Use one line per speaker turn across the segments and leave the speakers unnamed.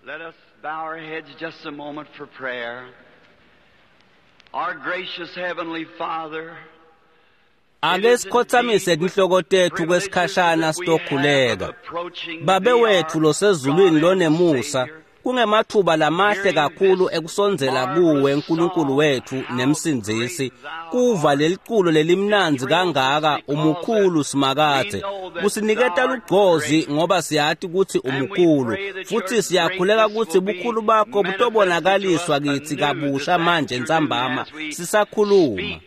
Let us bow our heads just a moment for prayer. Our gracious Heavenly Father,
Ake sikhothamise tinhloko tethu kwesikhashana sitokhuleka. Babe wethu losezulwini lonemusa, kungemathuba lamahle kakhulu ekusondzela kuwe Nkulunkulu wethu nemsindzisi. Kuva leliculo lelimnandzi kangaka umukhulu Simakadze. Kusiniketa lugcozi ngoba siyati kutsi umukhulu futhi siyakhuleka kutsi bukhulu bakho butobonakaliswa kitsi kabusha manje ntsambama sisakhuluma.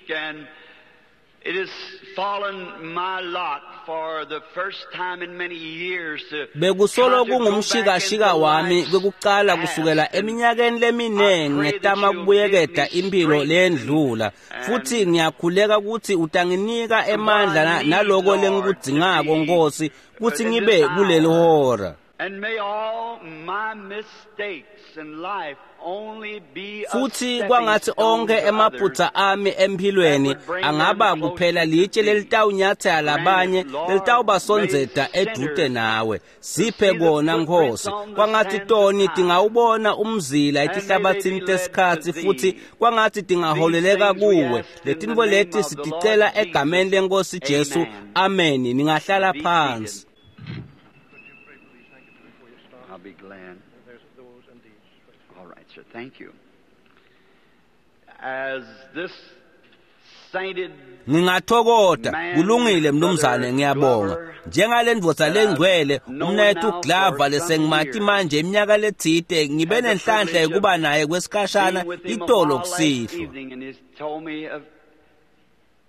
It has fallen my lot for the first time in many years to
Bekusolo kungumshikashika wami kwekucala kusukela eminyakeni leminingi ngetama kubuyeketa impilo leyendlula futhi ngiyakhuleka ukuthi utanginika emandla naloko lengikudzingako Nkosi kutsi ngibe kuleli hora.
And may all my mistakes in life only be a
Futhi
stepping
kwangathi
stone
onke
to
emaphutha
others.
ami emphilweni angaba kuphela litshe lelitawunyathela labanye lelitawubasondzeta edute nawe. Siphe kona Nkosi. Kwangathi toni tingawubona umzila etihlabathini tesikhatsi futhi kwangathi tingaholeleka kuwe. Letintfo leti siticela egameni lenkosi Jesu. Amen. Ningahlala phansi.
I'll be glad. All right, sir. Thank you. As this sainted
Ngingathokota kulungile mnumzane ngiyabonga njengale ndvodza lengcwele umnethu Glover lesengimati manje iminyaka letsite ngibe nenhlanhla yokuba naye kwesikhashana
being with him a
itolo
while last
kusihlwa
evening, and he's told me of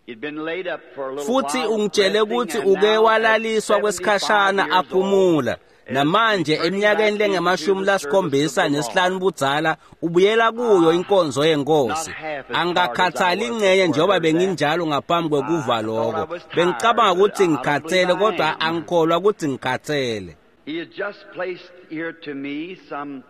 he'd been laid up for a little
futhi
while,
ungitshele
resting,
ukuthi
and
uke
now at
walaliswa
75
kwesikhashana
years old,
aphumula
is
namanje
returning
eminyakeni
back into
lengemashumi
the service of
lasikhombisa
the Lord.
nesihlanu budzala ubuyela kuyo inkonzo yenkosi
Not half as hard as I
angikakhathali
was
ingcenye
before I
njengoba
heard that.
benginjalo ngaphambi kwekuva
I thought I
loko
was tired,
bengicabanga
but
ukuthi
I don't
ngikhathele
believe I
kodwa
am.
angikholwa ukuthi ngikhathele
He had just placed here to me some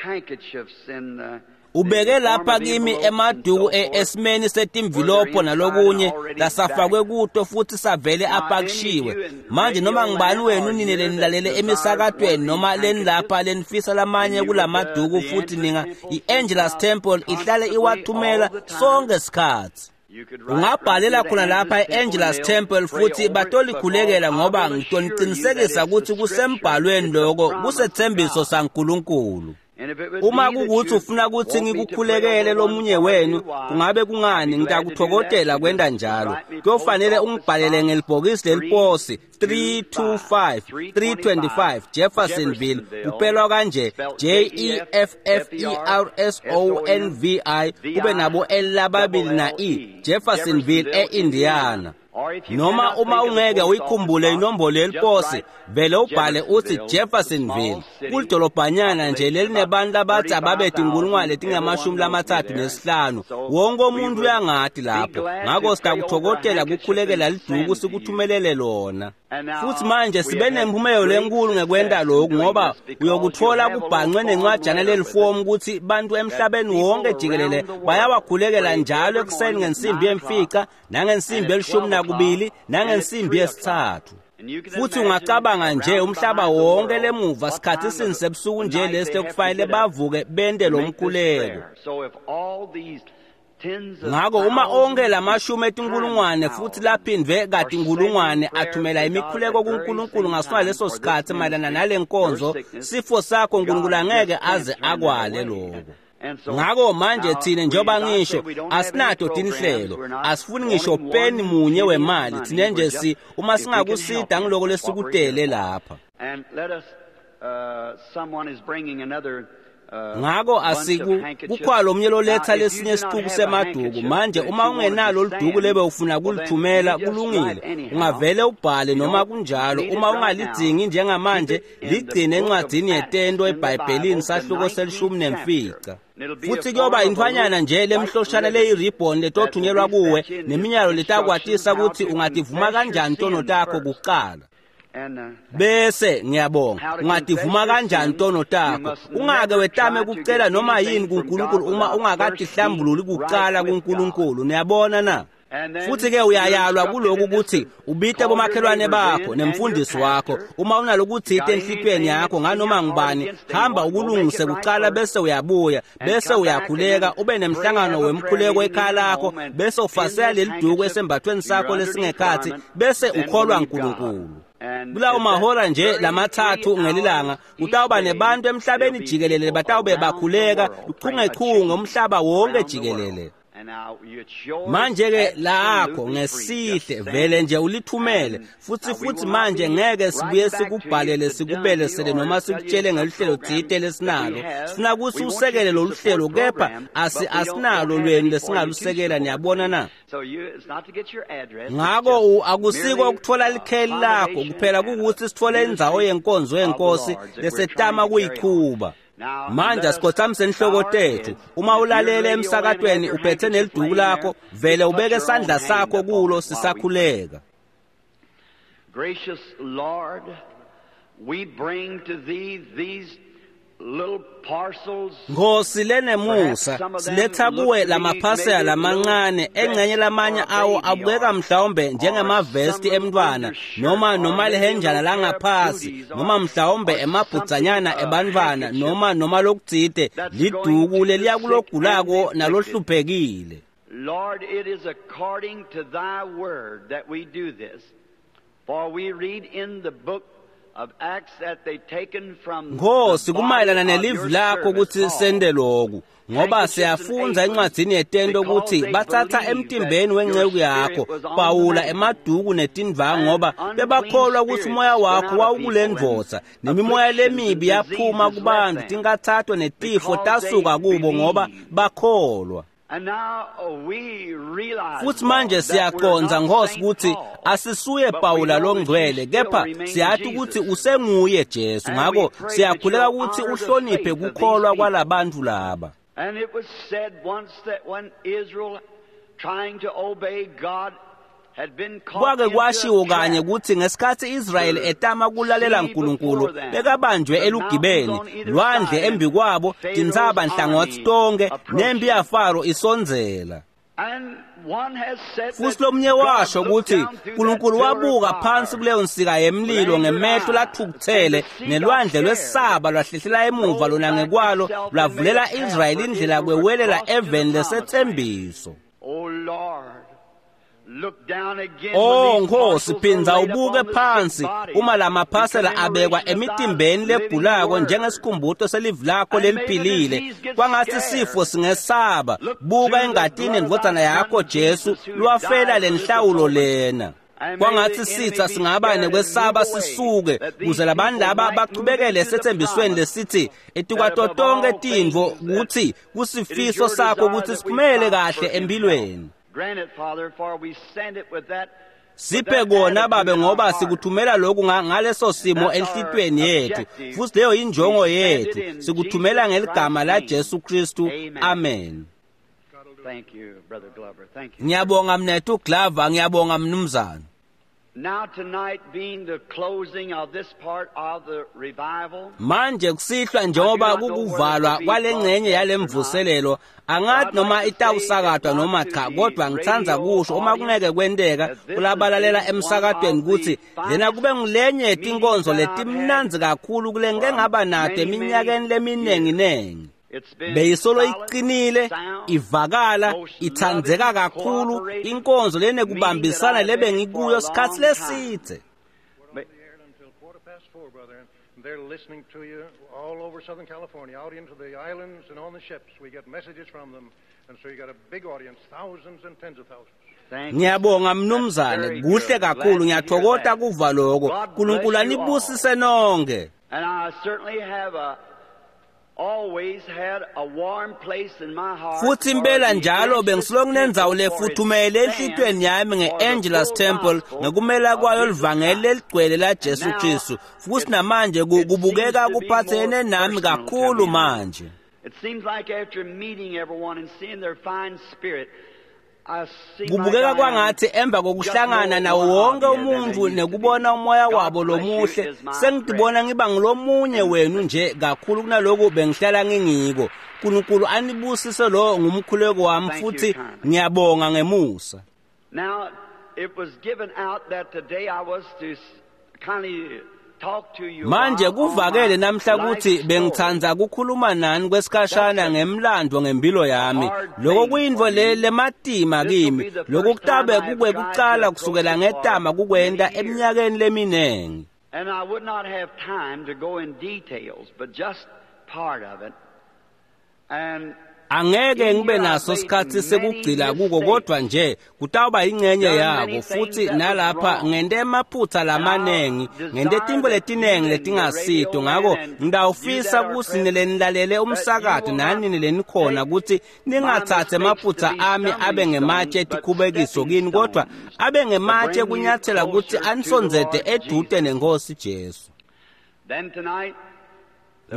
handkerchiefs in the
ubeke
the form
lapha
of
kimi
envelopes and
emaduku
so forth.
esimeni setimvilopho nalokunye lasafakwe kuto futhi savele apakishiwe manje noma ngibani wenu nine lenilalele emisakatweni noma lenilapha lenifisa lamanye kulamaduku futhi ninga i-Angelus Temple ihlale iwathumela sonke sikhatsi
You could write
ungabhalela
right to the
khona lapha
Angelus Temple
e-Angelus
and they'll
Temple
pray
futhi
over it,
batolikhulekela
because I
ngoba
will assure you that
ngitoniqinisekisa
it's the
ukuthi
scripture,
kusembhalweni
it's the
loko
promise of
kusetsembiso
God.
saNkulunkulu
And if it would
uma
be that
kukuthi
you
ufuna ukuthi
want me to pray
ngikukhulekele
over one
lomunye
for
wenu
you, why,
kungabe
I'd be
kungani
glad to do that.
ngitakuthokodela
You
kwenta
just
njalo
write me post
kuyofanele
office
ungibhalele
box
ngelibhokisi leliposi
325
325 325 Jeffersonville
Jeffersonville,
kupelwa kanje
spelled
J E F F E R S O N V I kube nabo L lababili na E Jeffersonville e-Indiana
Or if you
noma
cannot
uma
think of the
ungeke
post office
uyikhumbule
box,
inombolo
just
yeliposi
write
vele ubhale uthi
Jeffersonville,
Jeffersonville
small city,
kulidolobhanyana nje
population
lelinebantu
about
labathi ababe
35,000.
tinkulungwane
Everyone
letingamashumi
knows me
lamathathu
there.
nesihlanu
So
wonke
we
umuntu
would
uyangati
be
lapho
glad
ngakho
to pray over a
sitakuthokotela
handkerchief
kukhulekela
and
liduku
send to you.
sikuthumelele lona
And
futhi
now
manje
we
sibe
have had
nemphumelo
great
lenkulu ngekwenta
success in
lokhu
doing
ngoba
this because you'll
uyokuthola
have a little
kubhancwe
form
nencwajana
letter with it
lelifomu ukuthi bantu
that
emhlabeni
people
wonke jikelele
around the world
bayawakhulekela
pray
njalo
every
ekuseni
morning at
ngensimbi
9 o'clock
yemfica
and
nangensimbi
at
yelishumi
12 o'clock
nakubili
and at
nangensimbi
3 o'clock.
yesithathu
And you can
futhi
imagine
ungacabanga nje
round
umhlaba
behind the
wonke
world
lemuva
what
sikhathi
time
sini
of
sebusuku
the
nje
night
lesi
they have to
lekufanele
get up
bavuke bente
to
lo
make this
mkhuleko
prayer. So if all these tens of
ngakho uma onke
thousands and
lamashumi
times
etinkulungwane futhi
thousands
laphindwe
are
kati
sending
inkulungwane
prayers
athumela
to God
imikhuleko
at very
kuNkulunkulu
same
ngasona
time
leso
for this
sikhathi mayelana
ministry,
nale
your
nkonzo
sickness,
sifo sakho uNkulunkulu
God just
angeke
can't
aze
turn that
akwale
away.
lokho
And so
ngakho manje
now
thina
we,
njengoba
as I
ngisho
said, we don't have any
asinato
programs.
tinhlelo
We're not
asifuni ngisho
wanting
peni
one
munye
penny of
wemali
money.
thina
We're
nje
just,
si uma
if we can help
singakusida
you,
ngiloko
that's what we're here
lesikutele
for.
lapha
And let us, someone is bringing another
ngakho
bunch of
asiku
handkerchiefs.
kukhona lo mnye
Now,
loletha
if you
lesinye
do not
isicuku
have a
semaduku
handkerchief
manje
that
uma
you wanted to
ungenalo liduku
send,
lebe ufuna
well, then you
kulithumela
just write
kulungile
anyhow.
ungavele ubhale
You
noma
don't
kunjalo
need it
uma
right now.
ungalidzingi
Keep
njengamanje
it in the
ligcine
book of
encwadini
Acts
yetento
in the
ebhayibhelini
Bible, the
sahluko selishumi
19th chapter.
nemfica
And it'll be a
futhi
form
kuyoba
of a little
intfwanyana nje
white
lemhloshana
ribbon
leyiribhoni
that will
letothunyelwa
be
kuwe
sent you in
neminyalo
instructions
letakwatisa
how
kutsi
to
ungativuma
confess your
kanjani tono
sins
takho
first.
kuqala
And
bese ngiyabonga
how to confess
ungativuma
your
kanjani
sins,
tono
you
takho
must
ungake
never
wetame
try to
kucela
get
noma yini
anything from
kuNkulunkulu
God
uma
without first being
ungakatihlambululi
right
kuqala
with God.
kuNkulunkulu niyabona na Futhi-ke uyayalwa kuloku ukuthi ubite bomakhelwane bakho nemfundisi wakho. Uma unalokuthite enhlitiyweni yakho nganoma ngubani, hamba ukulungise kuqala bese uyabuya, bese uyakhuleka, ube nemhlangano wemkhuleko ekhaya lakho, bese ufasela leliduku esembathweni sakho lesingekhathi, bese ukholwa uNkulunkulu. Kulawo mahora nje lamathathu ngelilanga kutawuba nebantu emhlabeni jikelele batawube bakhuleka uchungechunge umhlaba wonke jikelele. Manje-ke lakho ngesihle vele nje ulithumele futhi manje ngeke sibuye sikubhalele sikubelesele noma sikutshele ngeluhlelo tsite lesinalo. Sifuna ukuthi usekele lolu hlelo, kepha asinalo lwenu lesingalusekela, niyabona na? Ngako akusiko ukuthola likheli lakho kuphela, kukuthi sithole indzawo yenkonzo yenkosi lesetama kuyichuba. Manje asikhothamise inhloko tethu. Uma ulalele emsakatweni uphethe neliduku lakho, vele ubeke isandla sakho kulo sisakhuleka.
Gracious Lord, we bring to thee these little parcels.
Nkosi lenemusa, siletha kuwe lamaphasela lamancane, engxenye lamanye awo abukeka mhlawumbe njengemavesti emntwana noma lihenjana langaphasi, noma mhlawumbe emabhudzanyana ebantwana, noma lokutsite, liduku leliya kulogulako nalohluphekile.
Lord, it is according to thy word that we do this, for we read in the book
Nkosi, kumayelana nelivi lakho ukuthi sende loku, ngoba siyafundza encwadzini yetento ukuthi bathatha emtimbeni wenceku yakho Pawula emaduku netindvangu, ngoba bebakholwa ukuthi umoya wakho wawukule ndvodza, nemimoya lemibi yaphuma kubantu, tinkathato netifo tasuka kubo ngoba bakholwa. Futhi manje siyaqonza Nkosi ukuthi asisuye Pawula longcwele, kepha siyathi ukuthi usenguye Jesu. Ngakho siyakhuleka ukuthi uhloniphe kukholwa kwalabantu laba.
And it was said once that when Israel trying to obey God
Kwake kwashiwo kanye ukuthi ngesikhathi Israyeli etama kulalela uNkulunkulu, bekabanjwe elugibeni lwandle embikwabo, tintsaba nhlangothi tonke, nempi yaFaro isondzela. Futhi lomnye washo ukuthi uNkulunkulu wabuka phansi kuleyo nsika yemlilo ngemehlo lathukuthele, nelwandle lwesaba lwahlehlela emuva lona ngekwalo, lwavulela Israyeli indlela kwewelela eveni lesethembiso. Oh Nkosi, phinza ubuke phansi uma lamaphasela abekwa emitimbeni legulako njengesikhumbuto selivi lakho leliphilile. Kwangathi sifo singesaba. Buka engatini endvodzana yakho Jesu lwafela lenhlawulo lena. Kwangathi sitha singaba nekwesaba sisuke, kuze labantu laba bachubekele esethembisweni lesithi etukwato tonke tintfo kutsi kusifiso sakho kutsi siphumele kahle empilweni. Siphe kona babe, ngoba sikuthumela lokhu ngaleso simo enhlitiyweni yethu, futhi leyo injongo yethu. Sikuthumela ngeligama la Jesu Kristu, amen. Ngiyabonga mnethu Glover, ngiyabonga mnumzane.
Now tonight being the closing of this part of the revival,
manje kusihlwa njengoba kukuvalwa kwalengcenye yalemvuselelo, angathi noma itawusakatwa noma cha, kodwa ngithanda kusho uma kungeke kwenteka kulabalalela emsakatweni ukuthi lena kube ngulenye tinkonzo letimnandzi kakhulu kule ngike ngaba nato eminyakeni leminingi. Beyisolo iqinile, ivakala, ithandzeka kakhulu, inkonzo lenekubambisana lebe ngikuyo sikhathi lesithe.
They're listening to you all over Southern California, out into the islands and on the ships. We get messages from them, and so you got a big audience, thousands and tens of thousands.
Ngiyabonga mnumzane, kuhle kakhulu, ngiyathokoza kuva lokho. uNkulunkulu anibusise nonke.
And I certainly have a always had a warm place in my heart.
Futhi impela njalo bengisoloko kunendzawo lefuthumele enhlitiyweni yami nge-Angelus Temple ngekumela kwayo livangeli leligcwele la Jesu Kristu. Futhi namanje kubukeka kuphathene nami kakhulu manje.
It seems like after meeting everyone and seeing their fine spirit,
Kubukeka kwangathi emva kokuhlangana nawo wonke umuntu nekubona umoya wabo lomuhle, sengidibona ngiba ngilomunye wenu nje kakhulu kunaloku bengihlala ngingiko. uNkulunkulu anibusise, lo ngumkhuleko wami, futhi ngiyabonga ngemusa.
Now, it was given out that today I was to kindly
Manje kuvakele namhla ukuthi bengithanda kukhuluma nani kwesikhashana ngemlando ngempilo yami. Lokho kuyintfo le lematima kimi. Lokho kutabe kukwekucala kusukela ngetama kukwenta eminyakeni leminingi.
And I would not have time to go in details, but just part of it. And
Angeke ngibe naso sikhathi sekugcila kuko kodwa nje kutawuba ingcenye yako futhi nalapha ngente emaphutha lamanengi ngente tintfo letinengi letingasito ngako ngitawufisa kutsi nilenilalele umsakato nani lenikhona kutsi ningatsatsi emaphutha ami abe ngematshe etikhubekiso kini kodwa abe ngematshe kunyathela kutsi anisondzete edute nenkosi Jesu.
Then tonight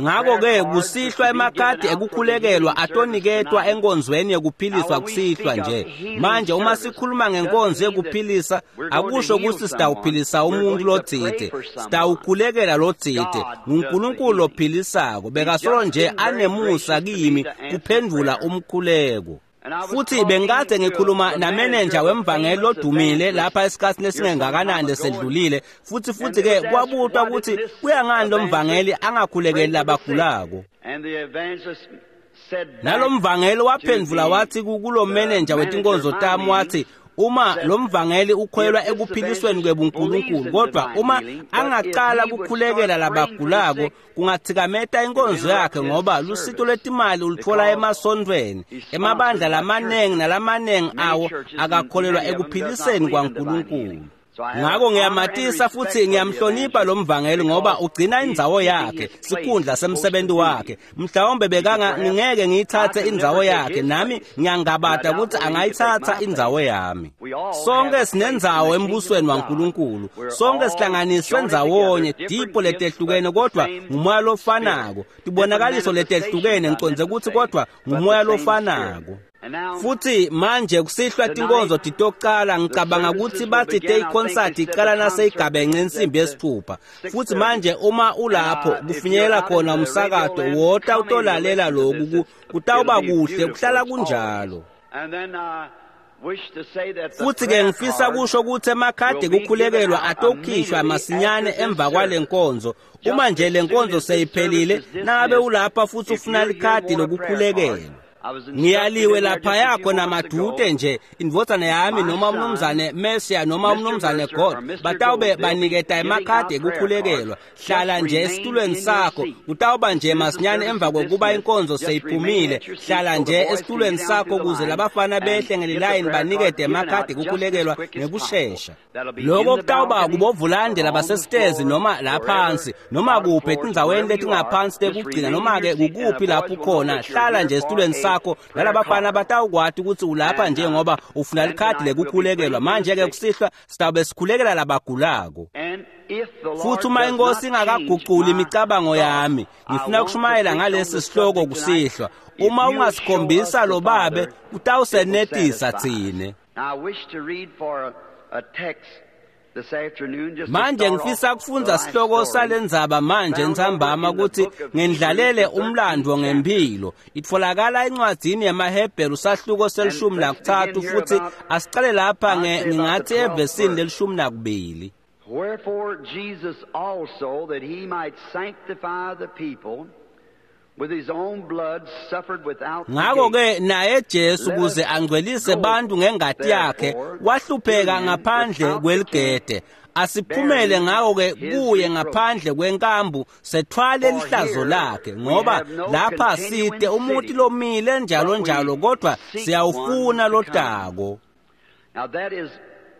Ngakho-ke kusihlwa emakhadi ekukhulekelwa atoniketwa enkonzweni yekuphiliswa kusihlwa nje. Manje uma sikhuluma ngenkonzo yekuphilisa akusho kutsi sitawuphilisa umuntu lotsite, sitawukhulekela lotsite. NguNkulunkulu lophilisako, bekasolo nje anemusa kimi kuphendvula umkhuleko. Futhi bengikade ngikhuluma namenenja wemvangeli lodumile lapha esikhathini esingengakanani lesedlulile futhi-ke kwabutwa ukuthi kuyangani lo mvangeli angakhulekeli labagulako. Nalo mvangeli waphendvula wathi kulo menenja wetinkonzo tami wathi uma lo mvangeli ukholelwa ekuphilisweni kwebunkulunkulu kodwa uma angacala kukhulekela labagulako kungathikameta inkonzo yakhe ngoba lusito lwetimali ulutfola emasontfweni emabandla lamanengi nalamanengi awo akakholelwa ekuphiliseni kwaNkulunkulu. Ngako ngiyamatisa futhi ngiyamhlonipha lo mvangeli ngoba ugcina indzawo yakhe, sikhundla semsebenzi wakhe. Mhlawumbe bekanga ngingeke ngiyithathe indzawo yakhe, nami ngiyangabata ukuthi angayithatha indzawo yami. Sonke sinendzawo embusweni waNkulunkulu. Sonke sihlanganiswe ndzawonye, tipho letehlukene kodwa ngumoya lofanako. Tibonakaliso letehlukene ngicondze ukuthi kodwa ngumoya lofanako. Futhi manje kusihlwa tinkonzo titocala ngicabanga ukuthi bathi te-concert iqala naseyigabenxe insimbi yesithupha. Futhi manje uma ulapho kufinyelela khona umsakato wota utolalela lokhu kutawuba kuhle kuhlala kunjalo. Futhi-ke ngifisa kusho ukuthi emakhadi ekukhulekelwa atokhishwa masinyane emva kwale nkonzo. Uma nje le nkonzo seyiphelile, nangabe ulapha futhi ufuna likhadi lokukhulekelwa. Ngiyaliwe lapha yakho namadute nje indvodzana yami noma umnumzane Mercia noma umnumzane God batawube baniketa emakhadi ekukhulekelwa. Hlala nje esitulweni sakho, kutawuba nje masinyane emva kokuba inkonzo seyiphumile. Hlala nje esitulweni sakho kuze labafana behle ngelilayini banikete emakhadi ekukhulekelwa ngekushesha. Lokho kutawuba kubovulande labasesitezi noma laphansi noma kuphi etindzaweni letingaphansi tekugcina noma-ke kukuphi lapho ukhona. Hlala nje esitulweni sakho nalabafana batawukwati ukuthi ulapha nje ngoba ufuna likhadi lekukhulekelwa. Manje-ke kusihlwa sitawube sikhulekela labagulako. Futhi uma inkosi ingakaguquli imicabango yami, ngifuna ukushumayela ngalesi sihloko kusihlwa. Uma ungasikhombisa lo babe, kutawusenetisa tsine. Manje ngifisa kufundza sihloko salendzaba manje ntsambama ukuthi ngendlalele umlando ngempilo. Itfolakala encwadzini yemaHebheru sahluko se-13 futhi asicale lapha ngingathi evesini le-12.
Wherefore Jesus also, that he might sanctify the people with his own blood, suffered without the gate.
Ngakho-ke naye Jesu kuze angcwelise bantu ngengati yakhe wahlupheka ngaphandle kweligede. Asiphumele ngakho-ke kuye ngaphandle kwenkambu sethwale lihlazo lakhe, ngoba lapha side umuntu lomile njalo njalo kodwa siyawufuna lotako.
Now that is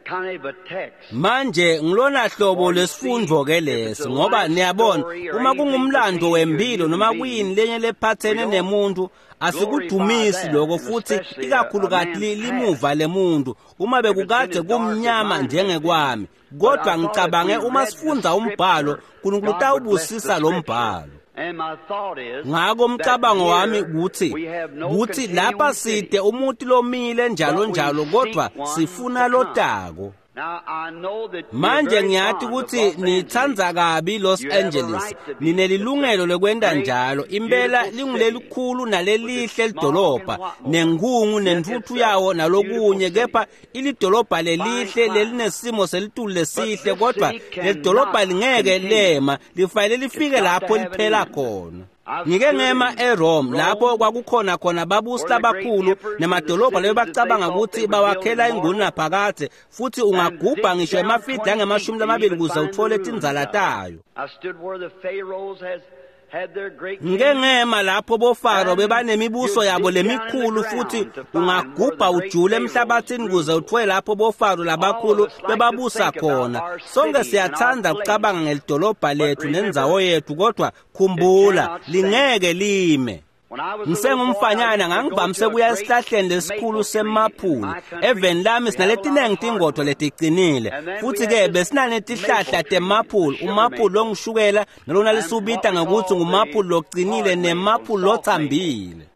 kind of a text.
Manje ngilona hlobo lesifundvo ke lesi ngoba niyabona uma kungumlando wempilo noma kuyini lenye lephathene nemuntu asikudumisi lokho futhi ikakhulukati limuva lemuntu uma bekukade kumnyama njengekwami kodwa ngicabange uma sifundza umbhalo uNkulunkulu utawubusisa lo mbhalo. Ngako umcabango wami kuthi lapha side umuntu lomile njalo njalo kodwa sifuna lotako. Manje ngiyati kutsi nitsandza kabi Los Angeles. Ninelilungelo lekwenta njalo. Impela lingulelikhulu nalelihle lidolobha, nenkhungu nentfutfu yawo nalokunye, kepha ilidolobha lelihle lelinesimo selitulu lesihle, kodvwa lelidolobha lingeke lema, lifanele lifike lapho liphela khona. Ngike ngema eRome lapho kwakukhona khona babusi labakhulu nemadolobha lebebacabanga kutsi bawakhela ingunaphakadze, futhi ungagubha ngisho emafidi angama-20 kuze uthole tindzala tayo. Ngike ngema lapho boFaro bebanemibuso yabo lemikhulu, futhi ungagubha ujule emhlabathini kuze uthole lapho boFaro labakhulu bebabusa khona. Sonke siyathanda ukucabanga ngelidolobha lethu nendzawo yethu, kodwa khumbula, lingeke lime. Ngisengumfanyana ngangivamise kuya esihlahleni lesikhulu semaphuli. Eveni lami sinaletinengi tingodvo leticinile, futhi-ke besinanetihlahla temaphuli, umaphuli longishukela nalona lisubita ngekutsi ngumaphuli locinile nemaphuli lotsambile.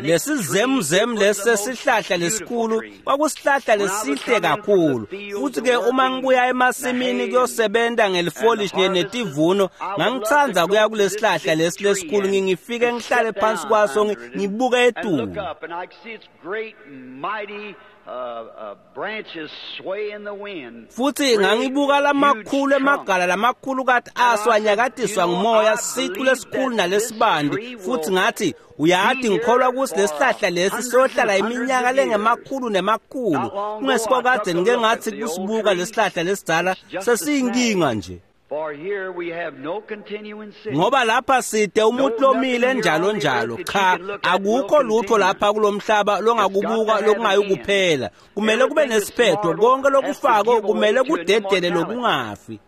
Lesizemzem lesesihlahla lesikhulu kwakusihlahla lesihle kakhulu, futhi-ke uma ngibuya emasimini kuyosebenta ngelifolishi netivuno, ngangitsandza kuya kulesihlahla lesi lesikhulu, ngifike ngihlale phansi kwaso ngibuke etulu. Futhi ngangibuka lamakhulu emagala lamakhulu kati aso anyakatiswa ngumoya, sicu lesikhulu nalesibandi, futhi ngathi, uyati ngikholwa kutsi lesihlahla lesi siyohlala iminyaka lengemakhulu nemakhulu. Kungesikokadze ngike ngathi kusibuka lesihlahla lesidzala sesiyinkinga nje. Ngoba lapha side umuntu lomile njalo njalo. Cha, akukho lutho lapha kulomhlaba longakubuka lokungayikuphela. Kumele kube nesiphetho, konke lokufako kumele kudedele lokungafi.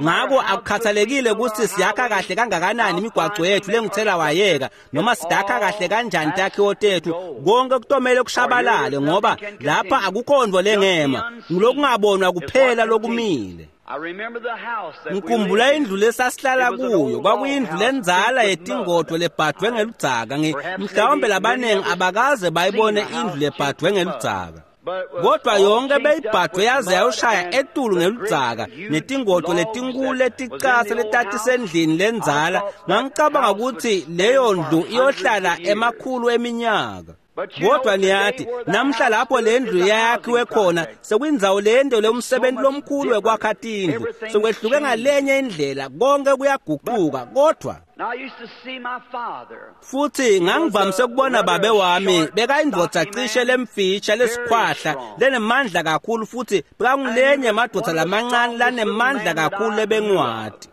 Ngako akukhathalekile kutsi siyakha kahle kangakanani imigwaco yethu lengithela wayeka, noma sidakha kahle kanjani takhiwo tethu, konke kutomele kushabalale, ngoba lapha akukho nto lengema, ngulokungabonwa kuphela lokumile. Ngikhumbula indlu lesasihlala kuyo, kwakuyindlu lendzala yetingodvo lebhadvwe ngeludzaka. Mhlawumbe labanengi abakaze bayibone indlu lebhadvwe ngeludzaka, kodwa yonke beyibhadvwe yaze yayoshaya etulu ngeludzaka, netingodvo letinkulu leticatsa letatisendlini lendzala. Ngangicabanga kutsi leyo ndlu iyohlala emakhulu eminyaka. Kodwa niyati, namhla lapho le ndlu yakhiwe khona sekuyindzawo lento lomsebenzi lomkhulu wekwakha tindlu, sekwehluke ngalenye indlela, konke kuyaguquka. Kodwa futhi ngangivamise ukubona babe wami, bekayindvodza cishe lemfisha lesikhwahla lenemandla kakhulu, futhi bekangulenye emadvodza lamancane lanemandla kakhulu lebengiwati.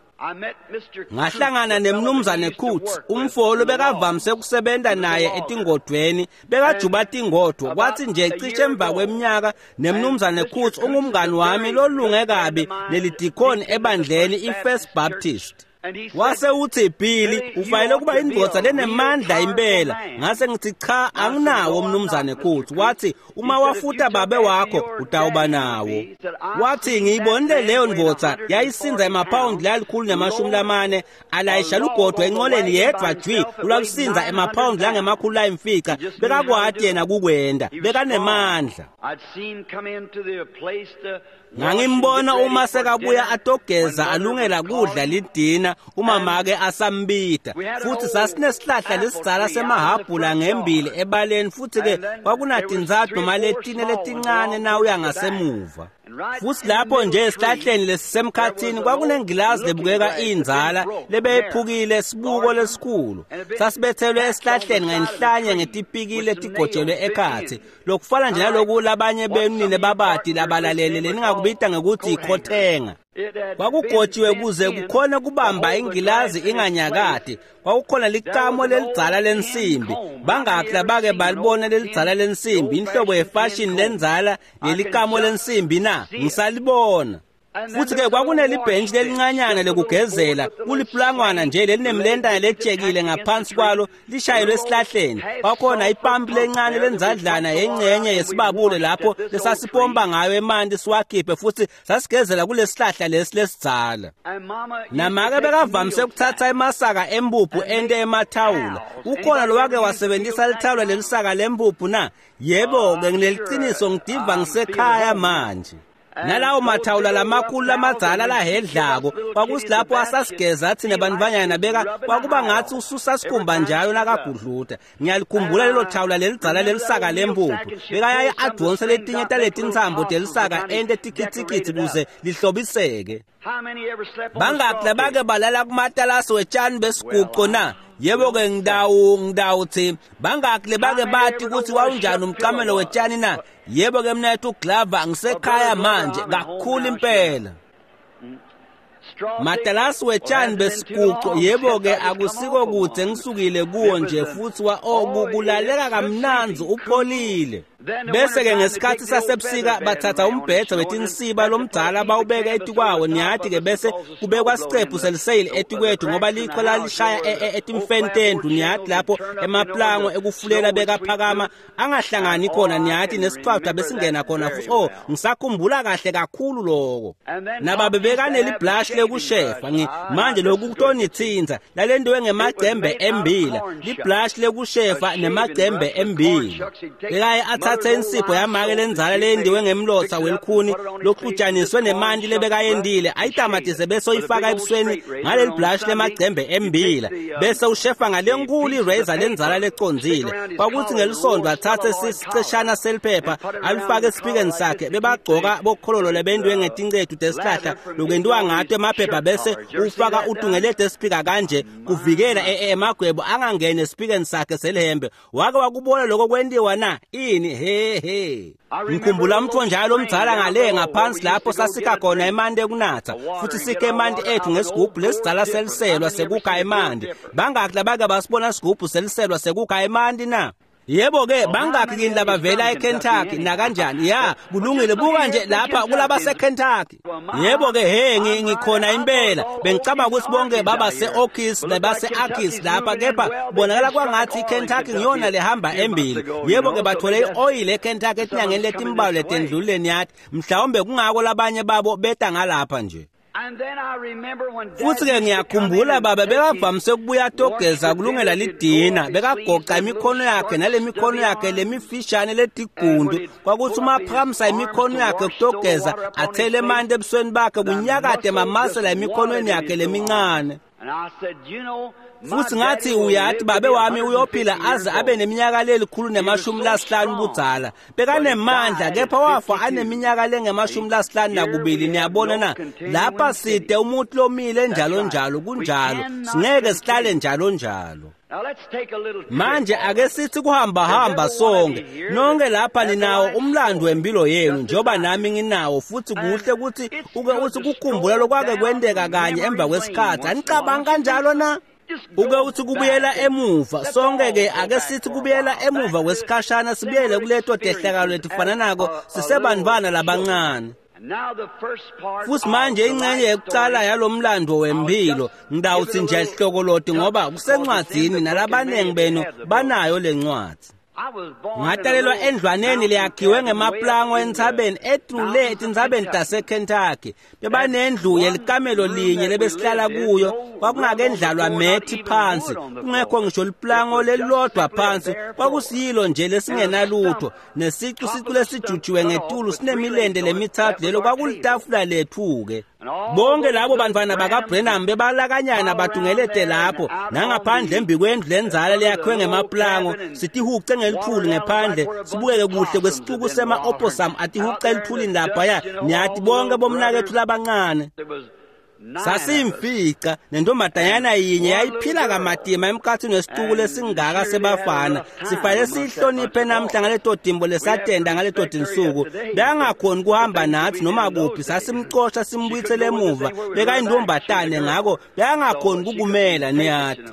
Ngahlangana nemnumzane Kutz, umfolo bekavamise ukusebenta naye etingodvweni, bekajuba tingodvo. Kwathi nje cishe emva kweminyaka, nemnumzane Kutz ungumngani wami lolunge kabi nelidikoni ebandleni iFirst Baptist. Wase uthi, Billy, ufanele kuba indvodza lenemandla impela. Ngase ngithi, cha, anginawo mnumzane Kutz. Wathi, uma wafuta babe wakho utawuba nawo. Wathi, ngiyibonile leyo ndvodza yayisinza emaphawundi la140 alayisha lugodwa enqoleni yedvwa jwi, lwalusinza emaphawundi langama500. Bekakwati yena kukwenda, bekanemandla. Ngangimbona uma sekabuya atogeza alungela kudla lidina, uma make asambita. Futhi sasinesihlahla lesidzala semahabhula ngembili ebaleni, futhi-ke kwakunatintsatfu noma letine letincane nawuya ngasemuva. Futhi lapho nje esihlahleni lesisemkhathini kwakunengilazi lebukeka indzala lebeyiphukile, sibuko lesikhulu sasibethelwe esihlahleni ngenhlanye ngetipikili letigojelwe ekhatsi, lokufana nje naloku labanye benu nine babati labalalele leningakubita ngekutsi ikhothenga. Kwakugotshiwe kuze kukhone kubamba ingilazi inganyakati. Kwakukhona licamo lelidzala lensimbi. Bangakhi labake balibona lelidzala lensimbi, inhlobo yefashini lendzala yelikamo lensimbi na? Ngisalibona. Futhi-ke kwakunelibhentshi lelincanyana lekugezela, kuliplangwana nje lelinemlentana letshekile ngaphansi kwalo lishayelwe esihlahleni. Kwakhona ipampi lencane lenzadlana yengcenye yesibabule lapho lesasipompa ngayo emanti siwakhiphe, futhi sasigezela kulesihlahla lesi lesidzala. Namake bekavamise ukuthatha emasaka empuphu ente emathawula. Ukhona lowake wasebenzisa lithawula lelisaka lempuphu na? Yebo-ke, ngineliciniso ngidiva ngisekhaya manje. Nalawo mathawula lamakhulu lamadzala lahedlako kwakusilapho asasigeza athi nebantfwanyana beka kwakuba ngathi ususa sikhumba njalo nakagudluta. Ngiyalikhumbula lelo thawula lelidzala lelisaka lempuphu. Bekayaye adonse letinye taletintsambo telisaka ente tikitsikitsi kuze lihlobiseke. Bangaki labake balala kumatalasi wetshani besiguco na? Yebo-ke, ngidawuthi bangaki lebake bati ukuthi wawunjani umcamelo wetshani na? Yebo-ke mnethu uGlover, ngisekhaya manje kakhulu impela. Matalasi wetshani besiguco, yebo-ke akusiko kude ngisukile kuwo nje, futhi kulaleka kamnandzi upholile. Bese-ke ngesikhathi sasebusika bathatha umbhedze wetinsiba lomdzala bawubeka etikwawo, niyati-ke, bese kubekwa sicephu seliseyili etikwethu ngoba lichwa lalishaya etimfeni tendlu, niyati, lapho emaplango ekufulela bekaphakama angahlangani khona, niyati, nesicwabha besingena khona futhi. Oh, ngisakhumbula kahle kakhulu loko. Nababe bekaneliblashi lekushefa, manje lokhu kutonitsinza lalentiwe ngemacembe embila, liblashi lekushefa nemacembe embila. Bekaye athathe insipho yamake lendzala leyendiwe ngemlotsa welikhuni lokuxutshaniswe nemanti lebekayendile, ayitamatise bese uyifaka ebusweni ngaleli blush lemacembe embila, bese ushefa ngalenkulu i-razor lendzala lecondzile. Kwakuthi ngelisondo athathe siceshana seliphepha alifake esipikeni sakhe. Bebagcoka bokhololo lebentiwe ngetincetu tesihlahla lokwentiwa ngato emaphepha, bese ufaka utungelete esipika kanje kuvikela emagwebo angangeni esipikeni sakhe selihembe. Wake wakubona lokho kwentiwa na? Ini he he. Ngikhumbula umthonjalo omdzala ngale ngaphansi lapho sasikha khona emanti ekunatha, futhi sikhe emanti ethu ngesigubhu lesidzala seliselwa sekukha emanti. Bangaki labake basibona sigubhu seliselwa sekukha emanti na? Yebo-ke, bangaki kini labavela eKentucky nakanjani? Ya, kulungile, buka nje lapha kulabaseKentucky. Yebo-ke, he, ngikhona impela. Bengicabanga ukuthi bonke babase-Okis nabase-Akis lapha, kepha kubonakala kwangathi iKentucky ngiyona lehamba embili. Yebo-ke, bathole i-oyile eKentucky etinyangeni letimbalwa letendlulile, niyathi. Mhlawumbe kungako labanye babo beta ngalapha nje. Futhi-ke ngiyakhumbula baba bekavamise ukubuya atogeza kulungela lidina, bekagoqa imikhono yakhe nale mikhono yakhe lemifishane letigundu. Kwakuthi uma aphakamisa imikhono yakhe kutogeza athele emanti ebusweni bakhe kunyakade mamasela emikhonweni yakhe lemincane. Futhi ngathi, uyathi babe wami uyophila aze abe neminyaka 150 budzala. Bekanemandla, kepha wafa aneminyaka le-52. Niyabona na? Lapha side umuntu lomile njalo njalo, kunjalo, singeke sihlale njalo njalo. Manje ake sithi kuhamba hamba sonke. Nonke lapha ninawo umlando wempilo yenu njengoba nami nginawo, futhi kuhle ukuthi uke uthi kukhumbula lokwake kwenteka kanye emva kwesikhathi. Anicabanga kanjalo na? Uke uthi kubuyela emuva sonke-ke, ake sithi kubuyela emuva kwesikhashana, sibuyele kuleto tehlakalo letifananako sisebantfwana labancane. Futhi manje ingxenye yokucala yalomlando wempilo ngidawuthi nje hlokoloti ngoba kusencwadzini nalabanengi benu banayo lencwadzi. Ngatalelwa endlwaneni leyakhiwe ngemaplango entsabeni etrule etintsabeni taseKentucky. Bebanendlu yelikamelo linye lebesihlala kuyo, kwakungakendlalwa methi phansi, kungekho ngisho liplango lelilodwa phansi, kwakusiyilo nje lesingenalutho, nesicu sicu lesijujiwe ngetulu sinemilente lemithathu, lelo kwakulitafula lethu-ke. Bonke labo bantwana bakaBrenham bebalakanyana batungelete lapho nangaphandle embi kwendlu lenzala leyakhiwe ngemaplango, sitihuce ngelithuli ngephandle, sibukeke kuhle kwesicuku sema-opossum atihuce elithulini laphaya, niyathi bonke bomnakethu labancane. Sasiyimfica nentombazanyana yinye yayiphila kamatima emkhathini wesituku lesingaka sebafana. Sifanele siyihloniphe namhla ngaleto timbo lesatenda ngaleto tinsuku. Bekangakhoni kuhamba nathi noma kuphi, sasimcosha simbuyisele emuva. Bekayintombatane ngako bekangakhoni kukumela, niyathi.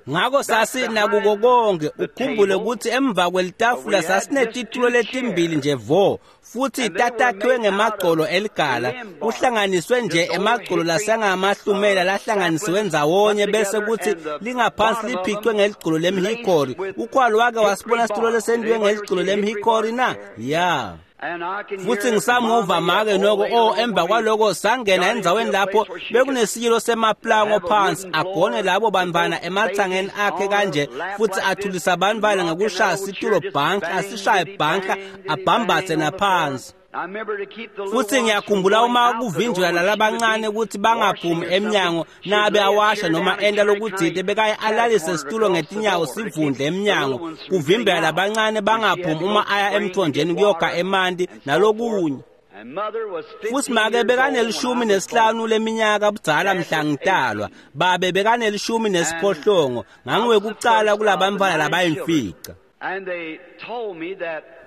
Ngako sasinakuko konke, ukhumbule ukuthi emva kwelitafula sasinetitulo letimbili nje vo, futhi tatakhiwe ngemagcolo eligala, kuhlanganiswe nje emagcolo lasengamahlumela lahlanganisiwe ndzawonye bese kuthi lingaphansi liphicwe ngeligcolo lemhikori. Ukhwalo wake wasibona situlo lesentiwe ngeligcolo lemhikori na? Ya. Futhi ngisamuva make noko emva kwaloko sangena endzaweni lapho bekunesiyilo semaplango phansi, agone labo bantfwana ematsangeni akhe kanje, futhi athulisa bantfwana ngekushaya situlo bhanka, asishaye bhanka, abhambathe naphansi. Futhi ngiyakhumbula uma kuvinjelwa lalabancane ukuthi bangaphumi emnyango nabe awasha noma enta lokutsite, bekaye alalise situlo ngetinyawo sivundle emnyango kuvimbela labancane bangaphumi uma aya emthonjeni kuyokha emanti nalokunye. Futhi make bekaneli-15 leminyaka budzala mhla ngitalwa, babe bekaneli-18, ngangiwekucala kulabantfwana labayimfica.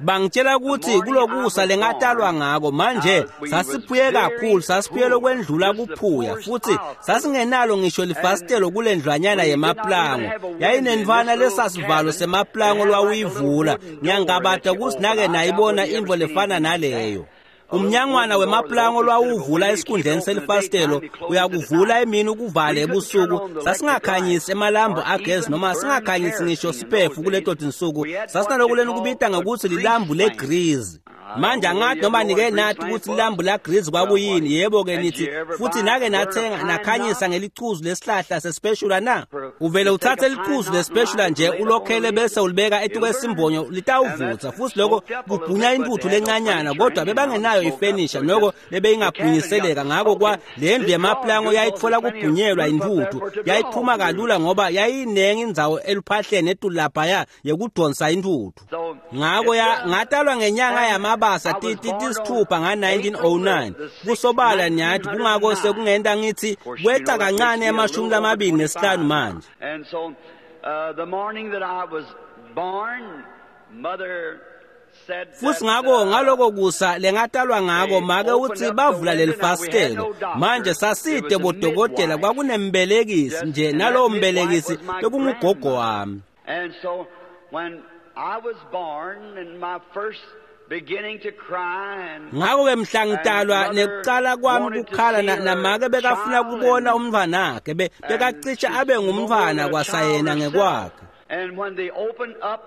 Bangitshela ukuthi kulokusa lengatalwa ngako manje sasiphuye kakhulu, sasiphuye lokwendlula kuphuya, futhi sasingenalo ngisho lifasitelo kulendlwanyana yemaplango. Yayinendvwana lesasivalo semaplango lwawuyivula. Ngiyangabata ukuthi nake nayibona intfo lefana naleyo. Umnyangwana wemaplango lwawuvula esikhundleni selifasitelo, uyakuvula emini ukuvale ebusuku. Sasingakhanyisi emalambu agezi noma singakhanyisi ngisho sipefu kuleto tinsuku. Sasinalokuleni kubita ngokuthi lilambu legrizi. Manje angathi noma nike nathi ukuthi lilambu lagrizi kwakuyini. Yebo-ke nithi futhi nake nathenga nakhanyisa ngelichuzu lesihlahla sesipeshula na? Uvele uthathe lichuzu lesipeshula nje ulokhele bese ulibeka etukwesimbonyo, litawuvutha, futhi lokho kubhunya intuthu lencanyana, kodwa bebangenayo ifenisha noko lebeyingabhunyiseleka. Ngako kwa le ndlu yemaplango yayitfola kubhunyelwa intuthu, yayiphuma kalula ngoba yayinengi indzawo eluphahleni etulu laphaya yekudonsa intuthu. Ngako ngatalwa ngenyanga yamabasa tisithupha nga-1909. Kusobala niyathi kungako sekungenta ngithi kweca kancane ema-25 manje.
And so the morning that I was born, mother
Futhi ngako ngaloko kusa lengatalwa ngako make uthi bavula lelifasitelo. Manje saside bodokotela, kwakunembelekisi nje, nalowo mbelekisi bekungugogo wami.
And so when I was born and my first beginning to cry and
ngako-ke mhla ngitalwa nekucala kwami kukhala namake bekafuna kubona umntfwanakhe, bekacishe abe ngumntfwana kwasayena ngekwakhe.
And when they opened up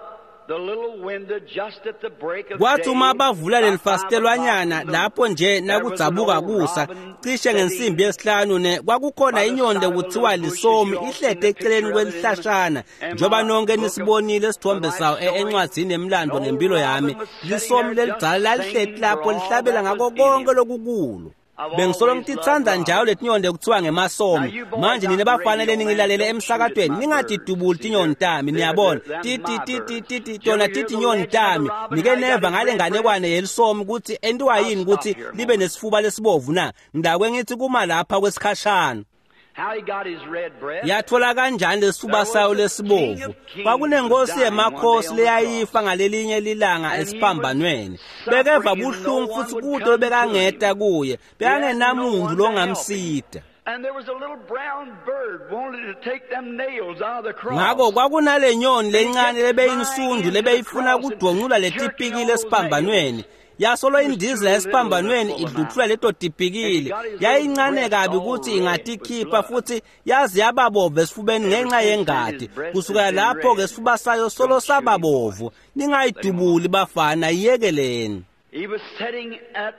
the little window just at the break of
Kwathi uma
day,
bavula lelifasitelwanyana lapho nje nakudzabuka kusa cishe ngensimbi yesihlanu kwakukhona inyonde kuthiwa lisomi ihlede eceleni kwelihlashana, njengoba nonke nisibonile isithombe sawo encwadzini yemlando ngempilo yami. Lisomi lelidzala lalihleti lapho lihlabela ngako konke lokukulo. Bengisolo ngititsandza njalo letinyonde kuthiwa ngemasomi. Manje nine bafanele ningilalele emsakatweni, ningatidubuli tinyoni tami, niyabona. Ti tona titinyoni tami. Nike neva ngale nganekwane yelisomi ukuthi entiwa yini ukuthi libe nesifuba lesibovu na? Ngidakwe ngithi kuma lapha kwesikhashana.
How he got his red breath.
Yathola kanjani lesifuba sayo lesibovu? Kwakunenkosi yemakhosi leyayifa ngalelinye lilanga esiphambanweni. Bekeva buhlungu futhi kude bekangeta kuye, bekangenamuntu longamsida.
And there was a little brown bird wanted to take them nails out of the cross.
Ngako kwakunale nyoni lencane lebeyinsundu lebeyifuna kudvoncula letipikile esiphambanweni. Yasolo indizela esiphambanweni idluthula leto tipikile. Yayincane kabi ukuthi ingatikhipha futhi yazi yababovu esifubeni ngenxa yengadi. Kusukela lapho ke sifuba sayo solo sababovu. Ningayidubuli bafana, iyekeleni.
He was sitting at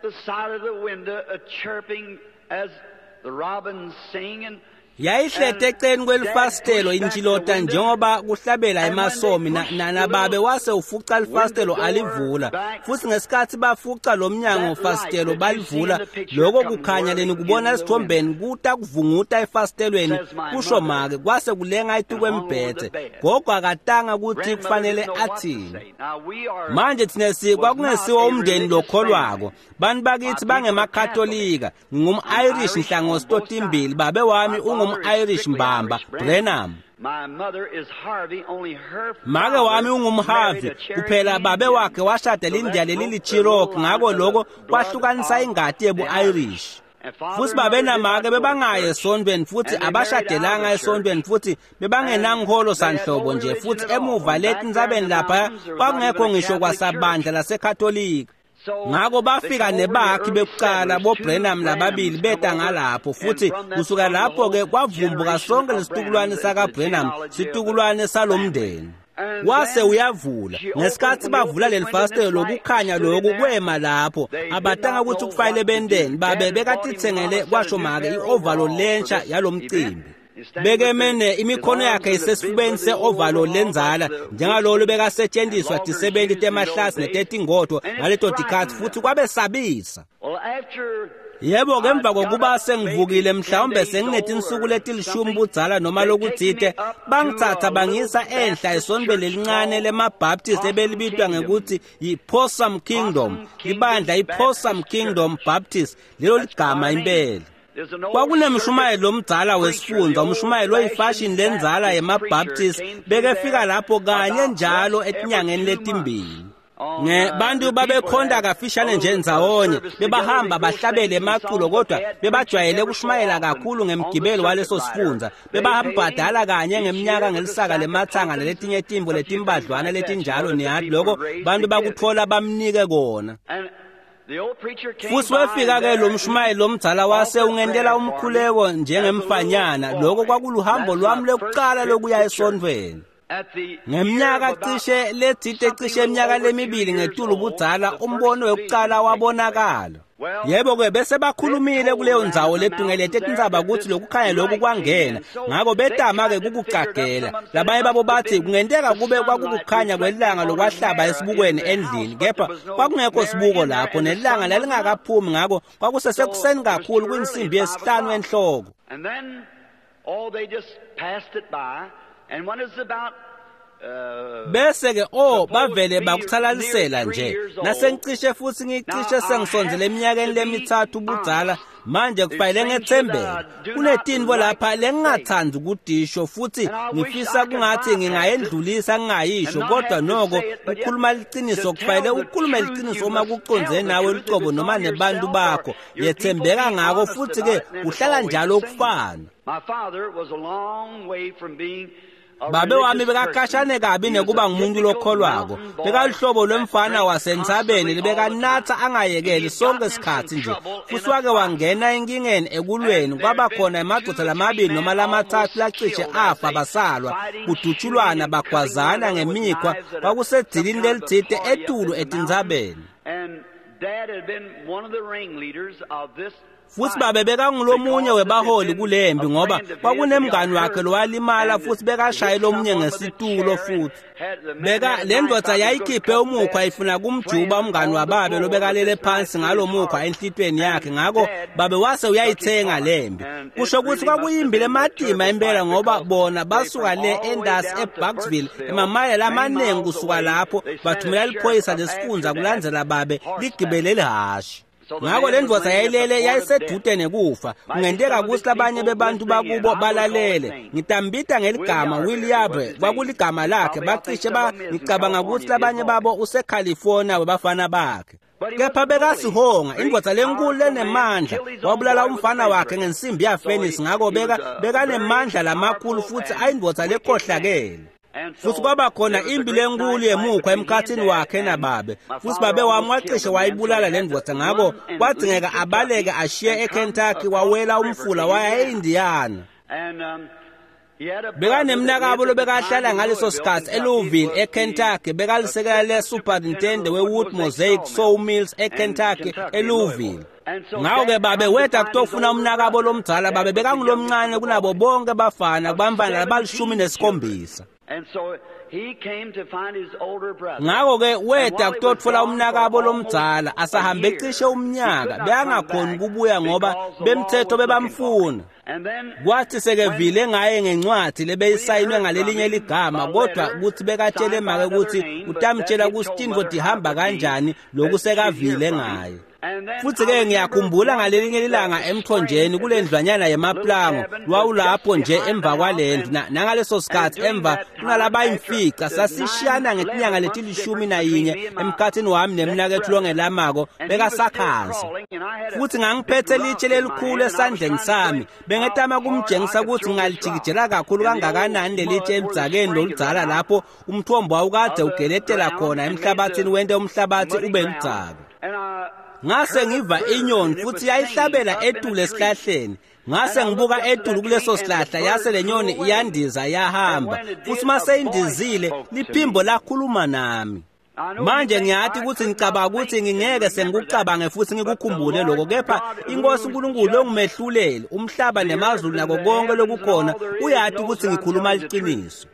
the side of the window, chirping as the robins sing, and
Yayihlete eceleni kwelifasitelo intshilota njengoba kuhlabela emasomi, nababe wase ufuca lifasitelo alivula. Futhi ngesikhathi bafuca lo mnyango fasitelo balivula, lokho kukhanya leni kubona esithombeni kuta kuvunguta efasitelweni, kusho make, kwase kulenga itukwembhethe. Gogo akatanga ukuthi kufanele athini. Manje thina kwakungesiwo umndeni lokholwako. Bantu bakithi bangemakatolika. Ngingum-Irish nhlangothi totimbili, babe wami ungum-Irish mbamba, Brenham. Make wami ungumHarvey, kuphela babe wakhe washada lindiya leli liCherokee, ngako lokho kwahlukanisa ingati yebu-Irish. Futhi babe namake bebangayi esontweni futhi abashadelanga esontweni futhi bebangenankholo sanhlobo nje, futhi emuva letintsabeni lapha kwakungekho ngisho kwasabandla laseKatolika. Ngako bafika nebakhi bekuqala boBrenham lababili beta ngalapho, futhi kusuka lapho-ke kwavumbuka sonke lesitukulwane sakaBrenham, situkulwane salomndeni. Wase uyavula. Ngesikhathi bavula leli fastelo lokukhanya loku kwema lapho, abatanga ukuthi kufanele benteni. Babe bekatitsengele kwasho make i-ovalo lensha yalomcimbi. Bekemene imikhono yakhe isesifubeni se-ovalo lenzala njengalolo bekasetshenziswa tisebenti temahlasi netetingodvo ngaleto tikhathi, futhi kwabesabisa. Yebo, emva kokuba sengivukile mhlawumbe senginetinsuku letilishumi budzala noma lokutsite, bangitsatsa bangisa enhla esontweni lelincane lemaBaptist ebelibitwa ngekuthi yi-Possum Kingdom, libandla i-Possum Kingdom Baptist, lelo ligama impela. Kwakunemshumayeli lomdzala wesifundza, umshumayeli oyifashini lendzala yemaBaptist, bekefika lapho kanye njalo etinyangeni letimbili. Bantu babekhonta kafishane nje ndzawonye, bebahamba bahlabele emaculo, kodwa bebajwayele ukushumayela kakhulu ngemgibelo waleso sifundza. Bebambhadala kanye ngeminyaka ngelisaka lemathanga naletinye timbo letimbadlwana letinjalo, niyati lokho bantu bakutfola bamnike kona. Futhi wefika-ke lo mshumayeli lomdzala wase ungentela umkhuleko njengemfanyana. Lokho kwakuluhambo lwami lokuqala lokuya esontweni. Ngeminyaka cishe letsite, cishe iminyaka lemibili ngetulu budzala, umbono wekuqala wabonakala. Yebo-ke bese bakhulumile kuleyo ndzawo letungelete tintsaba ukuthi lokukhanya lokhu kwangena, ngako betama-ke kukucagela. Labanye babo bathi kungenteka kube kwakukukhanya kwelanga lokwahlaba esibukweni endlini, kepha kwakungekho sibuko lapho, nelanga lalingakaphumi, ngako kwakusesekuseni kakhulu kwinsimbi yesihlanu enhloko. Bese-ke bavele bakuthalalisela nje. Nasengicishe futhi ngicishe sengisondzele eminyakeni lemithathu budzala, manje kufanele ngetsembeke. Kunetintfo lapha lengingatsandzi ukudisho futhi ngifisa kungathi ngingayendlulisa ngingayisho, kodwa noko kukhuluma liciniso kufanele ukhulume liciniso uma kucondzene nawe lucobo noma nebantu bakho. Yetsembeka ngako futhi-ke kuhlala njalo okufana. Babe wami bekakashane kabi nekuba ngumuntu lokholwako. Bekaluhlobo lwemfana wasentsabeni lebekanatsa angayekeli sonke sikhatsi nje. Futhi wake wangena enkingeni ekulweni, kwaba khona emadvodza lamabili noma lamathathu lacishe afa basalwa, kudutshulwana bagwazana ngemikhwa, kwakusedzilini lelitsite etulu etintsabeni. Futhi babe bekangulomunye webaholi kulembi ngoba kwakunemngani wakhe lowalimala futhi bekashaye lomunye ngesitulo futhi. Beka le ndvodza yayikhiphe umukhwa ifuna kumjuba umngani wababe lobekalele phansi ngalomukhwa enhlitweni yakhe, ngako babe wase uyayithenga lembi. Kusho ukuthi kwakuyimbi lematima impela ngoba bona basuka le endasi eBucksville emamayela amaningi kusuka lapho, bathumela liphoyisa lesifundza kulandzela babe ligibele lihhashi. Ngako le ndvodza yayilele yayisedude nekufa. Kungenteka ukuthi labanye bebantu bakubo balalele. Ngitambita ngeligama William, kwakuligama lakhe. Bacishe ngicabanga ukuthi labanye babo useCalifornia webafana bakhe. Kepha bekasihonga, indvodza lenkulu lenemandla, wabulala umfana wakhe ngensimbi yafenisi, ngako bekanemandla lamakhulu futhi ayindvodza lekhohlakele. Futhi kwaba khona impi lenkulu yemukhwa emkhathini wakhe nababe. Futhi babe wami wacishe wayibulala le ndvodza, ngako kwadzingeka abaleke ashiye eKentucky, wawela umfula waya eIndiana. Bekanemnakabo lobekahlala ngaleso sikhatsi eLouisville eKentucky, bekalisekela le-superintendent we-Wood Mosaic Sawmills eKentucky eLouisville. Ngako-ke babe weta kutofuna umnakabo lomdzala. Babe bekangulomncane kunabo bonke bafana, kubamfana labalishumi nesikhombisa. Ngako-ke weta kutotfola umnakabo lomdzala asahambe cishe umnyaka, bekangakhoni kubuya ngoba bemthetho bebamfuna. Kwathi sekevile ngaye ngencwadi lebeyisayinwe ngalelinye ligama, kodwa kuthi bekatshele make ukuthi utamtshela ukuthi tintfo tihamba kanjani loku sekavile ngaye. Futhi-ke ngiyakhumbula ngalelinye ilanga emthonjeni kule ndlwanyana yemaplango lwawulapho nje emva kwalendlu nangaleso sikhathi emva kunalabayimfica sasishiyana ngetinyanga leti-11 emkhathini wami nemnakethu longelamako bekasakhansi. Futhi ngangiphethe litshe lelikhulu esandleni sami bengetama kumjengisa ukuthi ngingalijikijela kakhulu kangakanani lelitshe emdzakeni loludzala lapho umthombo wawukade ugeletela khona emhlabathini wente umhlabathi ube ludzaka. Ngase ngiva inyoni futhi yayihlabela etulu esihlahleni. Ngase ngibuka etulu kuleso sihlahla yase le nyoni iyandiza yahamba. Futhi maseyindizile liphimbo lakhuluma nami. Manje ngiyathi ukuthi ngicabanga ukuthi ngingeke sengikucabange futhi ngikukhumbule lokho, kepha inkosi uNkulunkulu ongumehluleli umhlaba nemazulu nako konke lokukhona uyathi ukuthi ngikhuluma liqiniso.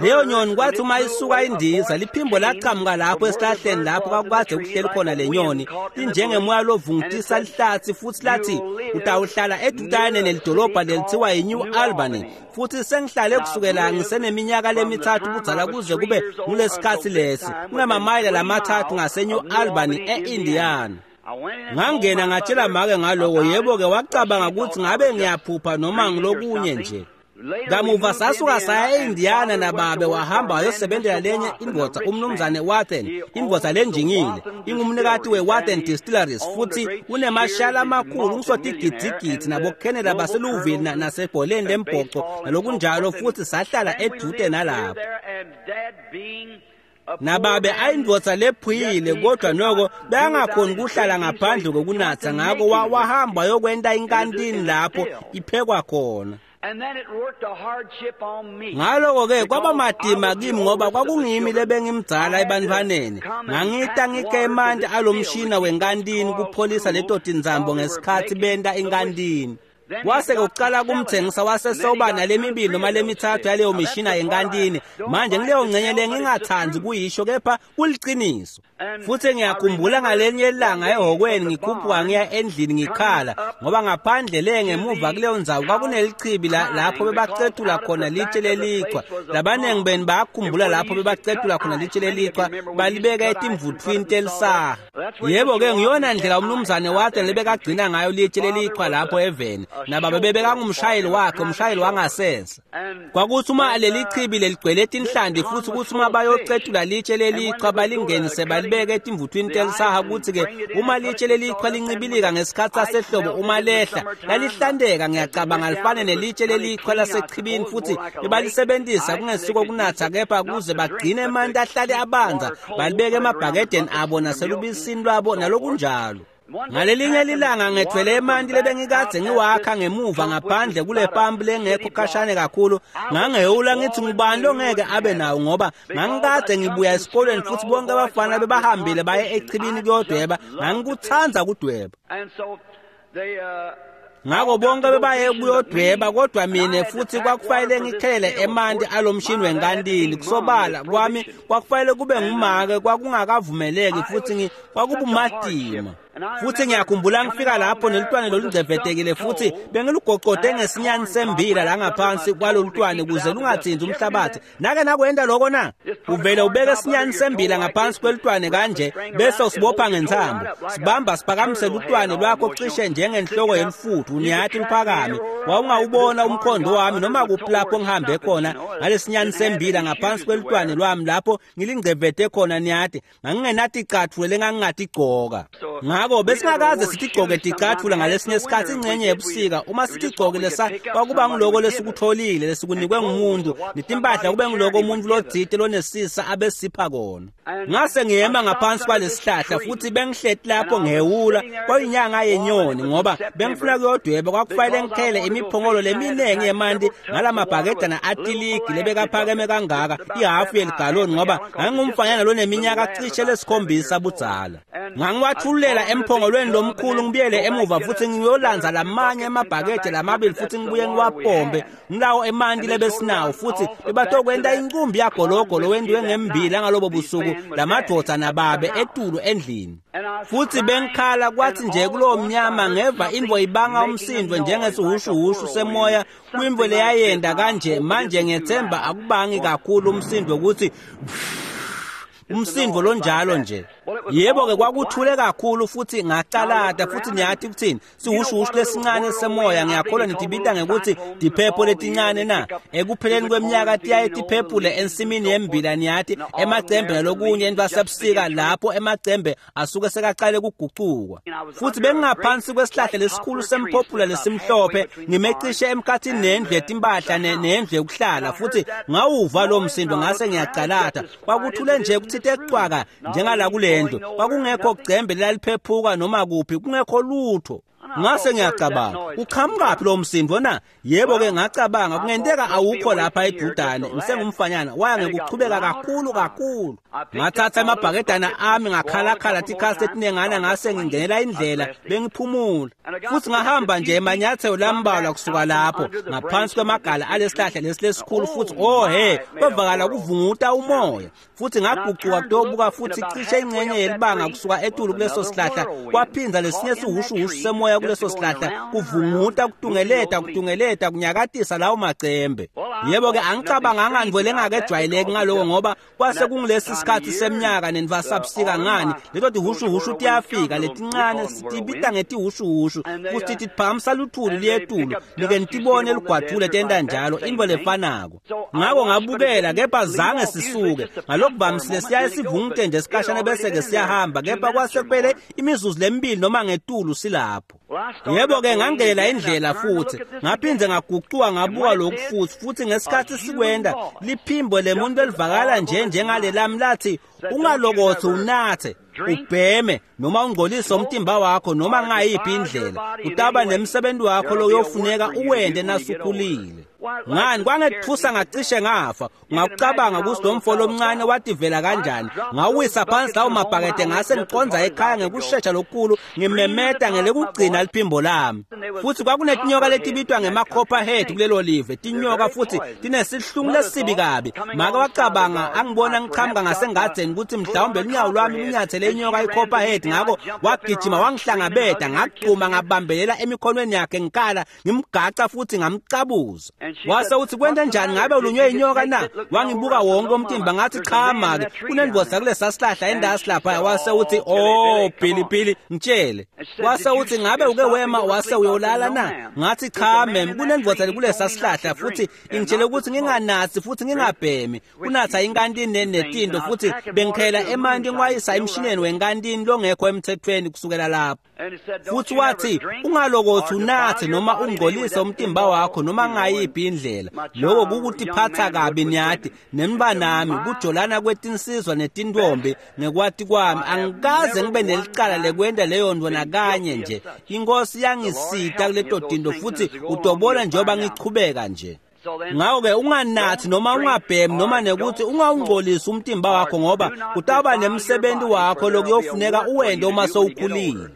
Leyo nyoni kwathi uma isuka indiza liphimbo laqhamuka lapho esihlahleni lapho kwakukade kuhleli khona le nyoni linjengemoya lovungutisa lihlathi futhi lathi utawuhlala edutane nelidolobha lelithiwa yi-New Albany. Futhi sengihlale kusukela ngiseneminyaka lemithathu kudzala kuze kube ngulesikhathi lesi kunamamayela lamathathu ngase-New Albany e-Indiana. Ngangena ngatshela make ngaloko, yebo-ke wacabanga ukuthi ngabe ngiyaphupha noma ngilokunye nje. Kamuva sasuka saya e-Indiana nababe wahamba wayosebenzela lenye indvodza umnumzane Wathen, indvodza lenjingile, ingumnikati we-Wathen Distilleries futhi unemashala amakhulu ngisotigidzigidzi nabokhenela baseLouisville nasebholeni lembhoco nalokunjalo, futhi sahlala edude nalapho. Nababe ayindvodza lephuyile kodwa noko beyangakhoni kuhlala ngaphandle kokunatha, ngako wahamba wayokwenta inkantini lapho iphekwa khona. Ngaloko-ke kwaba matima kimi ngoba kwakungimi lebengimdzala ebantwaneni. Ngangita ngike emanti alomshina wenkantini kupholisa leto tinzambo ngesikhathi benta inkantini. Kwase-ke kucala kumthengisa wasesoba nalemibili noma lemithathu yaleyo mishina yenkantini. Manje ngileyo ngcenye le ngingathandi kuyisho kepha kuliciniso. Futhi ngiyakhumbula ngalenye ilanga ehhokweni ngikhuphuka ngiya endlini ngikhala ngoba ngaphandle le ngemuva kuleyo ndzawo kwakunelichibi lapho bebacetula khona litshe lelichwa. Labaningi benu bayakhumbula lapho bebacetula khona litshe lelichwa balibeka etimvuthwini telisaha. Yebo-ke ngiyona ndlela umnumzane Wathen lebekagcina ngayo litshe lelichwa lapho eveni. Nababe bebekangumshayeli wakhe, umshayeli wangasese. Kwakuthi uma leli chibi leligcwele tinhlanti futhi kuthi uma bayocetula litshe lelichwa balingenise balibeke etimvuthwini telisaha, kuthi-ke uma litshe lelichwa lincibilika ngesikhathi sasehlobo uma lehla lalihlanteka, ngiyacabanga lifane nelitshe lelichwa lasechibini, futhi bebalisebenzisa kungesiko kunatha kepha kuze bagcine emanti ahlale abanza, balibeke emabhakedeni abo naselubisini lwabo nalokunjalo. Ngalelinye lilanga ngethwele emanti lebengikadze ngiwakha ngemuva ngaphandle kule pampu lengekho khashane kakhulu. Ngangehula ngithi ngubani longeke abe nawo ngoba ngangikade ngibuya esikolweni futhi bonke abafana bebahambile baye echibini kuyodweba. Ngangikuthanda kudweba. Ngako bonke bebaye kuyodweba kodwa mina futhi kwakufanele ngikhelele emanti alomshini wenkantini. Kusobala kwami kwakufanele kube ngumake, kwakungakavumeleki futhi kwakubumatima. Futhi ngiyakhumbula ngifika lapho nelutwane lolungcevetekile futhi bengilugoqode ngesinyani sembila la ngaphansi kwalolutwane kuze lungathinti umhlabathi. Nake nakwenta loko na? Uvele ubeke esinyani sembila ngaphansi kwelutwane kanje bese usibopha ngentsambo. Sibamba siphakamise lutwane lwakho cishe njengenhloko yemfuthu uniyathi luphakame. Wawungawubona umkhondo wami noma kuphi lapho ngihambe khona ngalesinyani sembila ngaphansi kwelutwane lwami lapho ngilingcevete khona niyathi. Ngangingenathi icathulo lengangingatigcoka. Ngako besingakaze sitigcoke ticathulo ngalesinye isikhathi ingcenye yebusika. Uma sitigcokile kwakuba ngiloko lesikutholile lesikunikwe ngumuntu, netimpahla kube ngiloko umuntu lotsite lonesisa abesipha kona. Ngase ngiyema ngaphansi kwalesihlahla futhi bengihleti lapho ngehula kwayinyanga yenyoni ngoba bengifuna kuyodweba. Kwakufanele ngikhele imiphongolo leminingi yemanti ngalamabhakedana atiligi lebekaphakeme kangaka ihafu yeligaloni ngoba ngangingumfanyana loneminyaka cishe lesikhombisa budzala. Ngangiwathululela emphongolweni lomkhulu ngibuyele emuva futhi ngiyolanza lamanye emabhakede lamabili futhi ngibuye ngiwapombe ngilawo emanti lebesinawo futhi bebatokwenta inkumbi yagologolo wendiwe ngembila ngalobo busuku lamadvodza nababe etulu endlini. Futhi bengikhala kwathi nje kulowo mnyama ngeva imvo ibanga umsindo njengesihushuhushu semoya kwimvo leyayenda kanje. Manje ngiyethemba akubangi kakhulu umsindo ukuthi umsindo lonjalo nje. Yebo-ke kwakuthule kakhulu futhi ngacalata futhi niyati kuthini sihushuhushu lesincane semoya ngiyakholwa nitibita ngekuthi tiphepho letincane na ekupheleni kweminyaka tiyaye tiphephule ensimini yembila niyati emacembe nalokunye entwasebusika lapho emacembe asuke sekacale kugucukwa futhi bengingaphansi kwesihlahla lesikhulu semphophula lesimhlophe ngimecishe emkhathini nendlu yetimpahla nendlu yokuhlala futhi ngawuva lo msindo ngase ngiyacalata kwakuthule nje kuthite cwaka njengala kule ndlu kwakungekho gcembe laliphephuka noma kuphi kungekho lutho. Ngase ngiyacabanga uqhamukaphi lo msindo na? Yebo-ke ngacabanga kungenteka awukho lapha edudane ngisengumfanyana waya ngekuchubeka kakhulu kakhulu. Ngathatha emabhakedana ami ngakhalakhala tikhathi letinengana ngase ngingenela indlela bengiphumula futhi ngahamba nje emanyathelo lambalwa kusuka lapho ngaphansi kwemagala alesihlahla lesi lesikhulu futhi oh he kwevakala kuvunguta umoya futhi ngagucuka kutobuka futhi cishe ingxenye yelibanga kusuka etulu kuleso sihlahla kwaphinza lesinye sihushuhushu semoya kuleso sihlahla kuvunguta kutungeleta kutungeleta kunyakatisa lawo macembe. Yebo-ke angicabanganga nto lengakejwayeleki ngaloko ngoba kwase kungilesi sikhathi seminyaka nenvasabusika ngani leto tihushuhushu tiyafika letincane sitibita ngetihushuhushu futhi tiphakamisa luthuli liyetulu like nitibone lugwadvule tenta njalo intfo lefanako. Ngako ngabukela kepha zange sisuke ngalokuvamisile siyaye sivungute nje sikhashana bese-ke siyahamba kepha kwase kuphele imizuzu lemibili noma ngetulu silapho. Yebo-ke ngangenela indlela futhi ngaphindze ngagucuka ngabuka lokhu futhi futhi ngesikhathi sikwenda liphimbo lemuntu elivakala nje njengalelami lathi ungalokothi unathe ubheme noma ungcolise umtimba wakho noma ngayiphi indlela utaba nemsebenzi wakho loyofuneka uwende nasukhulile. Ngani kwangethusa ngacishe ngafa. Ungakucabanga ukuthi lo mfo lomncane wativela kanjani? Ngawisa phansi lawo mabhakede ngase ngiconza ekhaya ngekushesha lokukhulu ngimemeta ngelekugcina liphimbo lami. Futhi kwakunetinyoka letibitwa ngema-copperhead kulelo live tinyoka futhi tinesihlungu lesibi kabi. Make wacabanga angibona ngiqhamuka ngasengadzeni ukuthi mhlawumbe lunyawo lwami lunyathele inyoka i-copperhead ngako wagijima wangihlangabeta ngagxuma ngabambelela emikhonweni yakhe ngikhala ngimgaca futhi ngamcabuza. Wase uthi kwenta njani ngabe ulunywe inyoka na? Wangibuka wonke umtimba ngathi cha make kunendoda kulesa sihlahla endasi lapha. Wase uthi oh Billy Billy ngitshele. Wase uthi ngabe uke wema wase uyolala na? Ngathi cha mem kunendoda kulesa sihlahla futhi ingitshele ukuthi nginganathi futhi ngingabhemi kunatha inkantini netinto futhi bengikhela emanti ngiwayisa emshineni wenkantini longekho emthethweni kusukela lapho. Futhi wathi ungalokothi unathe noma ungcolise umtimba wakho noma ngayiphi indlela lokho kukutiphatha kabi niyati nembanami kujolana kwetinsizwa netintombi ngekwati kwami angikaze ngibe nelicala lekwenta leyo nto nakanye nje. Inkosi yangisita kuleto tinto futhi utobona njengoba ngichubeka nje. Ngako-ke unganathi noma ungabhemi noma nekuthi ungawungcolisi umtimba wakho ngoba kutawuba nemsebenzi wakho lokuyofuneka uwente uma sowukhulile.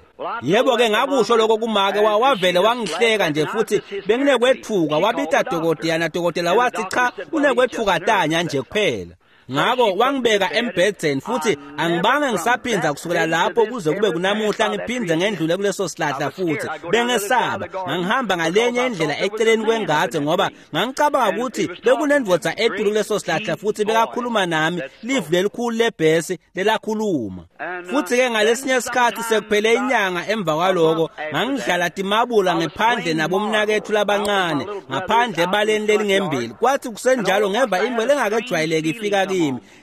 Yebo-ke ngakusho lokho kumake wavele wangihleka nje futhi benginekwethuka wabita dokotela nadokotela wathi cha unekwethuka tanya nje kuphela. Ngako wangibeka embhedzeni futhi angibange ngisaphinza kusukela lapho kuze kube kunamuhla ngiphindze ngendlule kuleso sihlahla futhi bengesaba. Ngangihamba ngalenye indlela eceleni kwengadze ngoba ngangicabanga ukuthi bekunendvodza etulu kuleso sihlahla futhi bekakhuluma nami livi lelikhulu lebhesi lelakhuluma. Futhi-ke ngalesinye isikhathi sekuphele inyanga emva kwaloko ngangidlala timabula ngephandle nabomnakethu labancane ngaphandle ebaleni lelingembili. Kwathi kusenjalo ngeva into lengakejwayeleki ifika kimi.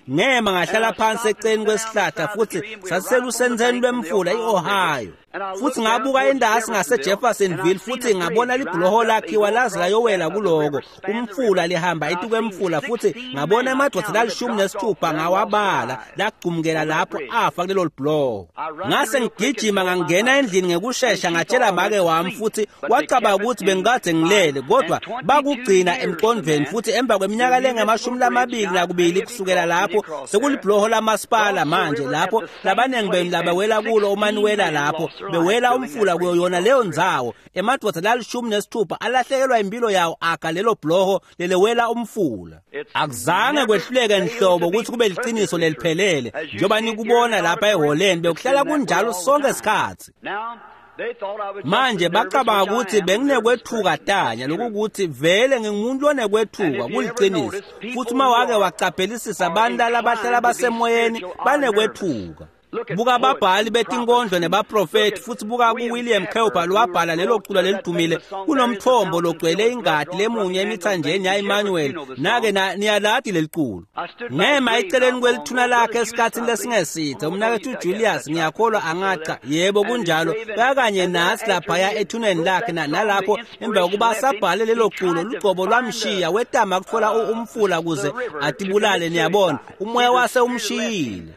Ngema ngahlala phansi eceleni kwesihlahla futhi sasiselusenzeni lwemfula i-Ohio. Futhi ngabuka endasi ngase-Jeffersonville futhi ngabona libhuloho lakhiwa laze layowela kuloko umfula lihamba itukwemfula futhi ngabona emadvodza lali-16 ngawabala lagcumkela lapho afa kulelo libhuloho. Ngase ngigijima ngangena endlini ngekushesha ngatshela make wami futhi wacabanga ukuthi bengikade ngilele kodwa bakugcina emqondweni futhi emva kweminyaka lengama-22 kusukela lapho sekulibhuloho lamasipala manje lapho labaningi benu labawela kulo umaniwela lapho bewela umfula kuyo yona leyo ndzawo emadvodza lali-16 alahlekelwa impilo yawo aga lelo bhuloho lelewela umfula. Akuzange kwehluleke nhlobo ukuthi kube liciniso leliphelele njengoba nikubona lapha eholeni bekuhlala kunjalo sonke isikhathi. Manje bacabanga ukuthi benginekwethuka tanya lokukuthi vele ngingumuntu onekwethuka kuliciniso futhi uma wake wacaphelisisa abantu labahlala basemoyeni banekwethuka. Buka babhali betinkondlo nebaprofethi futhi buka kuWilliam Cowper lowabhala lelo culo lelidumile kunomthombo logcwele ingadi lemunye emithanjeni ya-Emmanuel. Nake niyalati leli culo. Ngema eceleni kwelithuna lakhe esikhathini lesingesithe umnakethu Julius ngiyakholwa angacha yebo kunjalo bekanye nasi laphaya ethuneni lakhe nalapho emva kokuba sabhale lelo culo lugcobo lwamshiya wetama kutfola umfula kuze atibulale. Niyabona umoya wase umshiyile.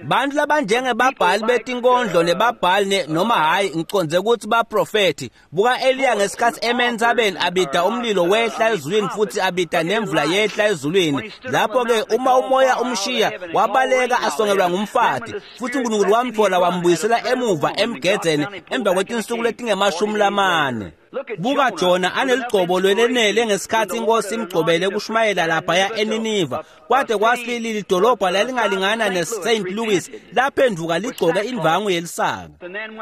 Bantu labanjengebabhali betinkondlo nebabhali noma hayi ngicondze ukuthi baprofethi. Buka Eliya ngesikhathi eme entsabeni abida umlilo wehla ezulwini futhi abida nemvula yehla ezulwini. Lapho-ke uma umoya umshiya wabaleka asongelwa ngumfati futhi uNkulunkulu wamthola wambuyisela emuva emgedzeni emva kwetinsuku letingemashumi lamane. Buka Jona aneligcobo lwelenele ngesikhathi inkosi imgcobele kushumayela laphaya eNiniva. Kwade kwasilili lidolobha lalingalingana neSt Louis laphenduka ligcoke indvangu yelisaka.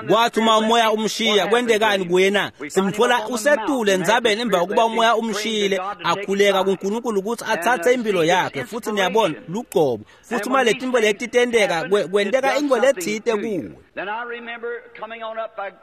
Kwathi uma umoya umshiya kwentekani kuye na? Simthola usetule entsabeni emva kokuba umoya umshiyile akhuleka kuNkulunkulu ukuthi athathe impilo yakhe. Futhi niyabona lugcobo. Futhi uma letinto leti tenteka kwenteka into letsite kuwe.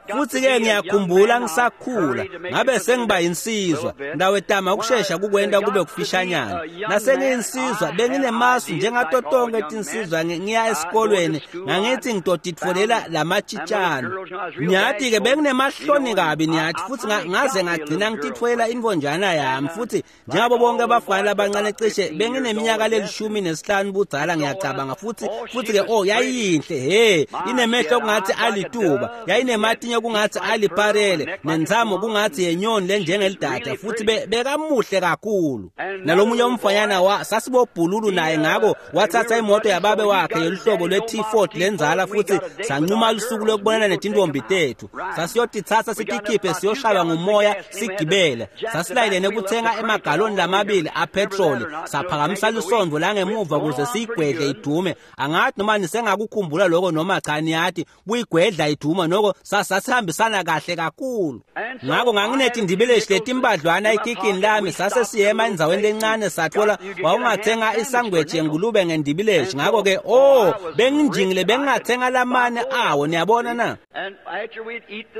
Futhi-ke ngiyakhumbula ngisakhula ngabe sengiba insizwa ndawetama ukushesha kukwenta kube kufishanyana. Nasengiyinsizwa benginemasu njengato tonke tinsizwa ngiya esikolweni ngangithi ngitotitfolela lamatshitshana. Niyathi-ke benginemahloni kabi niyathi futhi ngaze ngagcina ngititfolela intfonjana yami. Futhi njengabo bonke abafana labancane cishe bengineminyaka lelishumi nesihlanu budzala ngiyacabanga. Futhi-ke oh yayiyinhle he inemehlo kungathi alituba yayinematinyo kungathi aliparele nentsamo kungathi yenyoni lenjengelidada futhi bekamuhle kakhulu. Nalomunye umfanyana sasibobhululu naye ngako wathatha imoto yababe wakhe yoluhlobo lwe-T-Ford lenzala futhi sancuma lusuku lokubonana netintombi tethu. Sasiyotitsatsa sitikhiphe siyoshaywa ngumoya sigibele. Sasilayelene kuthenga emagaloni lamabili apetroli saphakamisa lisondvo langemuva kuze siyigwedle idume. Angathi noma nisengakukhumbula lokho noma cha niyathi kuyigwedla iduma noko sasihambisana kahle kakhulu. Ngako nganginetindibeleshi letimbadlwana ekikini lami sase siyema endzaweni lencane sathola wawungathenga isangweji yengulube ngendibileshi. Ngako-ke oh benginjingile bengingathenga lamane awo niyabona na.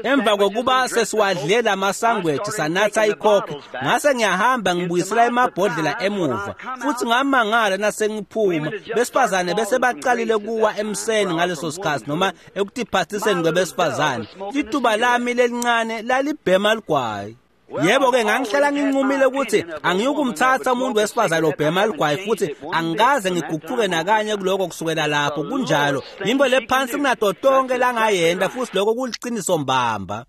Emva kokuba sesiwadle lamasangweji sanatha ikhokhi ngase ngiyahamba ngibuyisela emabhodlela emuva futhi ngamangala nasengiphuma besifazane bese baqalile kuwa emseni ngaleso sikhathi noma ekutiphathiseni kwebesifazane. Lituba lami lelincane lalibhema ligwayi. Yebo-ke ngangihlala nginqumile ukuthi angiyukumthatha umuntu wesifazane obhema ligwayi futhi angikaze ngiguquke nakanye kuloko kusukela lapho. Kunjalo yinto lephansi kunato tonke langayenda futhi lokho kuliciniso mbamba.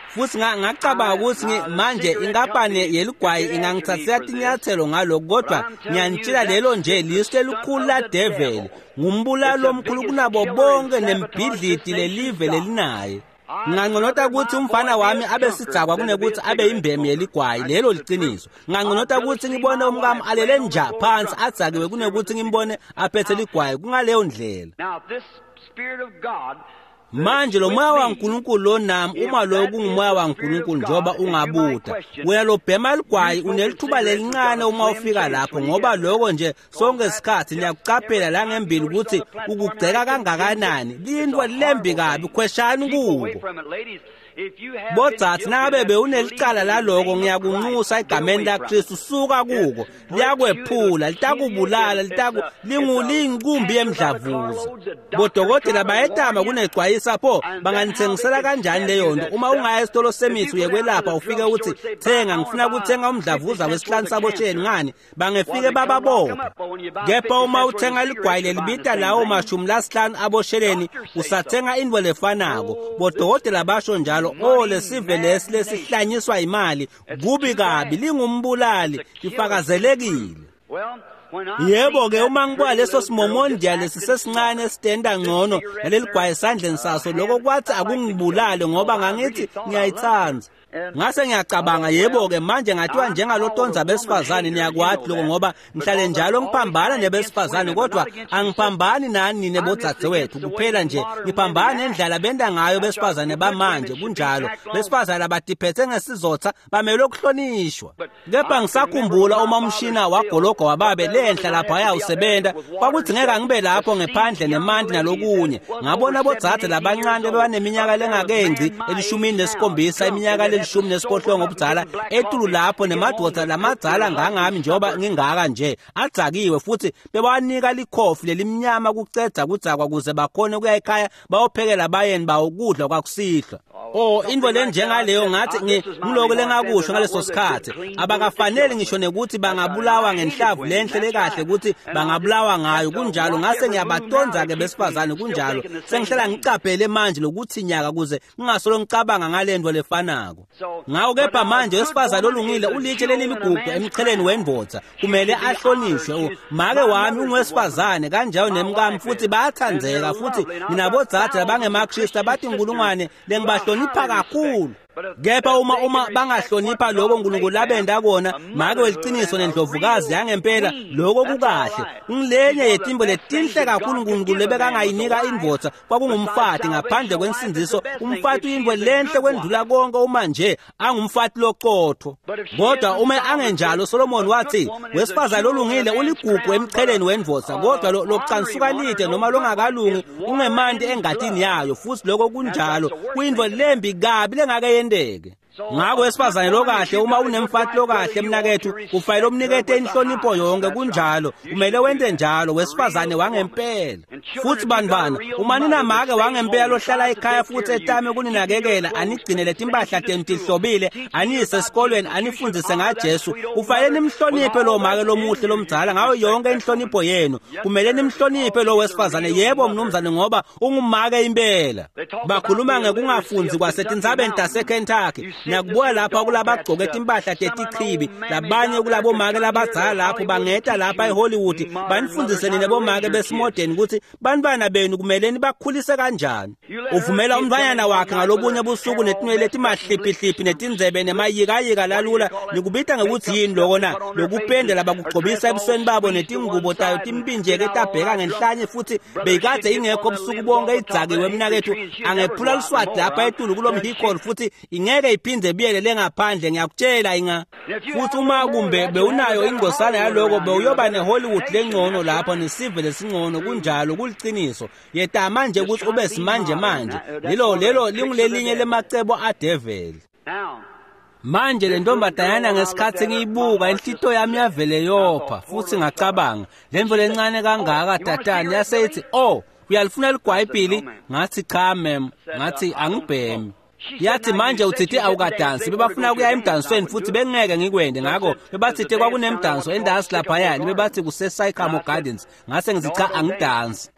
Futhi ngacabanga ukuthi manje inkampani yeligwayi ingangithathela tinyathelo ngalokhu kodwa ngiyanitshela lelo nje lisu lelikhulu ladeveli ngumbulali omkhulu kunabo bonke nembhidlidi lelive lelinaye. Nginganconota ukuthi umfana wami abe sidzakwa kunekuthi abe imbemi yeligwayi lelo liciniso. Nginganconota ukuthi ngibone umkami alele nja phansi adzakiwe kunekuthi ngimbone aphethe ligwayi kungaleyo ndlela. Manje lo moya waNkulunkulu lo nami uma lo kungumoya waNkulunkulu njengoba ungabuda wena lobhema ligwayi unelithuba lelincane uma ufika lapho ngoba lokho nje sonke isikhathi niyakucaphela la ngembili ukuthi ukugceka kangakanani lintwa lembi kabi khweshani kuko. Bodzatsi nangabe bewunelicala laloko ngiyakunxusa egameni laKristu suka kuko liyakwephula litakubulala liyinkumbi yemdlavuza. Bodokotela bayetama kunecwayisa pho banganithengisela kanjani leyo nto uma ungaya esitolo semithi uyekwelapha ufike uthi thenga ngifuna ukuthenga umdlavuza wesihlanu sabosheni ngani bangefike bababophe. Kepha uma uthenga ligwayi lelibita lawo 50 abosheleni usathenga into lefanako. Bodokotela basho njalo. Oh lesive lesi lesihlanyiswa imali kubi kabi lingumbulali lifakazelekile. Yebo-ke uma ngibuka leso simomondiya lesi sesincane esitenda ngcono naleligwayi esandleni saso lokho kwathi akungibulale ngoba ngangithi ngiyayithanda. Ngase ngiyacabanga yebo-ke manje ngathiwa njengalotonza besifazane niyakwati lokho ngoba ngihlale njalo ngiphambana nebesifazane kodwa angiphambani nani nine bodzadzewethu kuphela nje ngiphambana nendlela benda ngayo besifazane bamanje. Kunjalo besifazane abatiphethe ngesizotha bamelwe ukuhlonishwa. Kepha ngisakhumbula uma umshina wagologo wababe le enhla lapha ayawusebenta kwakudzingeka ngibe lapho ngephandle nemanti nalokunye. Ngabona bodzadze labancane bebaneminyaka lengakengci 17, iminyaka le-18 obudzala etulu lapho nemadvodza lamadzala ngangami njengoba ngingaka nje adzakiwe, futhi bebanika likhofi lelimnyama kucedza kudzakwa kuze bakhone kuya ekhaya bayophekela bayeni bawo kudla kwakusihlwa. Oh, intfo lenjengaleyo ngathi ngiloko lengakusho ngaleso sikhathi. Abakafanele ngisho nekuthi bangabulawa ngenhlavu lenhle lekahle ukuthi bangabulawa ngayo. Kunjalo, ngase ngiyabatonza-ke besifazane. Kunjalo, sengihlala ngicaphele manje lokuthi nyaka kuze ngingasolo ngicabanga ngale nto lefanako. Ngako kepha manje wesifazane olungile ulitshe leliligugu emcheleni wendvodza, kumele ahlonishwe. Make wami ungowesifazane kanjalo nemkami, futhi bayathandzeka, futhi nginabodzadze labangemaKristu abatinkulungwane lengibahlonipha kakhulu. Kepha uma bangahlonipha lokho uNkulunkulu labenda kona, make weliciniso nendlovukazi yangempela, lokho kukahle. Ngilenye yetimbo letinhle kakhulu uNkulunkulu lebekangayinika indvodza kwakungumfati ngaphandle kwensindziso. Umfati uyintfo lenhle kwendlula konke uma nje angumfati loqotho. Kodwa uma angenjalo, Solomon wathi wesifazane lolungile uligugu emcheleni wendvodza, kodwa locansuka lide noma longakalungi ungemanti engatini yayo. Futhi lokho kunjalo, kuyintfo lembi kabi lengake yenteke. Ngako wesifazane lokahle, uma unemfati lokahle mnakethu, kufanele umnikete inhlonipho yonke. Kunjalo, kumele wente njalo wesifazane wangempela. Futhi bantwana, uma ninamake wangempela lohlala ekhaya futhi etame kuninakekela, anigcinele timpahla tenu tihlobile, aniyise esikolweni, anifundzise ngaJesu, kufanele nimhloniphe lo make lomuhle lomdzala ngayo yonke inhlonipho yenu. Kumele nimhloniphe lo wesifazane, yebo mnumzane, ngoba ungumake impela. Bakhuluma ngekungafundzi kwasetintsabeni taseKentucky. Ngiyakubuka lapha kulabagcoke timpahla tetichibi, labanye kulabomake labadzala lapho bangeta lapha eHollywood banifundise nine bomake besimodeni ukuthi bantwana benu kumele nibakhulise kanjani. Uvumela umntfwanyana wakhe ngalobunye busuku netinwele letimahliphihliphi netindzebe nemayikayika lalula, nikubita ngekuthi yini loko na? Lokupenda labakugcobisa ebusweni babo netingubo tayo timpinjeke tabheka ngenhlanye, futhi beyikadze ingekho busuku bonke idzakiwe mnakethu. Angephula luswati lapha etulu kulomhikolo futhi ingeke iphindze biyele lengaphandle, ngiyakutshela inga. Futhi uma kumbe bewunayo ingcosana yaloko, bewuyoba neHollywood lengcono lapho nesive lesingcono. Kunjalo, kuliciniso. Yetama nje ukuthi ube simanje manje. Lelo lingulelinye lemacebo adeveli. Manje le ntombazanyana ngesikhathi ngiyibuka inhlito yami yavele yopha, futhi ngacabanga lentfo lencane kangaka tatani. Yase ithi, "Oh, uyalifuna ligwayibhili?" Ngathi, "Cha ma'am." Ngathi, "Angibhemi." Yathi, "Manje uthithe awukadansi." Bebafuna kuya emdansweni futhi bengeke ngikwende, ngakho bebathithe kwakunemdanso endansi laphayana, bebathi kuse-Sycamore Gardens. Ngase ngithi, "Cha, angidansi."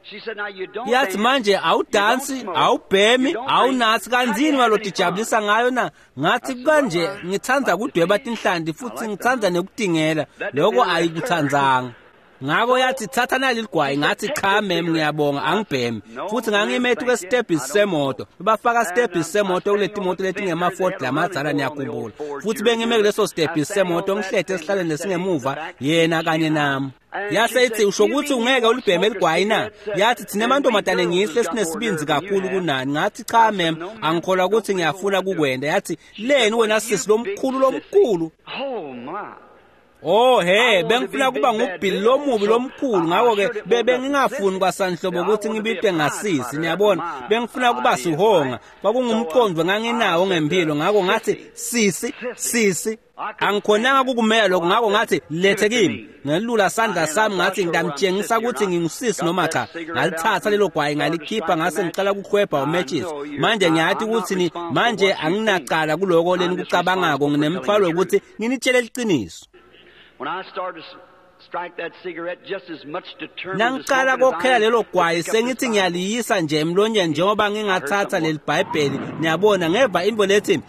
Yathi, "Manje awudansi, awubhemi, awunathi, kanzini walotijabulisa ngayo na?" Ngathi, "Kanje ngithanda kudweba tinhlanti futhi ngithanda nekutingela, lokho ayikuthandzanga." Ngako yathi, "Thatha nali ligwayi." Ngathi, "Cha ma'am, ngiyabonga, angibhemi." Futhi ngangime etu kwesitebhisi semoto, bafaka sitebhisi semoto kuleti moto letingema-Ford lamadzala, niyakhumbula. Futhi bengime kuleso sitebhisi semoto ngihlethe esihlalweni lesingemuva, yena kanye nami. Yase ithi, "Usho ukuthi ungeke ulibheme ligwayi na?" Yathi, "Thina emantombazane ngihle sinesibinzi kakhulu kunani." Ngathi, "Cha ma'am, angikholwa ukuthi ngiyafuna kukwenda." Yathi, "Leni wena sisi lomkhulu lomkhulu?" Oh he, bengifuna kuba ngubhili lomubi lomkhulu, ngakho-ke bengingafuni kwasanhlobo ukuthi ngibitwe ngasisi, niyabona. Bengifuna kuba sihonga, kwakungumqondo nganginawo ngempilo. Ngakho ngathi, "Sisi, sisi." Angikhonanga kukumela lokho, ngakho ngathi, "Lethe kimi." Ngelula sandla sami ngathi, "Ngiyamtshengisa ukuthi ngingusisi noma cha." Ngalithatha lelo gwayi ngalikhipha, ngase ngicala ukuhwebha umatches. Manje ngiyathi ukuthi manje anginacala kuloko lenikucabangako, nginemthwalo wokuthi nginitshele liciniso. Nangicala kokhela lelo gwayi, sengithi ngiyaliyisa nje emlonyeni njengoba ngingathatha leli Bhayibheli, niyabona, ngeva into lethi.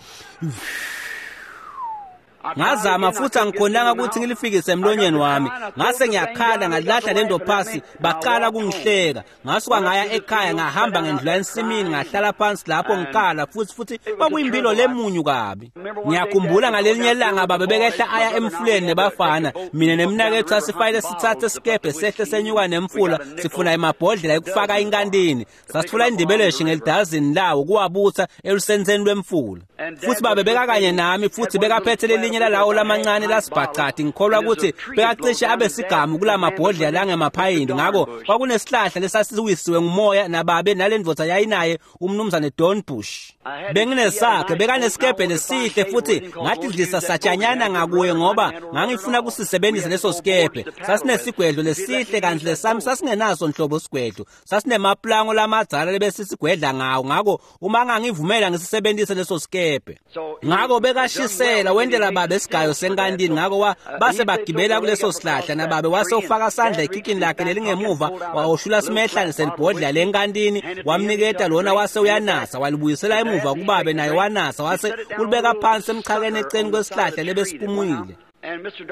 Ngazama futhi angikhonanga ukuthi ngilifikise emlonyeni wami. Ngase ngiyakhala, ngalahla lento phasi, baqala kungihleka. Ngasuka ngaya ekhaya, ngahamba ngendlula ensimini, ngahlala phansi lapho ngikhala futhi kwakuyimpilo lemunyu kabi. Ngiyakhumbula ngalelinye ilanga babe bekehla aya emfuleni nebafana, mina nemnakethu sasifayile sithathe sikebhe sehle senyuka nemfula sifuna emabhodlela ekufaka inkantini. Sasifuna indibeleshi ngelidazini lawo kuwabutha elusenseni lwemfula. Futhi babe beka kanye nami futhi bekaphethe lelinye lelinye lalawo lamancane lasibhacati, ngikholwa ukuthi bekacishe abe sigamu kulamabhodlela langemaphayindi. Ngako kwakunesihlahla lesasiwisiwe ngumoya, nababe nalendvodza yayinaye umnumzane Don Bush. Benginesakhe, bekanesikebhe lesihle, futhi ngatidlisa satshanyana ngakuye ngoba ngangifuna kusisebenzisa leso sikebhe. Sasinesigwedlo lesihle, kanti lesami sasingenaso nhlobo sigwedlo, sasinemaplango lamadzala lebesisigwedla ngawo. Ngako uma ngangivumela ngisisebenzise leso sikebhe. Ngako bekashisela wendela babe esigayo senkantini. Ngako base bagibela kuleso sihlahla, nababe wase ufaka sandla ekhikhini lakhe lelingemuva, wahoshula simehlane selibhodlela lenkantini, wamniketa lona, wase uyanasa, walibuyisela emuva kubabe, naye wanasa, wase ulibeka phansi emchakeni eceleni kwesihlahla lebesiphumile.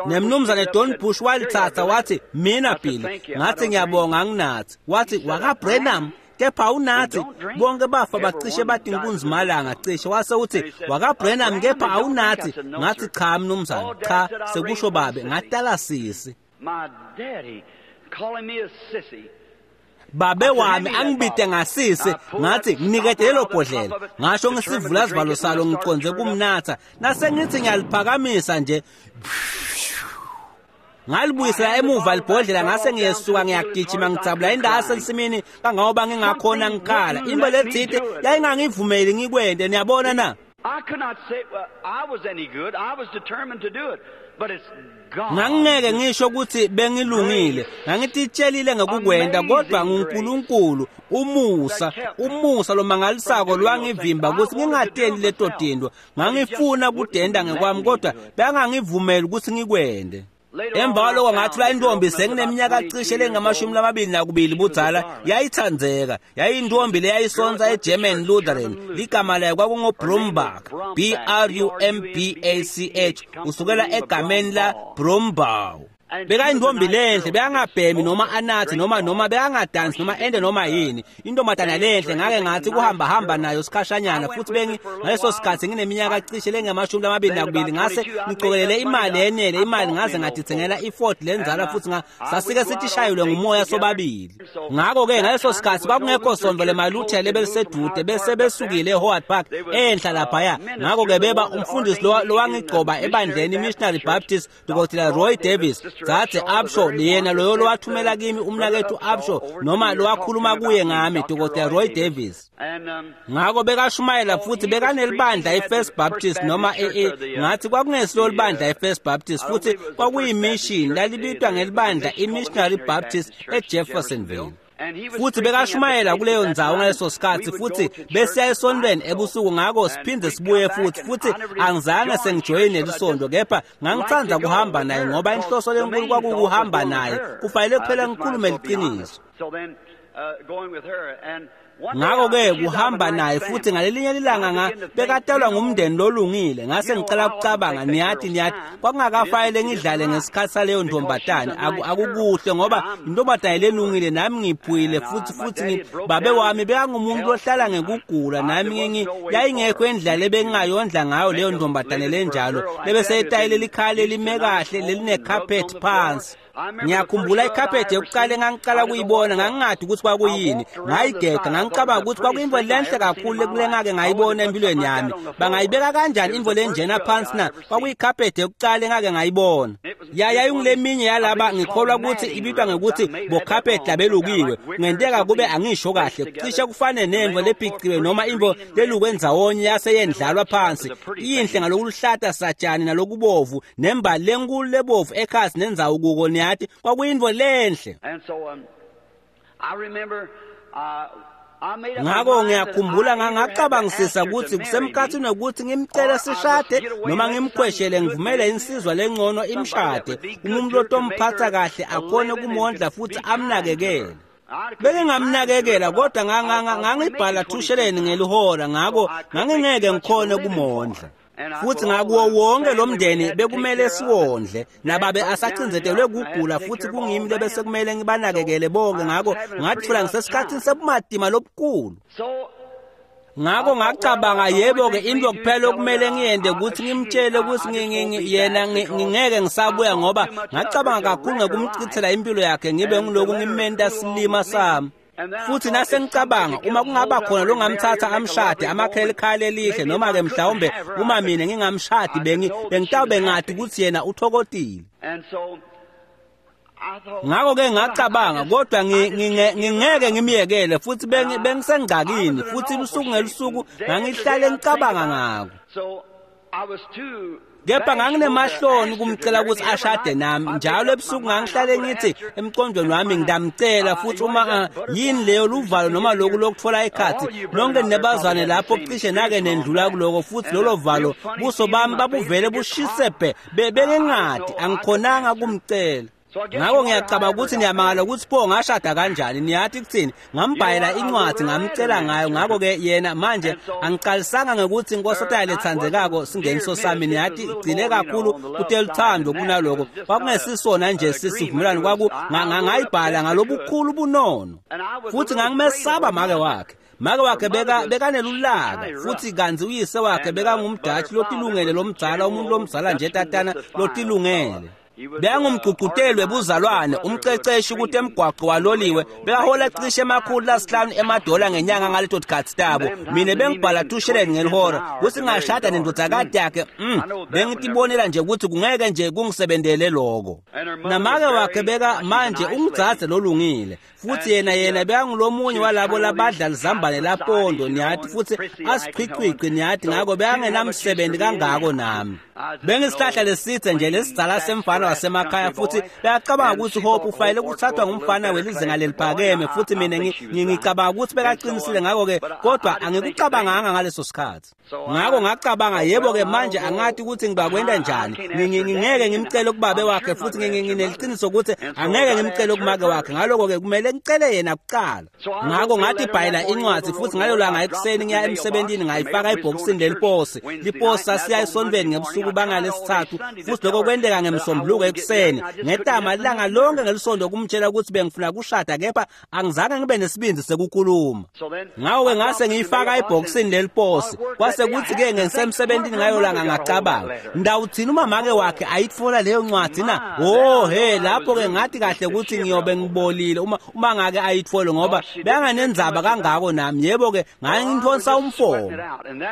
Nemnumzane Don Bush walithatha, wathi, "Mina Billy." Ngathi, "Ngiyabonga, anginathi." Wathi, "WakaBrenham kepha awunathi?" Bonke bafa bacishe bathi inkunzimalanga cishe. Wase uthi, "WakaBrenham kepha awunathi?" Ngathi, "Cha mnumzane, cha," sekusho babe, "ngatala sisi." Babe wami angibite ngasisi. Ngathi, "Nginikete lelo bhodlela." Ngasho ngisivula sivalo salo ngiconze kumnatha, nase ngithi ngiyaliphakamisa nje, ngalibuyisela emuva libhodlela, ngase ngiyesuka ngiyagijima ngijabula indawo yasensimini kangangoba ngingakhona, ngikhala. Into letsite yayingangivumeli ngikwente, niyabona na?
I could not say, well, I was any good. I was determined to do it. But it's God.
Ngangingeke ngisho ukuthi bengilungile, ngangititshelile ngekukwenta, kodwa nguNkulunkulu, umusa, umusa lomangalisako lwangivimba ukuthi ngingateli leto tintfo. Ngangifuna kudenda ngekwami, kodwa bangangivumeli ukuthi ngikwente. Emva kwaloko ngathola intombi sengineminyaka cishe lengamashumi lamabili nakubili budzala. Yayithandzeka, yayintombi leyayisonsa eGerman Lutheran. Ligama layo kwakunguBrumbach, B R U M B A C H, usukela egameni la Brumbaugh. Bekayintombi lenhle, bekangabhemi noma anathi noma bekangadansi noma ende noma yini. Intombazana lenhle. Ngake ngathi kuhamba hamba nayo sikhashanyana, futhi bengi ngaleso sikhathi ngineminyaka cishe lengamashumi lamabili nakubili. Ngase ngicokelele imali yenele imali, ngaze ngatithengela iFord lenzala, futhi sasike sithi shayelwe ngumoya sobabili. Ngakho-ke ngaleso sikhathi kwakungekho sonto lemaluthela lebelisedude, bese besukile eHoward Park enhla laphaya. Ngakho-ke beba umfundisi lowangigcoba ebandleni i-Missionary Baptist, Dr Roy Davis, dzadze Upshaw, yena loyo lowathumela kimi umnakethu Upshaw, noma lowakhuluma kuye ngami, Dr Roy Davis.
And
Ngako bekashumayela, futhi bekanelibandla i-First Baptist, noma ngathi kwakungesilo libandla i-First Baptist, futhi kwakuyi-mission, lalibitwa ngelibandla i-Missionary Baptist eJeffersonville, futhi bekashumayela kuleyo ndzawo ngaleso sikhathi. Futhi besiya esontweni ebusuku, ngako siphinde sibuye futhi angizange sengijoyine lisonto, kepha ngangithanda kuhamba naye ngoba inhloso lenkulu kwakukuhamba naye. Kufanele kuphela ngikhulume liqiniso.
So then, going with her, and
Ngakho-ke kuhamba naye, futhi ngalelinye ilanga nga bekatalwa ngumndeni lolungile, ngase ngicala ukucabanga, niyathi kwakungakafanele ngidlale ngesikhathi saleyo ntombatane. Akukuhle ngoba intombatane lelungile, nami ngiphuyile, futhi babe wami bekangumuntu ohlala ngekugula, nami yayingekho indlela ebengingayondla ngayo leyo ntombatane lenjalo lebeseyitayile likhaya lelime kahle lelinekhaphethi phansi. Ngiyakhumbula ikhaphethi yokuqala engangiqala kuyibona, ngangingadi ukuthi kwakuyini. Ngayigega, ngangicabanga ukuthi kwakuyimvo lenhle kakhulu kule ngake ngayibona empilweni yami. Bangayibeka kanjani imvo lenjena phansi na? Kwakuyikhaphethi yokuqala engake ngayibona. Yayinguleminye yalaba, ngikholwa ukuthi ibitwa ngekuthi bokhaphethi labelukiwe. Kungenteka kube angisho kahle, cishe kufane nemvo lebhiciwe noma imvo lelukwe ndzawonye yase yendlalwa phansi. Iyinhle ngalokuluhlata satshani nalokubovu, nembali lenkulu lebovu ekhasi nendzawo kuko, niyathi kwakuyintfo lenhle.
And so I remember I made up my
Ngako
mind that
ngiyakhumbula
I either had to
ngangacabangisisa
ask her to
ukuthi
marry me
kusemkhathini wekuthi ngimcele sishade noma ngimkhweshele ngivumele insizwa lengcono imshade, umuntu lotomphatha kahle, akhone kumondla futhi amnakekele. Bengingamnakekela, kodwa ngangibhala 2 sheleni ngelihora, ngako ngangingeke ngikhone kumondla. Futhi ngakuwo wonke lo mndeni bekumele siwondle, nababe asacindzetelwe kugula, futhi kungimi lebese kumele ngibanakekele bonke. Ngako ngatfola ngisesikhathini sebumatima lobukhulu.
So
Ngako ngacabanga, yebo-ke, into kuphela okumele ngiyende ukuthi ngimtshele ukuthi yena ngingeke ngisabuya, ngoba ngacabanga kakhulu ngekumchithela impilo yakhe, ngibe ngiloku ngimenta silima sami. Futhi nasengicabanga uma kungaba khona longamthatha amshade amakhele ikhaya elihle, noma ke mhlawumbe uma mina ngingamshadi bengitawube ngati ukuthi yena uthokotile. Ngakho-ke ngacabanga, kodwa ngingeke ngimyekele, futhi bengisengxakini, futhi lusuku ngelusuku ngangihlale ngicabanga ngako. Kepha nganginemahloni kumcela ukuthi ashade nami. Njalo ebusuku ngangihlale ngithi emqondweni wami ngidamcela, futhi uma yini leyo luvalo noma lokhu lokuthola ikhathi nonke nebazwane lapho cishe nake nendlula kuloko, futhi lolo valo buso bami babuvele bushise bhe, bengingadi angikhonanga kumcela. Ngakho ngiyacabanga ukuthi niyamangala ukuthi pho ngashada kanjani. Niyathi kuthini, ngambhalela incwadi ngamcela ngayo. Ngakho-ke yena manje angiqalisanga ngokuthi inkosatana lethandekako singeniso sami, niyathi igcine kakhulu kuteluthando kunaloko. Kwakungesisona nje sisivumelwano, kwaku ngayibhala ngalobukhulu bunono, futhi ngangimesaba make wakhe. Make wakhe bekanelulaka, futhi kanti uyise wakhe bekangumdatshi lotilungele lomdzala, umuntu lomdzala nje tatana lotilungele. Bekangumgqugquteli webuzalwane, umqeqeshi ukuthi emgwaqo waloliwe, bekahola cishe 500 emadola ngenyanga ngaleto tikhathi tabo. Mina bengibhala 2 shilling ngelihora, kuthi ngashada nendodakazi yakhe. Bengitibonela nje ukuthi kungeke nje kungisebentele lokho. Namake wakhe beka manje ungdzadze lolungile, futhi yena bekangulomunye walabo labadla lizambane lapondo, niyathi, futhi asiqhiqhiqi, niyathi. Ngakho bekangenamsebenzi kangako nami. Bengisihlahla lesithe nje lesidzala semfana wasemakhaya, futhi beyacabanga ukuthi Hope ufanele ukuthathwa ngumfana welizinga leliphakeme, futhi mina ngicabanga ukuthi bekaqinisile. Ngakho-ke kodwa angikucabanganga ngaleso sikhathi. Ngakho ngacabanga, yebo-ke manje angathi ukuthi ngibakwenda njani, ngingeke ngimcele kubabe wakhe, futhi ngineliqiniso ukuthi angeke ngimcele kumake wakhe. Ngaloko-ke kumele ngicele yena kuqala. Ngakho ngathi bhayela incwadi, futhi ngalo langa ekuseni ngiya emsebentini ngayifaka ebhokisini leliposi. Liposi sasiya esontweni ngebusuku bangalesithathu, futhi lokho kwenteka ngemsombuluko ekuseni. Ngetama ilanga lonke ngelisonto kumtshela ukuthi bengifuna kushada, kepha angizange ngibe nesibindi sekukhuluma. Ngakho-ke ngase ngiyifaka ebhokisini leliposi. Kwase kuthi-ke ngisemsebentini ngayo langa ngacabanga, ndawuthini uma make wakhe ayitfola leyo ncwadi na? Oh he, lapho-ke ngathi kahle ukuthi ngiyobe ngibolile uma ngake ayithole, ngoba bekanganendzaba kangako nami. Yebo-ke ngangithonsa umfomo.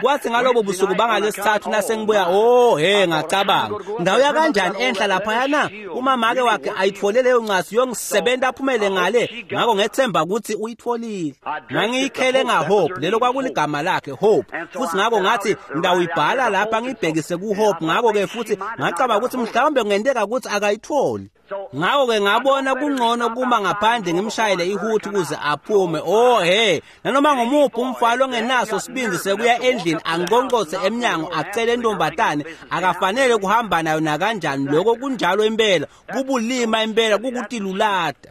Kwathi ngalobo busuku bangalesithathu nasengibuya, oh he, ngacabanga, ndawuya kanjani enhla laphayana uma make wakhe ayithole leyo ncwadi yongisebenta aphumele ngale. Ngakho ngethemba ukuthi uyitholile. Ngangiyikhele ngaHope, lelo kwakuligama lakhe, Hope. Futhi ngakho ngathi ngidawuyibhala lapha ngibhekise kuHope. Ngakho-ke futhi ngacabanga ukuthi mhlawumbe kungenteka ukuthi akayitholi. Ngakho-ke ngabona kungcono kuma ngaphandle ngimshayele ihuthi ukuze aphume. Oh he, nanoma ngumuphi umfana ongenaso sibindi sekuya endlini anqonqothe emnyango acele intombatane, akafanele kuhamba nayo nakanjani. Lokho kunjalo impela, kubulima impela, kukutilulata.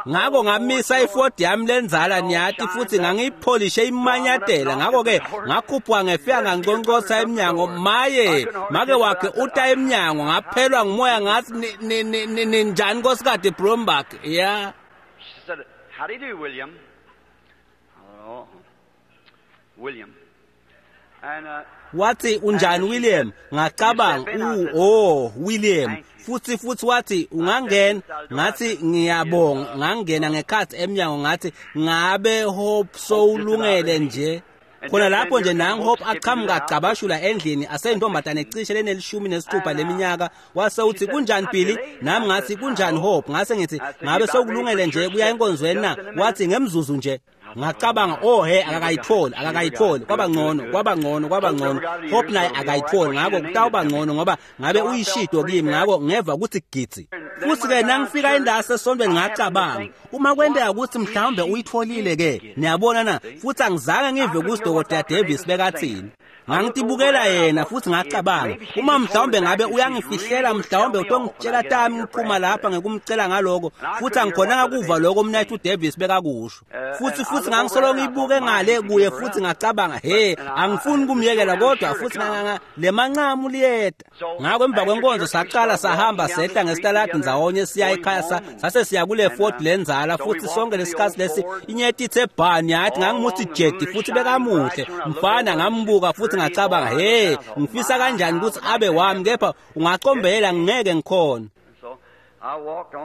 Ngakho ngamisa iFord yami lenzala, niyathi, futhi ngangiyipholishe imanyatela. Ngakho-ke ngakhuphuka ngefika nganqonqotha emnyango. Maye, make wakhe uta emnyango, ngaphelwa ngumoya, ngathi ninjani Nkosikazi Brombach? Yeah.
She said, "How do you do, William?" Oh, William. And
wathi, unjani William? Ngacabanga, oh William. Futhi wathi, ungangena? Ngathi ngiyabonga. Ngangena ngekhathi emnyango, ngathi ngabe Hope sowulungele nje? Khona lapho nje nangu Hope aqhamuka agcabashula endlini aseyintombazane cishe lenelishumi nesithupha leminyaka. Wase uthi, kunjani Billy? Nami ngathi, kunjani Hope? Ngase ngithi, ngabe sowulungele nje kuya enkonzweni na? Wathi, ngemzuzu nje. Ngacabanga, oh he, akakayitholi. Kwaba ngcono, kwaba ngcono, kwaba ngcono. Hope naye akayitholi, ngakho kutawuba ngcono ngoba ngabe uyishido kimi. Ngakho ngeva ukuthi gitsi. Futhi-ke nangifika indawo sesontweni ngacabanga, uma kwenteka ukuthi mhlawumbe uyitholile ke, niyabona na? Futhi angizange ngive ukuthi Dr. Davis bekathini. Ngangitibukela yena futhi ngacabanga, uma mhlawumbe ngabe uyangifihlela, mhlawumbe utongitshela tami ngiphuma lapha ngekumcela ngaloko. Futhi angikhonanga kuva lokho umnethu uDavis bekakusho. Futhi ngangisolo ngiyibuke ngale kuye, futhi ngacabanga, he, angifuni kumyekela, kodwa futhi le mancamu liyeda. Ngakho emva kwenkonzo saqala sahamba sehla ngesitaladi ndzawonye siya ekhaya, sase siya kule Ford lenzala. Futhi sonke lesikhathi lesi inyeti ithe bhani, yathi ngangimuthi jedi, futhi bekamuhle mfana. Ngambuka futhi ngacabanga, he, ngifisa kanjani ukuthi abe wami, kepha ungacombela ngeke ngikhona.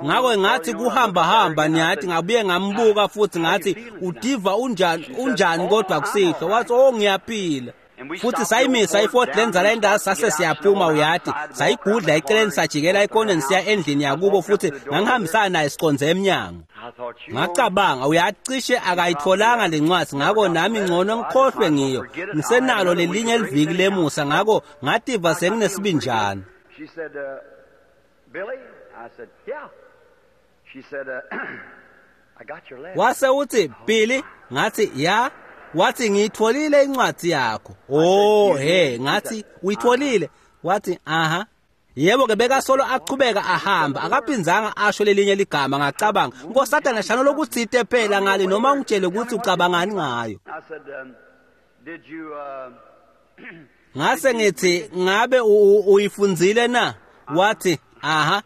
Ngako ngathi kuhamba hamba niyathi ngabuye ngambuka futhi ngathi udiva unjani unjani kodwa kusihlwa. Wathi oh ngiyaphila. Futhi sayimisa iFord Lenza la sase siyaphuma uyathi sayigudla eceleni sajikela ekoneni siya endlini yakubo futhi ngangihambisana naye siconze emnyango. Ngacabanga uyacishe akayitholanga lencwadi ngako nami ngcono ngikhohlwe ngiyo ngisenalo lelinye liviki lemusa ngako ngativa senginesibinjana.
She said, Billy? I said, yeah. She said, I got your letter.
Wase uthi Billy, ngathi ya. Wathi ngiyitholile incwadi yakho. Oh he, ngathi uyitholile. Wathi aha. Yebo ke bekasolo aqhubeka ahamba akaphinzanga asho lelinye ligama. Ngacabanga nkosatana shano lokuthite phela ngale noma ungitshele ukuthi ucabangani ngayo.
I said, did you
Ngase ngithi ngabe uyifundzile na? Wathi aha.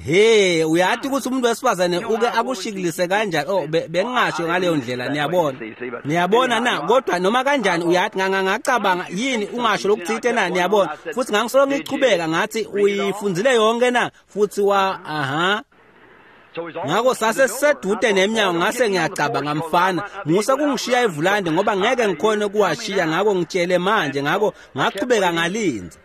He, uyathi ukuthi umuntu wesifazane uke akushikilise kanjani? Oh, bengingasho ngaleyo ndlela, niyabona. Niyabona na? Kodwa noma kanjani uyathi ngangacabanga yini ungasho lokuthite na, niyabona. Futhi ngangisolo ngichubeka ngathi uyifundzile yonke na? Futhi wa aha. Ngako sase sisedude nemnyango ngase ngiyacabanga mfana musa kungishiya evulande ngoba ngeke ngikhone kuwashiya ngako ngitshele manje. Ngako ngachubeka ngalinza.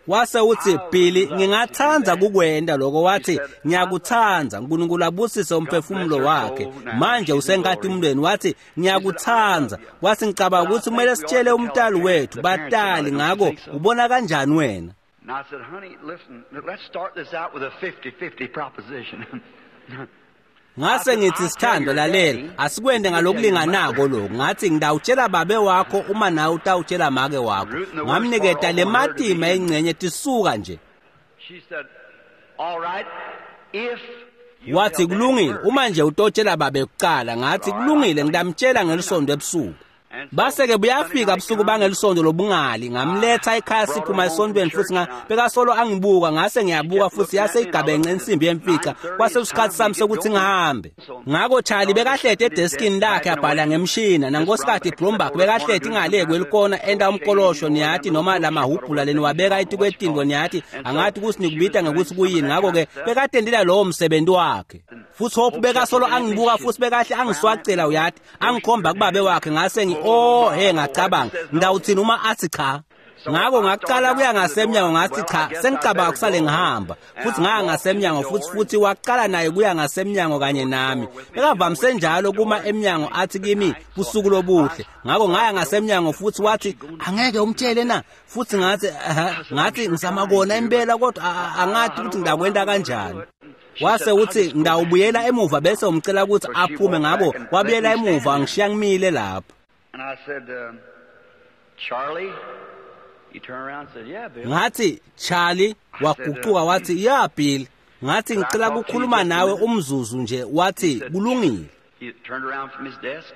Wase uthi Billy ngingathanda kukwenda lokho. Wathi ngiyakuthanda, uNkulunkulu abusise umphefumulo wakhe manje usenkatimulweni. Wathi ngiyakuthanda. Wathi ngicabanga ukuthi kumele sitshele umntali wethu batali ngako ubona kanjani wena?
And I said, honey, listen, let's start this out with a 50-50 proposition.
Ngase ngithi sithando lalela asikwende ngalokulinganako lokhu. Ngathi ngidawutshela babe wakho uma nawe utawutshela make wakho. Ngamniketa le matima engcenye tisuka nje.
She said, all right, if
Wathi kulungile uma nje utotshela babe kuqala. Ngathi kulungile ngidamtshela ngelisondo ebusuku. Base ke buyafika busuku bangelisonto lobungali ngamletha ekhaya siphuma esontweni futhi bekasolo angibuka. Ngase ngiyabuka futhi yase igabenxe insimbi yemfica kwase isikhathi sami sokuthi ngihambe. Ngako Charlie bekahlete edeskini lakhe abhala ngemshina nangosikhathi Bloomberg bekahlete ingale kwelikona enda umkolosho niyathi noma lamahubhula leni wabeka etikwetindvo niyathi angathi ukuthi nikubita ngekuthi kuyini. Ngako ke bekatendela lowo msebenzi wakhe. Futhi Hope bekasolo angibuka futhi bekahle angiswacela uyathi angikhomba kubabe wakhe. Ngase oh he ngacabanga ngidawuthini uma athi cha. Ngako ngaqala kuya ngasemnyango ngathi cha sengicabanga kusale ngihamba. Futhi ngaya ngasemnyango futhi waqala naye kuya ngasemnyango kanye nami. Bekavamise njalo kuma emnyango athi kimi busuku lobuhle. Ngako ngaya ngasemnyango futhi wathi angeke umtshele na? Futhi ngathi ngathi ngizama kona impela kodwa angathi ukuthi ngidakwenda kanjani. Wase uthi ngidawubuyela emuva bese umcela ukuthi aphume. Ngabo wabuyela emuva ngishiya ngimile lapho.
And I said, Charlie, he turned around and said, yeah, Bill.
Ngathi Charlie waguquka wathi ya Bill. Ngathi ngicela ukukhuluma nawe umzuzu nje. Wathi kulungile.
He turned around from his desk.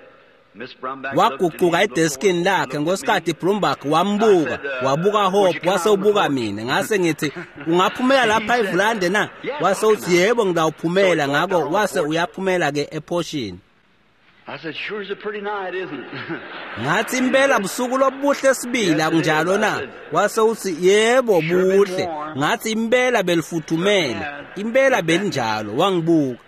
Miss Brumback
Waguquka edeskini lakhe ngosikhathi Brumback wambuka wabuka Hope wase ubuka mina. Ngase ngithi ungaphumela lapha evulande na? Wase uthi yebo ngidawuphumela. Ngako wase uyaphumela ke ephoshini.
I said, sure is a pretty night, isn't it?
Ngathi impela busuku lobuhle sibili akunjalo na? Wase uthi yebo buhle. Ngathi impela belifuthumele, impela belinjalo. Wangibuka.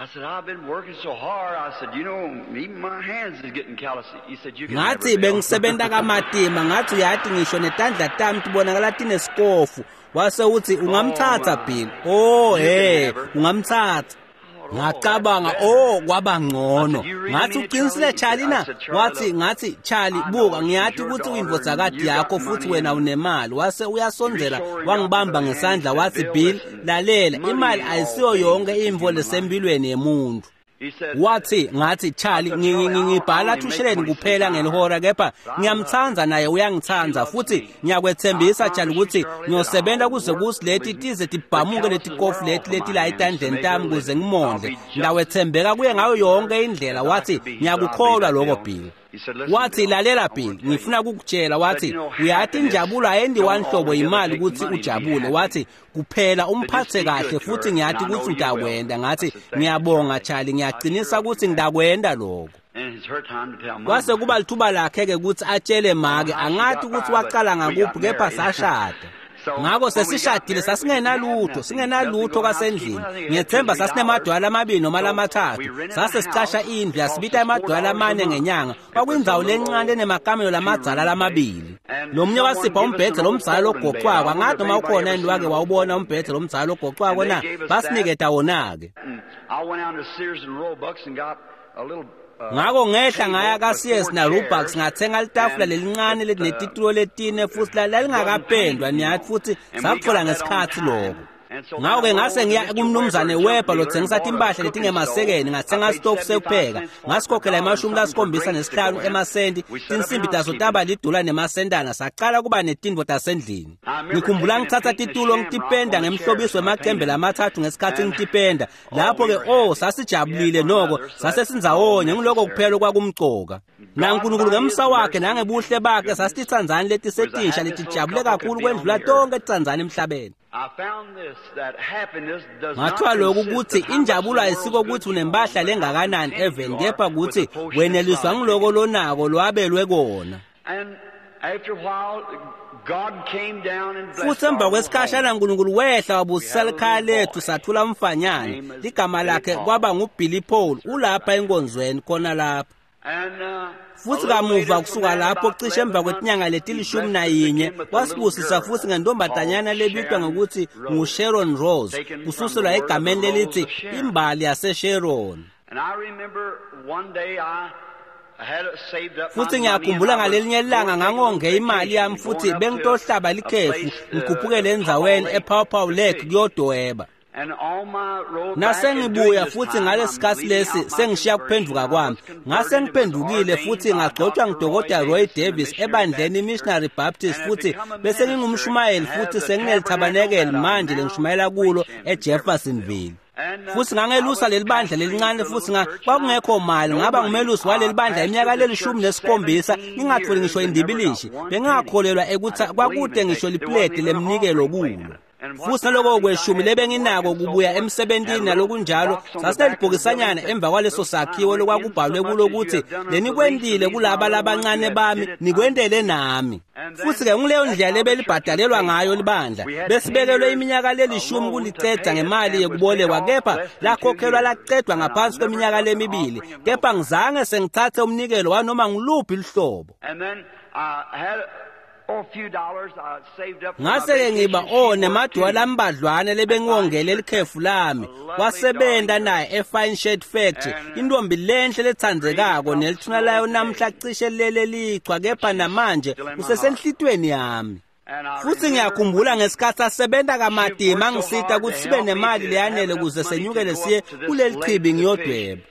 I said, I've been working so hard. I said, you know, even my hands is getting callous. He said, you can
Ngathi bengisebenza kamatima. Ngathi uyathi ngisho netandla tami tibonakala tinesikofu. Wase uthi ungamthatha Bill. Oh hey, ungamthatha. Ngacabanga oh kwaba ngcono. Ngathi uqinisile Charlie na? Wathi ngathi Charlie buka ngiyathi ukuthi uyindvodzakadi yakho futhi wena unemali. Wase uyasondzela wangibamba ngesandla wathi Bill lalela imali ayisiyo yonke imvo lesempilweni yemuntu. Wathi ngathi Charlie ngibhala thusheleni kuphela ngelihora kepha ngiyamthanda naye uyangithanda futhi ngiyakwethembisa Charlie ukuthi ngiyosebenza kuze kusileti tize tibhamuke leti kofu leti leti la etandleni tami kuze ngimondle. Ngawethembeka kuye ngayo yonke indlela. Wathi ngiyakukholwa lokho Bill. Wathi lalela Bill ngifuna ukukutshela. Wathi uyathi injabulo ayendi wanhlobo imali ukuthi ujabule. Wathi kuphela umphathe kahle futhi ngiyathi ukuthi utakwenda. Ngathi ngiyabonga Charlie ngiyaqinisa ukuthi ngidakwenda lokho. Kwase kuba lithuba lakhe ke ukuthi atshele make. Angathi ukuthi waqala ngakuphi kepha sashada. Ngako sesishadile sasingenalutho, singenalutho kwasendlini. Ngiyethemba sasinemadwala amabili noma lamathathu. Sase sicasha indlu yasibita emadwala amane ngenyanga. Kwakuyindzawo lencane enemakamelo lamadzala lamabili. Lo mnye wasipha umbhedze lomdzala logoqwako. Angathi noma ukhona yini wake wawubona umbhedze lomdzala logoqwako na? Basiniketa wona-ke. Ngako ngehla ngaya ka-Sears na-Roebucks ngathenga litafula lelincane lelinetitulo letine futhi lalingakapendwa niyathi futhi sakutfola ngesikhatsi loko. Ngako-ke ngase ngiya kumnumzane Weber lotsengisa timpahla letingemasekeni ngatsenga sitofu sekupheka ngasikhokhela 75 emasenti. Tinsimbi taso taba lidola nemasentana. Sacala kuba netintfo tasendlini. Ngikhumbula ngitsatsa titulo ngitipenda ngemhlobiso wemacembe lamathathu ngesikhatsi ngitipenda. Lapho-ke oh sasijabulile noko sasesindzawonye ngiloko kuphela kwakumcoka. NaNkulunkulu ngemsa wakhe nangebuhle bakhe sasititsandzani letisetinsha letijabule kakhulu kwendlula tonke titsandzani emhlabeni. Ngathiwa lokhu ukuthi injabulo ayisiko ukuthi unempahla lengakanani eveni kepha kutsi weneliswa ngiloko lonako lwabelwe kona. Futhi emva kwesikhashana uNkulunkulu wehla wabusisa likhaya lethu sathula umfanyana. Ligama lakhe kwaba nguBilly Paul, ulapha enkonzweni khona lapha. Futhi kamuva kusuka lapho cishe emva kwetinyanga leti-11 wasibusisa futhi ngentombazanyana lebitwa ngokuthi nguSharon Rose, kususelwa egameni lelithi imbali yaseSharon. Futhi ngiyakhumbula ngalelinye ilanga ngangonge imali yami futhi bengitohlaba likhefu ngikhuphukele endzaweni ePaw Paw Lake kuyodweba. Nasengibuya futhi ngalesikhatsi lesi sengishiya kuphenduka kwami. Ngase ngiphendukile futhi ngagcotshwa nguDokotela Roy Davis ebandleni iMissionary Baptist futhi bese ngingumshumayeli futhi senginelithabanekeli manje lengishumayela kulo eJeffersonville. Futhi ngangelusa leli bandla lelincane futhi kwakungekho mali. Ngaba ngumelusi waleli bandla iminyaka leli-17 ngingatholi ngisho indibilishi. Bengingakholelwa ekuthi kwakude ngisho lipleti lemnikelo kulo. Futhi naloko kweshumi lebenginako kubuya emsebentini nalokunjalo sasinelibhokisanyana emva kwaleso sakhiwo lokwakubhalwe kulo ukuthi lenikwentile kulaba labancane bami nikwentele nami. Futhi-ke nguleyo ndlela lebelibhadalelwa ngayo libandla. Besibekelwe iminyaka lelishumi kuliceda ngemali yekubolekwa kepha lakhokhelwa lacedwa ngaphansi kweminyaka lemibili. Kepha ngizange sengithathe umnikelo wanoma ngiluphi luhlobo. Ngase-ke ngiba nemadwala ambadlwane lebengiwongele likhefu lami. Wasebenta naye eFine Shirt Factory, intombi lenhle letsandzekako nelithuna layo namhla cishe lele lichwa kepha namanje usesenhlitweni yami. Futhi ngiyakhumbula ngesikhatsi asebenta kamatima angisita ukuthi sibe nemali leyanele ukuze senyukele siye kuleli chibi ngiyodweba.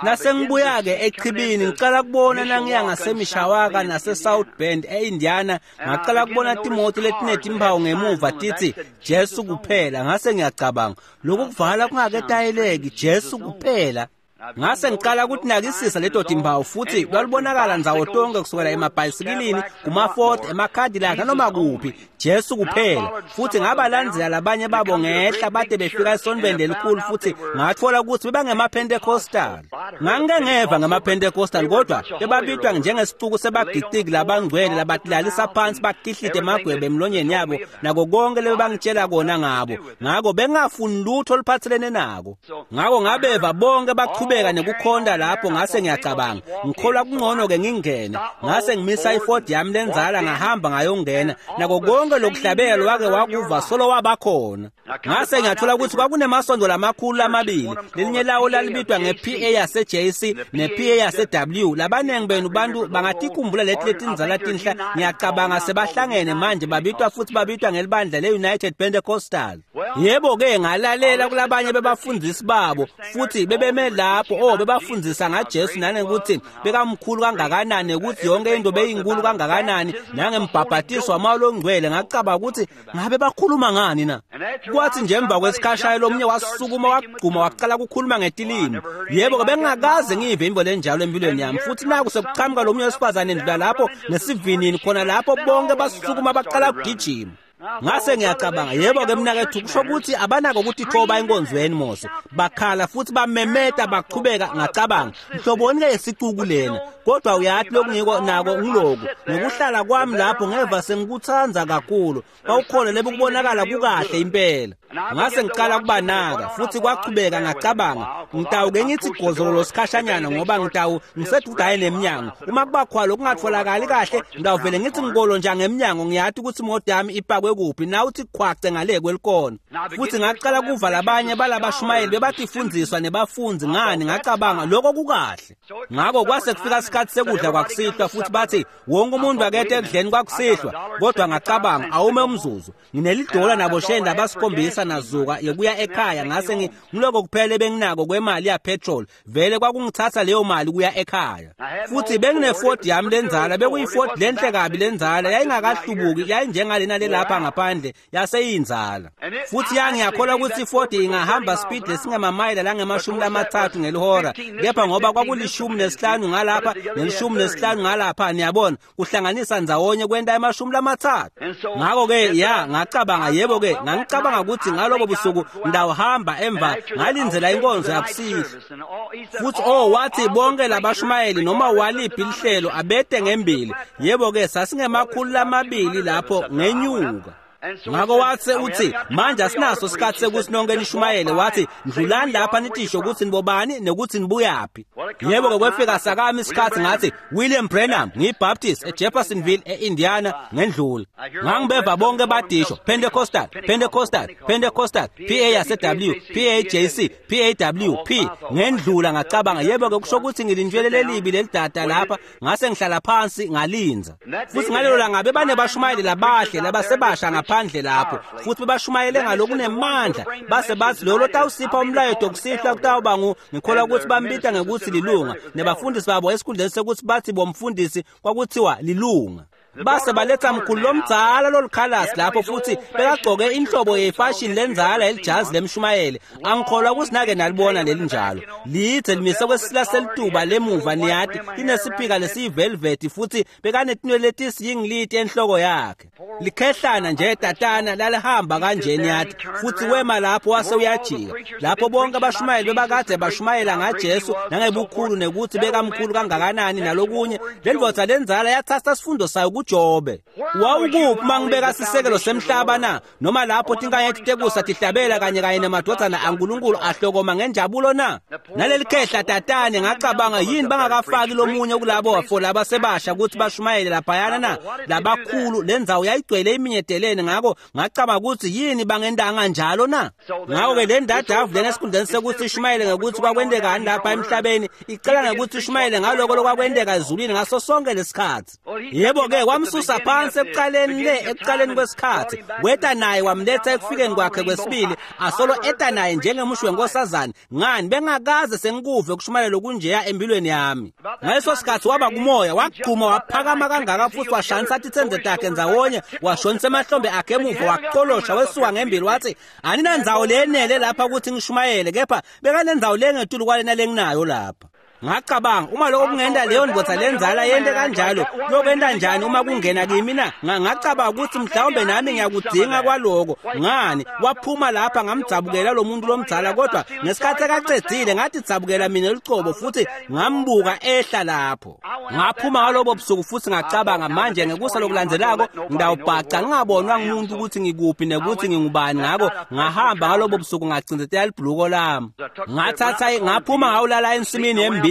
Nasengibuya-ke echibini ngicala kubona nangiya ngaseMishawaka nase-South Bend e-Indiana, ngacala kubona timoto letinetimphawu ngemuva titsi Jesu kuphela. Ngase ngiyacabanga lokhu kuvala kungaketayeleki, Jesu kuphela. Ngase ngicala ukuthi nakisisa leto timphawu futhi lwalubonakala ndzawo tonke kusukela emabhayisikilini, kuma-Ford, emaCadillac nanoma kuphi, Jesu kuphela. Futhi ngabalandzela labanye babo ngehla bade befika esontweni lelikhulu futhi ngatfola ukuthi bebangema-Pentecostal. Ngangike ngeva ngema-Pentecostal kodwa bebabitwa njengesixuku sebagiciki labangcwele labatilalisa phansi bakihlite emagwebe emlonyeni yabo nako konke lebebangitshela kona ngabo. Ngako bengingafuni lutho oluphathelene nako. Ngako ngabeva bonke bachubeka nekukhonta lapho. Ngase ngiyacabanga ngikholwa kungcono-ke ngingene. Ngase ngimisa iFord yami lenzala ngahamba ngayongena nako konke lokuhlabela wake wakuva solo wabakhona. Ngase ngiyathola ukuthi kwakunemasondo lamakhulu lamabili, lelinye lawo lalibitwa nge-PA yase-JC ne-PA yase-W. Labaningi benu bantu bangatikhumbula leti letindzala tinhla, ngiyacabanga sebahlangene manje babitwa futhi babitwa ngelibandla le-United Pentecostal. Yebo-ke ngalalela kulabanye bebafundisi babo futhi bebeme lapho bebafundzisa ngaJesu nanekuthi bekamkhulu kangakanani, ukuthi yonke into beyinkulu kangakanani, nangembhabhatiso wamoya longcwele. Ngacabanga ukuthi ngabe bakhuluma ngani na? Kwathi nje emva kwesikhashana lomunye wasukuma wagquma waqala ukukhuluma ngetilimi. Yebo-ke bengingakaze ngiyive imvo lenjalo empilweni yami. Futhi naku sekuqhamuka lomunye wesifazane ndlula lapho nesivinini khona lapho bonke basukuma baqala ukugijima. Ngase ngiyacabanga, yebo-ke mnakethu, kusho ukuthi abanako ukuthi thoba enkonzweni Mose. Bakhala futhi bamemeta bachubeka. Ngacabanga, mhloboni-ke yesicuku lena, kodwa uyathi lokungiko nako ngiloku ngikuhlala kwami lapho ngeva sengikuthanda kakhulu. Kwawukhona lebukubonakala kukahle impela. Ngase ngiqala kubanaka futhi kwachubeka. Ngacabanga, ngitawuke ngithi gozololo sikhashanyana ngoba ngitawu ngisedudaye nemnyango. Uma kuba khwalo kungatholakali kahle, ngitawuvele ngithi ngikolo nje ngemnyango, ngiyathi ukuthi imoto yami ipakwe kuphi, nawe uthi khwace ngale kwelikona. Futhi ngaqala kuva labanye balabashumayeli bebatifundiswa nebafundi ngani. Ngacabanga lokho kukahle. Ngakho kwase kufika isikhathi sekudla kwakusihlwa, futhi bathi wonke umuntu akethe ekudleni kwakusihlwa. Kodwa ngacabanga, awume umzuzu, nginelidola naboshenda abasikhombisa nazuka yokuya ekhaya. Ngase ngiloko kuphela benginako kwemali ya petrol, vele kwakungithatha leyo mali kuya ekhaya. Futhi bengine-Ford yami lenzala, bekuyi-Ford lenhle kabi lenzala, yayingakahlubuki, yayinjengalena lelapha ngaphandle, yaseyinzala. Futhi yangiyakholwa ukuthi i-Ford ingahamba speed lesingemamayela langama-30 ngelihora, kepha ngoba kwaku-15 ngalapha ne-15 ngalapha, niyabona, kuhlanganisa ndzawonye kwenta ama-30. Ngakho-ke ya ngacabanga, yebo-ke ngangicabanga ukuthi ngalobo busuku ngidawuhamba emva ngalindzela inkonzo yakusihlwa. Futhi wathi bonke labashumayeli noma waliphi lihlelo abete ngembili. Yebo-ke sasingama-200 lapho ngenyuka. Ngakho wathe uthi manje asinaso isikhathi sekuthi nonke nishumayele. Wathi ndlulani lapha nitisho ukuthi nibobani nekuthi nibuyaphi. Yebo-ke kwefika sakami isikhathi, ngathi William Branham, ngiyiBaptist eJeffersonville eIndiana, ngendlula. Ngangibeva bonke badisho Pentecostal, Pentecostal, Pentecostal, PA yase-W, PAJC, PAW, P. Ngendlula ngacabanga, yebo-ke kusho ukuthi ngilintshwele lelibi lelidada lapha. Ngase ngihlala phansi ngalinza. Futhi ngalelo langa bebanebashumayeli labahle labasebasha ngaphandle lapho, futhi bebashumayele ngalokunemandla. Base bathi lolo tawusipha umlayeto kusihlwa kutawuba ngikholwa ukuthi bambita ngekuthi lilunga, nebafundisi babo esikhundleni sekuthi bathi bomfundisi kwakuthiwa lilunga. Base baletha mkhulu lomdzala lolukhalasi lapho, futhi bekagcoke inhlobo yefashion lenzala elijazi lemshumayeli. Angikholwa ukuthi nake nalibona lelinjalo. Lithe limise kwesisila selituba lemuva, niyati, linesiphika lesiyivelvet, futhi bekanetinwele letisiyingiliti enhloko yakhe. Likhehlana nje tatana lalihamba kanje, niyati. Futhi wema lapho wase uyajika. Lapho bonke abashumayeli bebakade bashumayela ngaJesu nangebukhulu nekuthi bekamkhulu kangakanani nalokunye, le ndvodza lenzala yathatha sifundo sayo kuJobe. Wawukuphi mangibeka sisekelo semhlaba na? Noma lapho tinkanyeti tekusa tihlabela kanye kanye nemadvodzana aNkulunkulu ahlokoma ngenjabulo na? Naleli khehla tatane, ngacabanga, yini bangakafaki lomunye kulabo bafo labasebasha ukuthi bashumayele laphayana na? Labakhulu lendzawo yayigcwele iminyedelene. Ngakho ngacabanga ukuthi yini bangendanga njalo na? Ngakho-ke le ndadavu lena esikhundleni sekuthi ishumayele ngekuthi kwakwendekani lapha emhlabeni, icela ngekuthi ishumayele ngaloko lokwakwendeka ezulwini ngaso sonke lesikhathi. Yebo-ke wamsusa phansi ekuqaleni le ekuqaleni kwesikhathi, weta naye wamletha ekufikeni kwakhe kwesibili, asolo eta naye njengemusho wenkosazane. Ngani bengakaze sengikuve ukushumayela lokunjeya empilweni yami. Ngaleso sikhathi waba kumoya, wagquma waphakama kangaka, futhi washanisa titsenze takhe ndzawonye, washonisa emahlombe akhe emuva, waqolosha wesuka ngembili, wathi aninandzawo leyenele lapha ukuthi ngishumayele, kepha bekanendzawo lengetulu kwalena lenginayo lapha. Ngacabanga, uma lokho kungenta leyo ndvodza lenzala yente kanjalo, kuyokwenta njani uma kungena kimi na? Ngacabanga ukuthi mhlawumbe nami ngiyakudinga kwaloko. Ngani waphuma lapha, ngamdzabukela lo muntu lomdzala, kodwa ngesikhathi akacedzile ngathi dzabukela mina lucobo, futhi ngambuka ehla lapho. Ngaphuma ngalobo busuku futhi ngacabanga, manje ngekusa lokulandzelako ngidawubhaca ngingabonwa ngumuntu ukuthi ngikuphi nekuthi ngingubani. Ngakho ngahamba ngalobo busuku ngacindzetela libhuluko lami, ngathatha ngaphuma ngawulala ensimini yembili.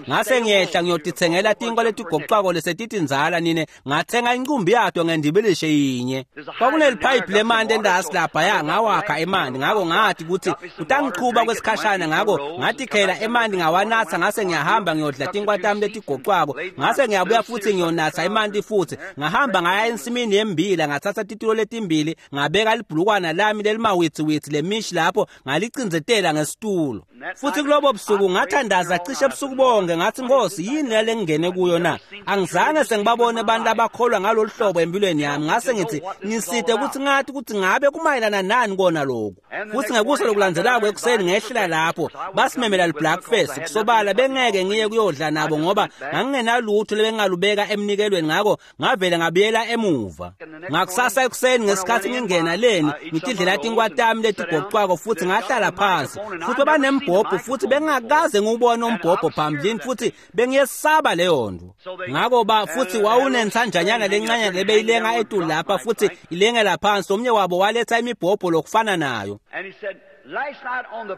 Ngase ngiyehla ngiyotithengela tinkwa letigoqwako lesetitinzala nine, ngathenga incumbi yato ngendibilishe yinye. Kwakuneliphayiphi lemanti endasi laphaya, ngawakha emanti. Ngakho ngathi ukuthi utangichuba kwesikhashana, ngakho ngatikhela emanti ngawanatha. Ngase ngiyahamba ngiyodla tinkwa tami letigoqwako, ngase ngiyabuya futhi ngiyonatha emanti futhi. Ngahamba ngaya ensimini yembila, ngathatha titulo letimbili, ngabeka libhulukwana lami lelimawitsiwitsi lemishi lapho, ngalicindzetela ngesitulo. Futhi kulobo busuku ngathandaza cishe ebusuku bonke, ngathi Nkosi, yini le ngingene kuyo na? Angizange sengibabone abantu abakholwa ngalolu hlobo empilweni yami. Ngase ngithi ngiside ukuthi ngathi ukuthi ngabe kumayelana nani kona lokhu. Futhi ngekusa lokulandzelako ekuseni ngehlela lapho basimemela li-breakfast. Kusobala bengeke ngiye kuyodla nabo ngoba ngangingenalutho lebengalubeka emnikelweni, ngakho ngavele ngabuyela emuva. Ngakusasa ekuseni ngesikhathi ngingena leni ngitidlela tinkwa tami letigoqwako futhi ngahlala phansi, futhi babanembhobho futhi bengakaze ngiwubone umbhobho phambilini futhi bengiyesaba leyo nto. Ngakho ba futhi wawunensanjanyana lencane lebeyilenga etulu lapha futhi ilengela phansi. Omnye wabo waletha imibhobho lokufana nayo.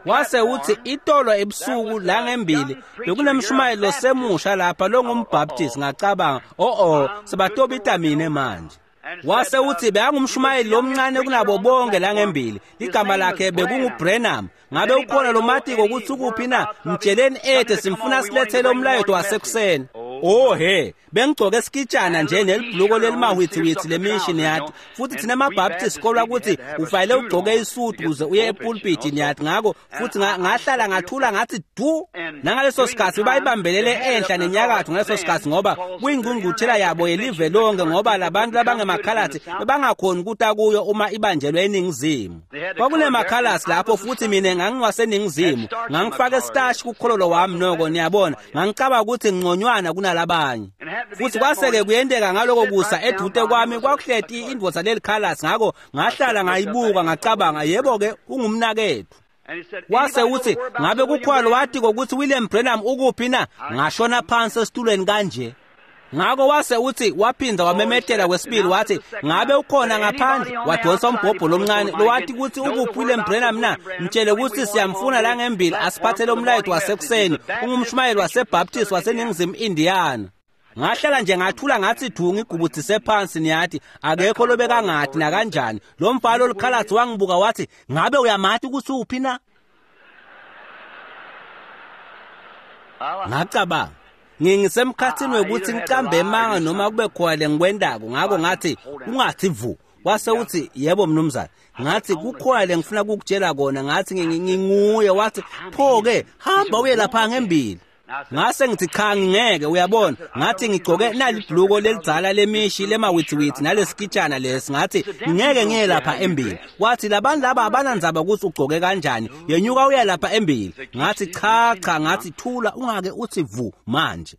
Wase uthi itolo ebusuku la ngembili bekunemshumayelo losemusha lapha longumbaptist. Ngacabanga oh sebatobita mina manje. Wase uthi bekangumshumayeli lomncane kunabo bonke la ngembili, igama lakhe bekunguBrenham. Ngabe ukhona lo matiko ukuthi ukuphi na? Mtsheleni ethe simfuna silethele umlayeto wasekuseni. Oh he, bengigcoke esikitshana nje nelibhuluko lelimahwithiwithi lemishini niyathi, futhi thina amaBaptist sikholwa ukuthi ufanele ugcoke isudu ukuze uye epulpit niyathi. Ngakho futhi ngahlala ngathula ngathi du. Nangaleso sikhathi bayibambelele enhla nenyakatho ngaleso sikhathi ngoba kuyingqungquthela yabo yelive lonke, ngoba labantu labangemakhalasi bebangakhoni ukuta kuyo uma ibanjelwe eningizimu. Kwakunemakhalasi lapho futhi mina ngangiwaseningizimu, ngangifake isitashi kukhololo wami noko niyabona, ngangicabanga ukuthi ngconywana kunalabanye. Futhi kwaseke kuyenteka ngaloko kusa edute kwami kwakuhleti indvodza lelikhalasi, ngakho ngahlala ngayibuka ngacabanga yebo-ke ungumnakethu. Wase uthi ngabe kukhona wathi kokuthi William Branham ukuphi na? Ngashona phansi esitulweni kanje. Ngakho wase uthi waphinda wamemetela kwesibili wathi ngabe ukhona ngaphandle. Wadonsa umbhobho lomncane lo wathi ukuthi ukuphi William Branham na? Mtshele ukuthi siyamfuna la ngembili asiphathele umlayeto wasekuseni, ungumshumayeli waseBaptist waseNingizimu Indiana. Ngahlala nje ngathula ngathi du ngigubuthise phansi niyathi, akekho lobekangathi nakanjani. Lo mfana olukhalathi wangibuka wathi ngabe uyamathi ukuthi uphi na? Ngacabanga ngingisemkhathini wekuthi ngicambe emanga noma kube khona lengikwendako. Ngakho ngathi ungathi vu. Wase uthi yebo mnumzane. Ngathi kukhona lengifuna ukukutshela kona. Ngathi nginguye. Wathi pho-ke hamba uye lapha ngembili. Ngase ngithi cha ngingeke uyabona. Ngathi ngigcoke nalibhuluko lelidzala lemishi lemawithiwithi nalesikitshana lesi. Ngathi ngingeke ngiye lapha embili. Wathi labantu laba abanandzaba ukuthi ugcoke kanjani, yenyuka uya lapha embili. Ngathi cha cha, ngathi thula ungake uthi vu manje.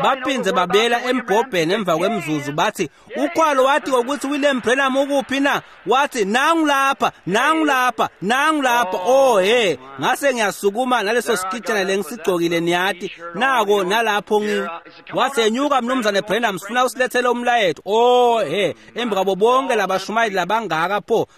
Baphinze babuyela embhobheni emva kwemzuzu bathi ukhwalo wathi ukuthi William Branham ukuphi na? Wathi nangu lapha, nangu lapha, nangu lapha. Oh he, ngase ngiyasukuma naleso sikitshana lengisigcokile niyathi, nako nalapho ngi. Wase nyuka mnumzane Branham sifuna usilethele umlayeto. Oh he, emva kwabo bonke labashumayeli labangaka pho,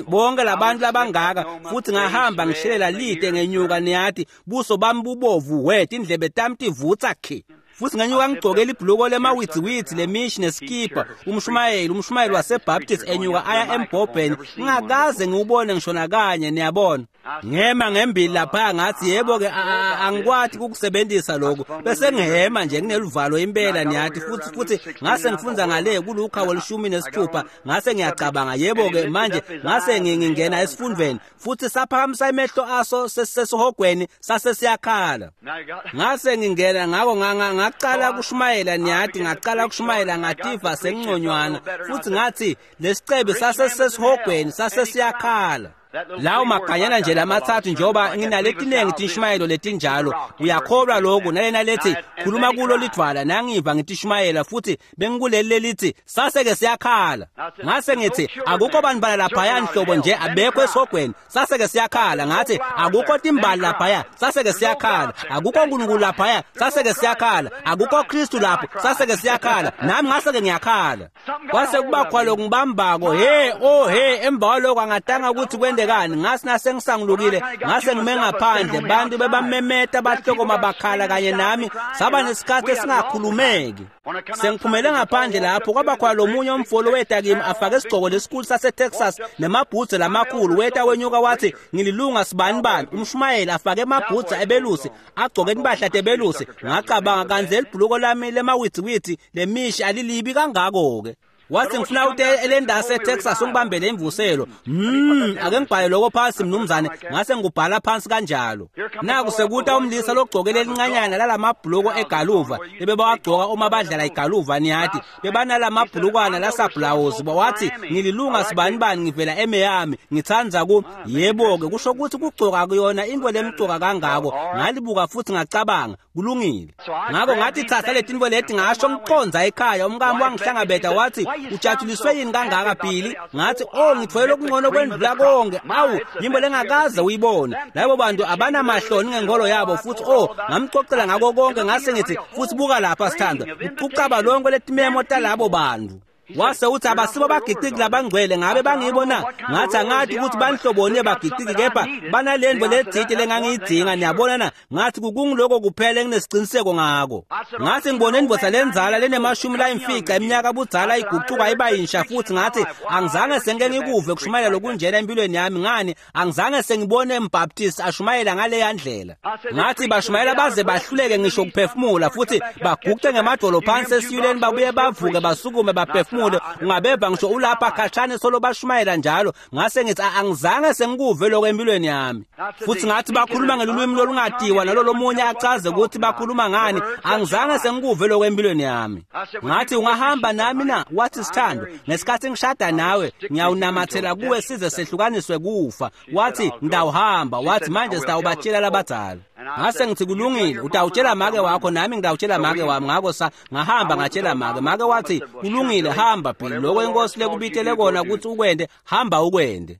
bonke labantu labangaka. Futhi ngahamba ngishelela lide ngenyuka niyathi, buso bami bubovu wet, indlebe tami tivutsa khi. Futhi ngenyuka ngigcokela ibhuluko lemawithiwithi lemishi neskipa. Umshumayeli waseBaptist enyuka aya embhobheni, ngingakaze ngiwubone ngisho nakanye niyabona. Ngema ngembili lapha ngathi yebo-ke angikwati ukukusebenzisa lokhu. Bese ngihema nje ngineluvalo impela niyathi. Futhi ngase ngifunda ngale kuLuka 16, ngase ngiyacabanga yebo-ke manje ngase ngingena esifundweni. Futhi saphakamisa emehlo aso sesihogweni sase siyakhala. Ngase ngingena ngakho ngaqala kushumayela niyathi, ngaqala kushumayela ngativa sengconywana. Futhi ngathi lesicebe sase sesihogweni sase siyakhala. Lawo maganyana nje lamathathu njengoba nginaletinengi tinshumayelo letinjalo, uyakholwa lokhu nalena lethi khuluma kulo lidvwala. Nangiva ngitishumayela futhi bengikuleli lelithi saseke siyakhala. Ngase ngithi akukho bantu laphaya nhlobo nje abekho esihogweni, saseke siyakhala. Ngathi akukho timbali laphaya, saseke siyakhala. Akukho uNkulunkulu laphaya, saseke siyakhala. Akukho Kristu lapho, saseke siyakhala. Nami ngaseke ngiyakhala. Kwase kuba khona lokungibambako he oh he. Emva kwaloko angatanga ukuthi kwende ngase nasengisangulukile, ngase ngime ngaphandle, bantu bebamemeta bahlokoma bakhala kanye nami, saba nesikhathi esingakhulumeki. Sengiphumele ngaphandle lapho kwaba khona lomunye umfolo weta kimi afake isigcoko lesikhulu saseTexas nemabhutsi lamakhulu. Weta wenyuka wathi ngililunga sibani bani, umshumayeli afake emabhutsi ebelusi, agcoke impahla tebelusi. Ngacabanga kanze libhuluko lami lemawithiwithi lemishi alilibi kangako-ke. Wathi ngifuna ute elendase eTexas ungibambele imvuselo. Ake ngibhale lokho phansi mnumzane, ngase ngubhala phansi kanjalo. Naku sekuta umlisa logcokele elincanyana lalamabhuluko egaluva lebebawagcoka uma badlala igaluva, niyathi bebanalama lasabhlawuzi. Wathi ngililunga sibanibani, ngivela eMiami, ngithanda ku yebo-ke kusho ukuthi kugcoka kuyona into lemcoka kangako. Ngalibuka futhi ngacabanga kulungile. Ngakho ngathi thatha letinto leti, ngasho ngiqonza ekhaya. Umkami wangihlangabeta wathi ujatshuliswe yini kangaka Billy? Ngathi oh, ngithwele okungcono kwendlula konke. Awu, yimbo lengakaze uyibone. Labo bantu abanamahloni ngenkolo yabo futhi oh, ngamxoxela ngako konke. Ngase ngithi futhi buka lapha sithandwa, ucucaba lonke letimemo talabo bantu. Wase uthi abasibo bagiqiki labangcwele, ngabe bangibo na? Ngathi angathi ukuthi banhloboni bagiqiki, kepha banalento ledzite lengangiyidinga, niyabona na? Ngathi kukungiloko kuphela enginesiqiniseko ngako. Ngathi ngibone indvodza lenzala lenemashumi layimfica eminyaka budzala igucuka iba yinsha futhi ngathi angizange sengike ngikuve kushumayela lokunjena empilweni yami. Ngani angizange sengibone umbaptist ashumayela ngaleya ndlela. Ngathi bashumayela baze bahluleke ngisho ukuphefumula futhi baguqe ngemadolo phansi esiyuleni, babuye bavuke basukume baphefumule, ungabeva ngisho ulapha khashane solo bashumayela njalo. Ngase ngithi angizange sengikuve lokho empilweni yami. Futhi ngathi bakhuluma ngelulwimi lolungatiwa nalo lomunye achaze ukuthi bakhuluma ngani, angizange sengikuve lokho empilweni yami. Ngathi ungahamba nami na? Wathi sithando, ngesikhathi ngishada nawe ngiyawunamathela kuwe size sehlukaniswe kufa. Wathi ngidawuhamba. Wathi manje sitawubatshela labadzala. Ngase ngithi kulungile, utawutshela make wakho nami ngitawutshela make wami. Ngakho ngahamba ngatshela make. Make wathi kulungile, hamba Billy, lokho inkosi lekubitele kona ukuthi ukwende, hamba ukwende.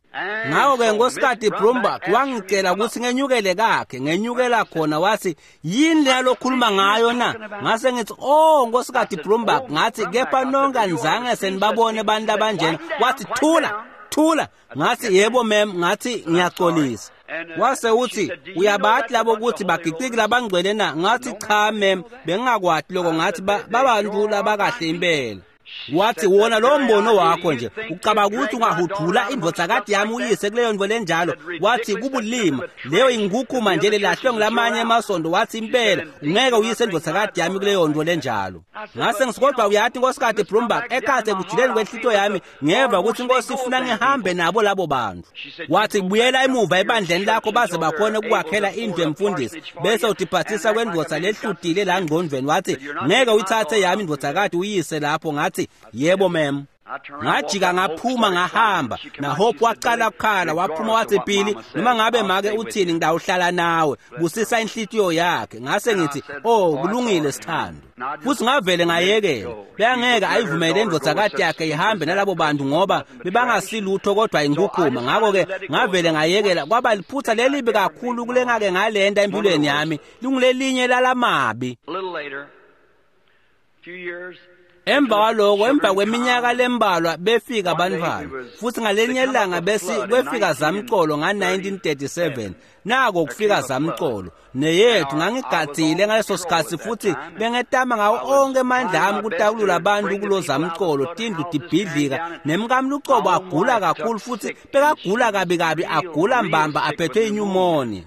Ngakho-ke Nkosikati Brumbach wangicela ukuthi ngenyukele kakhe, ngenyukela khona. Wathi yini leya lokhuluma ngayo na? Ngase ngithi oh Nkosikati Brumbach, ngathi kepha nonke anizange senibabone abantu abanjena. Wathi thula thula. Ngathi yebo ma'am, ngathi ngiyaxolisa. Wase uthi uyabathi labo ukuthi bagiqiki labangcwele na? Ngathi cha ma'am, bengingakwati lokho. Ngathi babantu labakahle impela. Wathi wona lo mbono wakho nje ucabanga ukuthi ungahudula indvodzakati yami uyise kuleyo nto lenjalo. Wathi kubulima leyo ingukhuma nje lelahlwe ngilamanye emasondo. Wathi impela ungeke uyise indvodzakati yami kuleyo nto lenjalo. Ngase ngithi kodwa uyathi Nkosikati Brumbach, ekhathe ekujuleni kwenhlito yami ngeva ukuthi inkosi ifuna ngihambe nabo labo bantu. Wathi buyela emuva ebandleni lakho baze bakhone ukwakhela indlu emfundisi, bese utiphathisa kwendvodza lehlutile la ngqondweni. Wathi ngeke uyithathe yami indvodzakati uyise lapho. Ngathi yebo ma'am. Ngajika ngaphuma ngahamba. NaHope waqala ukukhala, waphuma wathi Billy, noma ngabe make uthini ngidawuhlala nawe, busisa inhlitiyo yakhe. Ngase ngithi oh kulungile sithando, futhi ngavele ngayekela. Beyangeke ayivumele indvodzakati yakhe ihambe nalabo bantu ngoba bebangasilutho kodwa inkukhuma. Ngakho-ke ngavele ngayekela. Kwaba liphutha lelibi kakhulu kulengake ngalenta empilweni yami, lingulelinye lalamabi. Emva kwaloko, emva kweminyaka lembalwa befika abantwana futhi ngalenye ilanga bese kwefika zamcolo nga-1937. Nako kufika zamcolo neyethu. Ngangigadzile ngaleso sikhathi futhi bengetama ngawo onke amandla ami kutakulula abantu kulo zamcolo. Tindlu tibhidlika nemkami lucobo agula kakhulu futhi bekagula kabi kabi, agula mbamba, aphethwe inyumonia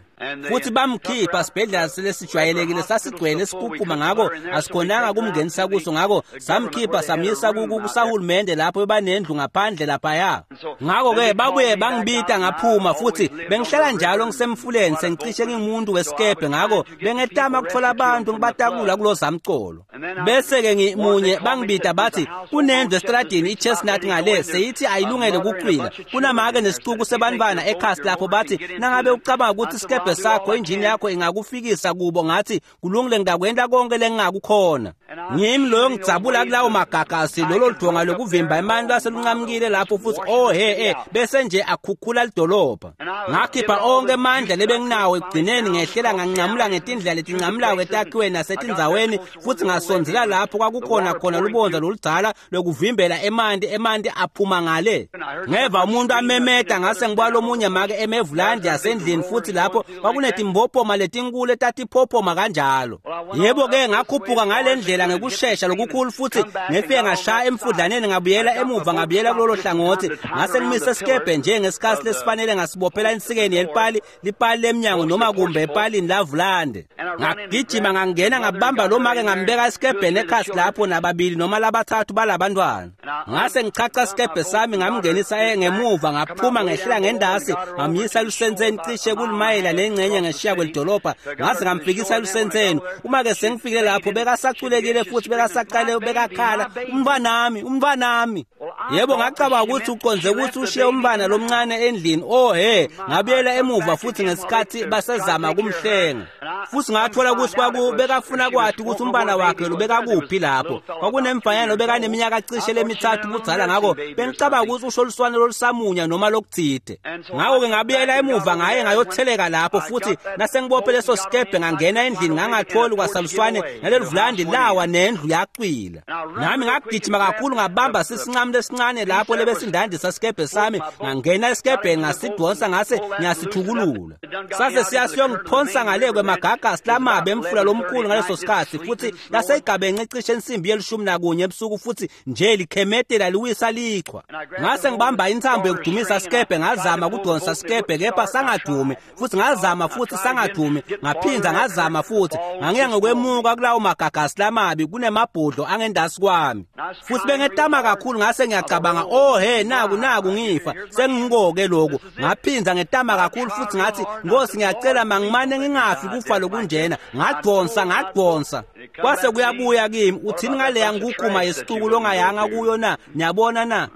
futhi bamkhipha sibhedlela lesijwayelekile sasigcwele sikhukhuma, ngakho asikhonanga kumngenisa kuso. Ngakho samkhipha samyisa kusahulumende lapho bebanendlu ngaphandle laphaya. Ngakho-ke babuye bangibita ngaphuma futhi bengihlala njalo ngisemfuleni, sengicishe ngingumuntu wesikebhe. Ngakho bengetama ukuthola abantu ngibatakula kulo zamcolo. Bese-ke ngimunye bangibita bathi kunendlu esitradini i-Chestnut ngale seyithi ayilungele kucwila, kunamake nesicuku sebantwana ekhasi lapho. Bathi nangabe ucabanga ukuthi isikebhe sakho injini yakho ingakufikisa kubo. Ngathi kulungile, ngidakwenta konke lengingakukhona. Ngimi loyo ngidzabula kulawo magagasi, lolo ludonga lokuvimba emanti lwaselunqamukile lapho futhi oh he bese nje akhukhula lidolobha. Ngakhipha onke amandla lebenginawo, ekugcineni ngehlela nganqamula ngetindlela letinqamulako etakhiweni nasetindzaweni futhi ngasondzela lapho kwakukhona khona lubondza loludzala lokuvimbela emanti, emanti aphuma ngale. Ngeva umuntu amemeta, ngase ngibuka lomunye make emevulandi yasendlini futhi lapho kwakunetimbophoma letinkulu etatiphophoma kanjalo. Yebo-ke ngakhuphuka ngale ndlela. ngendlela ngekushesha lokukhulu futhi ngefike ngashaya emfudlaneni ngabuyela emuva ngabuyela kulolo hlangothi ngase ngimise sikebhe nje ngesikhathi lesifanele ngasibophela ensikeni yelipali lipali lemnyango noma kumbe epalini lavulande. Ngagijima ngangena ngabamba lo make ngambeka esikebheni ekhasi lapho nababili noma labathathu balabantwana. Ngase ngichacha isikebhe sami ngamngenisa ngemuva ngaphuma ngehlela ngendasi ngamyisa lusentseni cishe kulimayela nengxenye ngeshiya kwelidolobha ngase ngamfikisa lusentseni. Uma ke sengifikile lapho bekasaculekile futhi bekasaqale bekakhala umntwanami umntwanami. Yebo ngacabanga ukuthi uqonze ukuthi ushiye umntwana lomncane endlini. Oh he, ngabuyela emuva futhi ngesikhathi basezama kumhlenga. Futhi ngathola ukuthi kwakubekafuna kwathi ukuthi umntwana wakhe lobekakuphi lapho. Kwakunemfanyana lobekaneminyaka cishe lemithathu budzala ngakho bengicabanga ukuthi usho luswane lolusamunya noma lokuthide. Ngakho-ke ngabuyela emuva ngaye ngayotheleka lapho futhi nasengibophe leso sikebhe ngangena endlini ngangatholi kwasaluswane naleluvulandi lawa nendlu yacwila. Nami ngagijima kakhulu ngabamba sisinqamu lesincane lapho lebesindandisa sikebhe sami ngangena esikebheni ngasidonsa ngase ngiyasithukulula. Sase siyasiyongiphonsa ngale kwemagagasi lamabi emfula lomkhulu ngaleso sikhathi futhi laseyigabenxe cishe insimbi ye-11 ebusuku futhi nje likhemetela liwisa lichwa. Ngase ngibamba intsambo yokudumisa sikebhe ngazama kudonsa sikebhe kepha sangadumi futhi ngazama futhi sangadumi ngaphinda ngazama futhi ngangiya ngokwemuka kulawo magagasi lamabi kunemabhodlo angendasi kwami futhi bengetama kakhulu ngase ngiyacabanga oh he naku naku ngifa sengingikoke lokhu. Ngaphinda ngetama kakhulu futhi ngathi Nkosi ngiyacela mangimane ngingafi kufa lokunjena. Ngadonsa ngadonsa kwase kuyabuya kimi uthini ngaleya ngukuma yesituku longayanga kuyo na niyabona na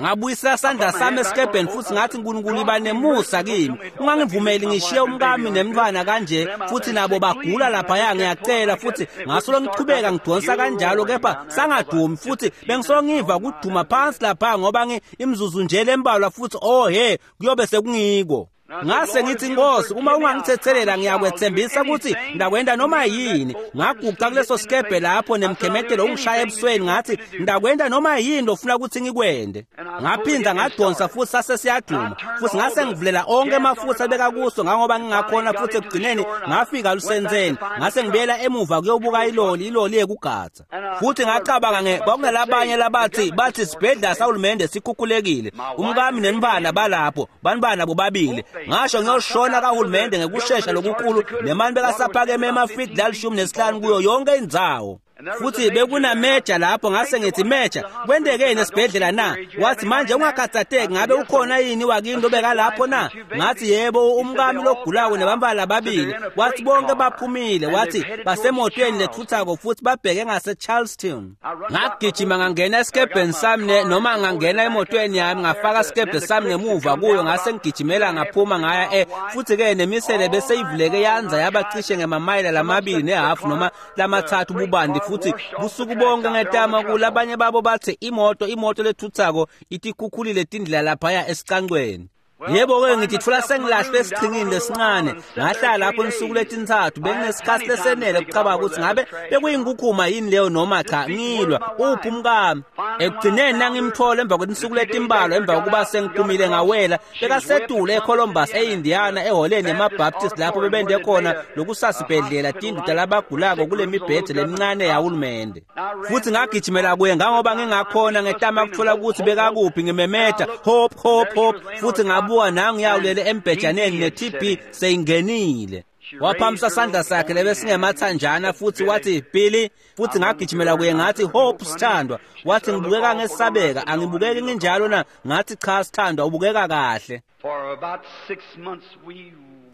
Ngabuyisela sandla sami esikebheni futhi ngathi Nkulunkulu iba nemusa kimi ungangivumeli ngishiye umkami nemntwana kanje futhi nabo bagula laphaya ngiyacela. Futhi ngasolo ngichubeka ngidonsa kanjalo kepha sangadumi futhi bengisolo ngiva kuduma phansi lapha ngoba imzuzu nje lembalwa futhi oh he kuyobe sekungiko. Ngase ngithi Nkosi uma ungangithethelela ngiyakwethembisa ukuthi ndakwenda noma yini. Ngaguqa kuleso sikebhe lapho nemkhemetelo ungishaya ebusweni ngathi ndakwenda noma yini ofuna ukuthi ngikwende. Ngaphinda ngadonsa futhi sase siyaduma futhi ngase ngivulela onke amafutha abeka kuso ngangoba ngingakhona futhi ekugcineni ngafika lusentseni. Ngase ngibuyela emuva kuyobuka iloli iloli yekugatha futhi ngacabanga kwakunalabanye labathi bathi sibhedlela sahulumende sikhukhulekile umkami nenibana balapho banibana bobabili. Ngasho ngiyoshona kahulumende ngekushesha lokukhulu nemani bekasaphakeme emafidi la15 kuyo yonke indzawo. Futhi bekunameja lapho ngase ngithi meja kwentekeni esibhedlela na? Wathi manje ungakhathatheki ngabe ukhona yini wakini lobeka lapho na? Ngathi yebo umkami logulako nebantwana lababili. Wathi bonke baphumile. Wathi basemotweni lethuthako futhi babheke ngase Charleston. Ngagijima ngangena esikebheni sami noma ngangena emotweni yami ngafaka isikebhe sami ngemuva kuyo ngase ngigijimela ngaphuma ngaya futhi ke nemisele beseyivuleke yanza yabacishe ngemamayela 2.5 noma 3 bubanti futhi busuku bonke ngetama kulabanye babo bathi imoto lethuthako itikhukhulile tindlela laphaya esicancweni. Yebo-ke ngithi thola sengilahlwe esichingini lesincane ngahlala lapho insuku letintathu benginesikhathi lesenele kucabanga ukuthi ngabe bekuyinkukhuma yini leyo noma cha ngilwa uphi umkami. Ekugcineni nangimthola emva kwetinsuku letimbalwa emva kokuba sengiphumile ngawela bekasetule eColumbus eIndiana eholeni yamaBaptist lapho bebende khona lokusasibhedlela tinduda labagulako kule mibhede lemincane yahulumende. Futhi ngagijimela kuye ngangoba ngingakhona ngetama kuthola ukuthi bekakuphi ngimemeta hop hop hop futhi ngabuka nangiyawulele embhejaneni ne-TB seyingenile. Waphamisa sandla sakhe lebesingemathanjana futhi wathi Billy futhi ngagijimela kuye ngathi Hope sithandwa. Wathi ngibukeka ngesabeka angibukeki nginjalo na? Ngathi cha sithandwa ubukeka kahle.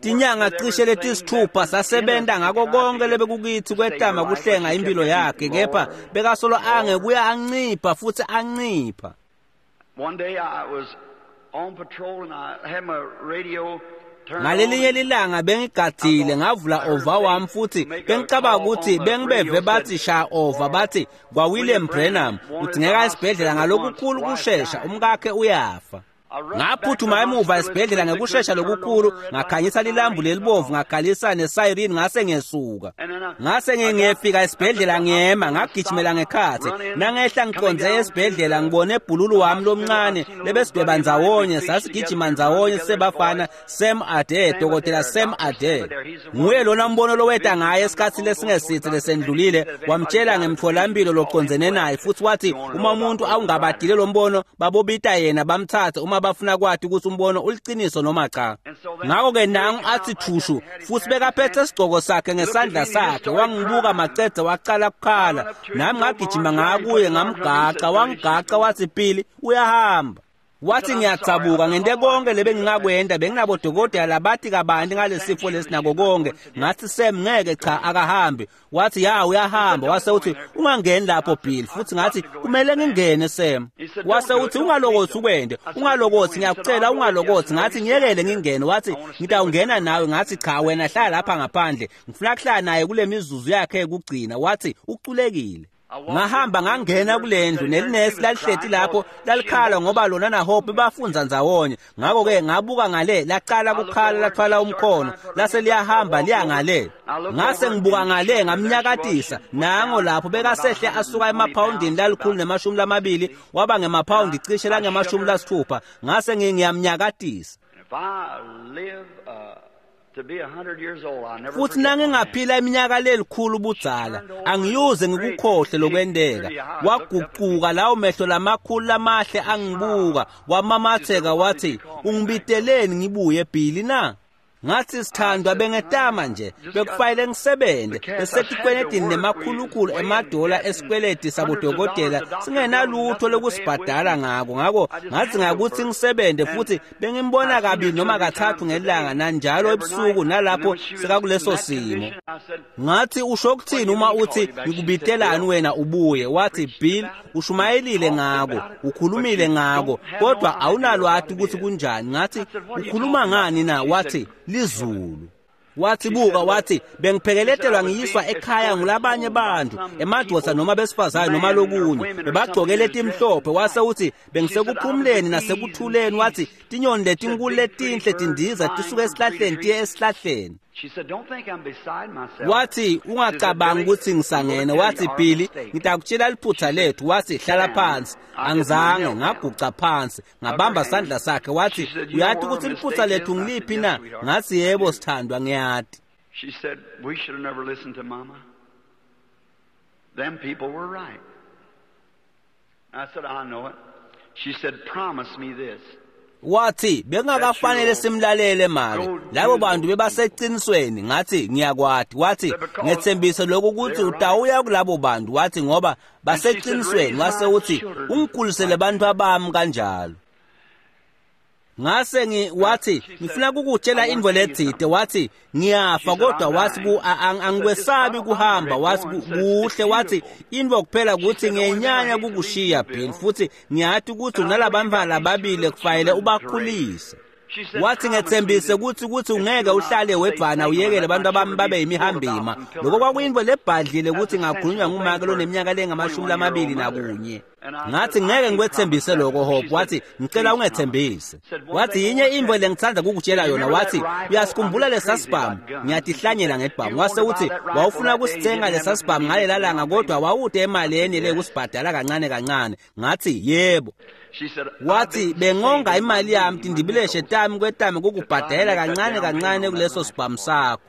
Tinyanga cishe letisithupha sasebenta ngako konke lebekukithi kwetama kuhlenga impilo yakhe kepha bekasolo angekuya ancipha futhi ancipha.
One day I was on patrol and I had my radio.
Ngalelinye lilanga bengigadzile ngavula over wami futhi bengicabanga ukuthi bengibeve bathi sha over bathi kwa William Branham udingeka esibhedlela ngalokukhulu kushesha umkakhe uyafa. Ngaphuthuma emuva esibhedlela ngekushesha lokukhulu, ngakhanyisa lilambu lelibovu, ngakhalisa nesayirini, ngase ngesuka. Ngase ngiyefika esibhedlela ngema, ngagijimela ngekhatsi. Nangehla ngiqondze esibhedlela ngibone ebhululu wami lomncane lebesidweba ndzawonye, sasigijima ndzawonye sebafana Sam Adair, Dokotela Sam Adair. Nguye lona mbono loweta ngaye esikhathi lesingesithe lesendlulile, wamtshela ngemtholampilo locondzene naye futhi wathi uma umuntu awungabadile lo mbono babobita yena bamthathe uma bafuna kwati ukuthi umbono uliciniso noma cha. Ngakho-ke nangu athi thushu futhi bekaphethe isigcoko sakhe ngesandla sakhe, wangibuka macedze wacala kukhala. Nami ngagijima ngakuye ngamgaca, wangigaca wathi Billy uyahamba. Wathi ngiyathabuka ngente konke lebengingakwenda, benginabodokotela labathi kabanti ngalesifo lesinako konke. Ngathi Sam ngeke cha akahambi. Wathi ya uyahamba. Wase uthi ungangeni lapho Bill. Futhi ngathi kumele ngingene Sam. Wase uthi ungalokothi ukwende, ungalokothi ngiyakucela ungalokothi. Ngathi ngiyekele ngingene. Wathi ngitawungena nawe. Ngathi cha wena hlala lapha ngaphandle, ngifuna kuhlala naye kule mizuzu yakhe yokugcina. Wathi uculekile. Ngahamba ngangena kulendlu nelinesi lalihleti lapho lalikhala ngoba lona naHope bafunza ndzawonye. Ngakho-ke ngabuka ngale lacala kukhala lathwala umkhono lase liyahamba liya ngale. Ngase ngibuka ngale ngamnyakatisa nango lapho bekasehle asuka emaphawundini lalikhulu ne-20 waba ngemaphawundi cishe langema-60. Ngase ngiyamnyakatisa. Futhi nangingaphila iminyaka lelikhulu budzala angiyuze ngikukhohle lokwenteka. Wagucuka lawo mehlo lamakhulu lamahle angibuka, wamamatheka wathi ungibiteleni ngibuye Billy na? Ngathi sithandwa bengetama nje bekufanele ngisebenze besetikweletini nemakhulukhulu emadola esikweleti sabodokotela singenalutho lokusibhadala ngako. Ngako ngathi ngakuthi ngisebenze futhi bengimbona kabili noma kathathu ngelanga nanjalo ebusuku nalapho sekakuleso simo. Ngathi usho kuthini uma uthi ngikubitelani wena ubuye? Wathi Bill ushumayelile ngako, ukhulumile ngako, kodwa awunalwati ukuthi kunjani. Ngathi ukhuluma ngani na? Wathi lizulu. Wathi buka, wathi bengiphekeletelwa ngiyiswa ekhaya ngulabanye bantu, emadoda noma besifazane noma lokunye, bebagcoke letimhlophe. Wase uthi bengisekuphumleni nasekuthuleni. Wathi tinyoni letinkulu letinhle tindiza tisuka esihlahleni tiye esihlahleni. Wathi ungacabangi ukuthi ngisangene. Wathi Billy ngitakutshela liphutha lethu. Wathi hlala phansi. Angizange, ngaguca phansi ngabamba sandla sakhe. Wathi uyathi ukuthi liphutha lethu ngiliphi na? Ngathi yebo sithandwa ngiyati.
She said we should have never listened to mama. Them people were right. I said I know it. She said promise me this.
Wathi bengakafanele simlalele make, labo bantu bebaseqinisweni. Ngathi ngiyakwati. Wathi ngethembise lokhu ukuthi utawuya kulabo bantu. Wathi ngoba baseqinisweni. Wase uthi ungikhulisele abantu abami kanjalo. Ngase wathi ngifuna ukukutshela into lethide. Wathi ngiyafa kodwa wathi angikwesabi kuhamba. Wathi kuhle. Wathi into kuphela ukuthi ngenyanya kukushiya Bill, futhi ngiyathi ukuthi unalabantwana lababili kufanele ubakhulise. Wathi ngethembise ukuthi ungeke uhlale wedvana uyekele abantu abami babe yimihambima. Lokho kwakuyinto lebhadlile ukuthi ngakhulunywa ngumake loneminyaka lengama-21. Ngathi ngeke ngikwethembise lokho Hope. Wathi ngicela ungethembise. Wathi yinye into lengithanda kukutshela yona. Wathi uyasikhumbula lesasibhamu? Ngiyatihlanyela ngebhamu. Wase uthi wawufuna ukusithenga lesasibhamu ngalela langa kodwa wawude emalini le kusibhadala kancane kancane. Ngathi yebo. Wathi bengonga imali yami tindibileshe tami kwetami kukubhadela kancane kancane kuleso sibhamu sakho.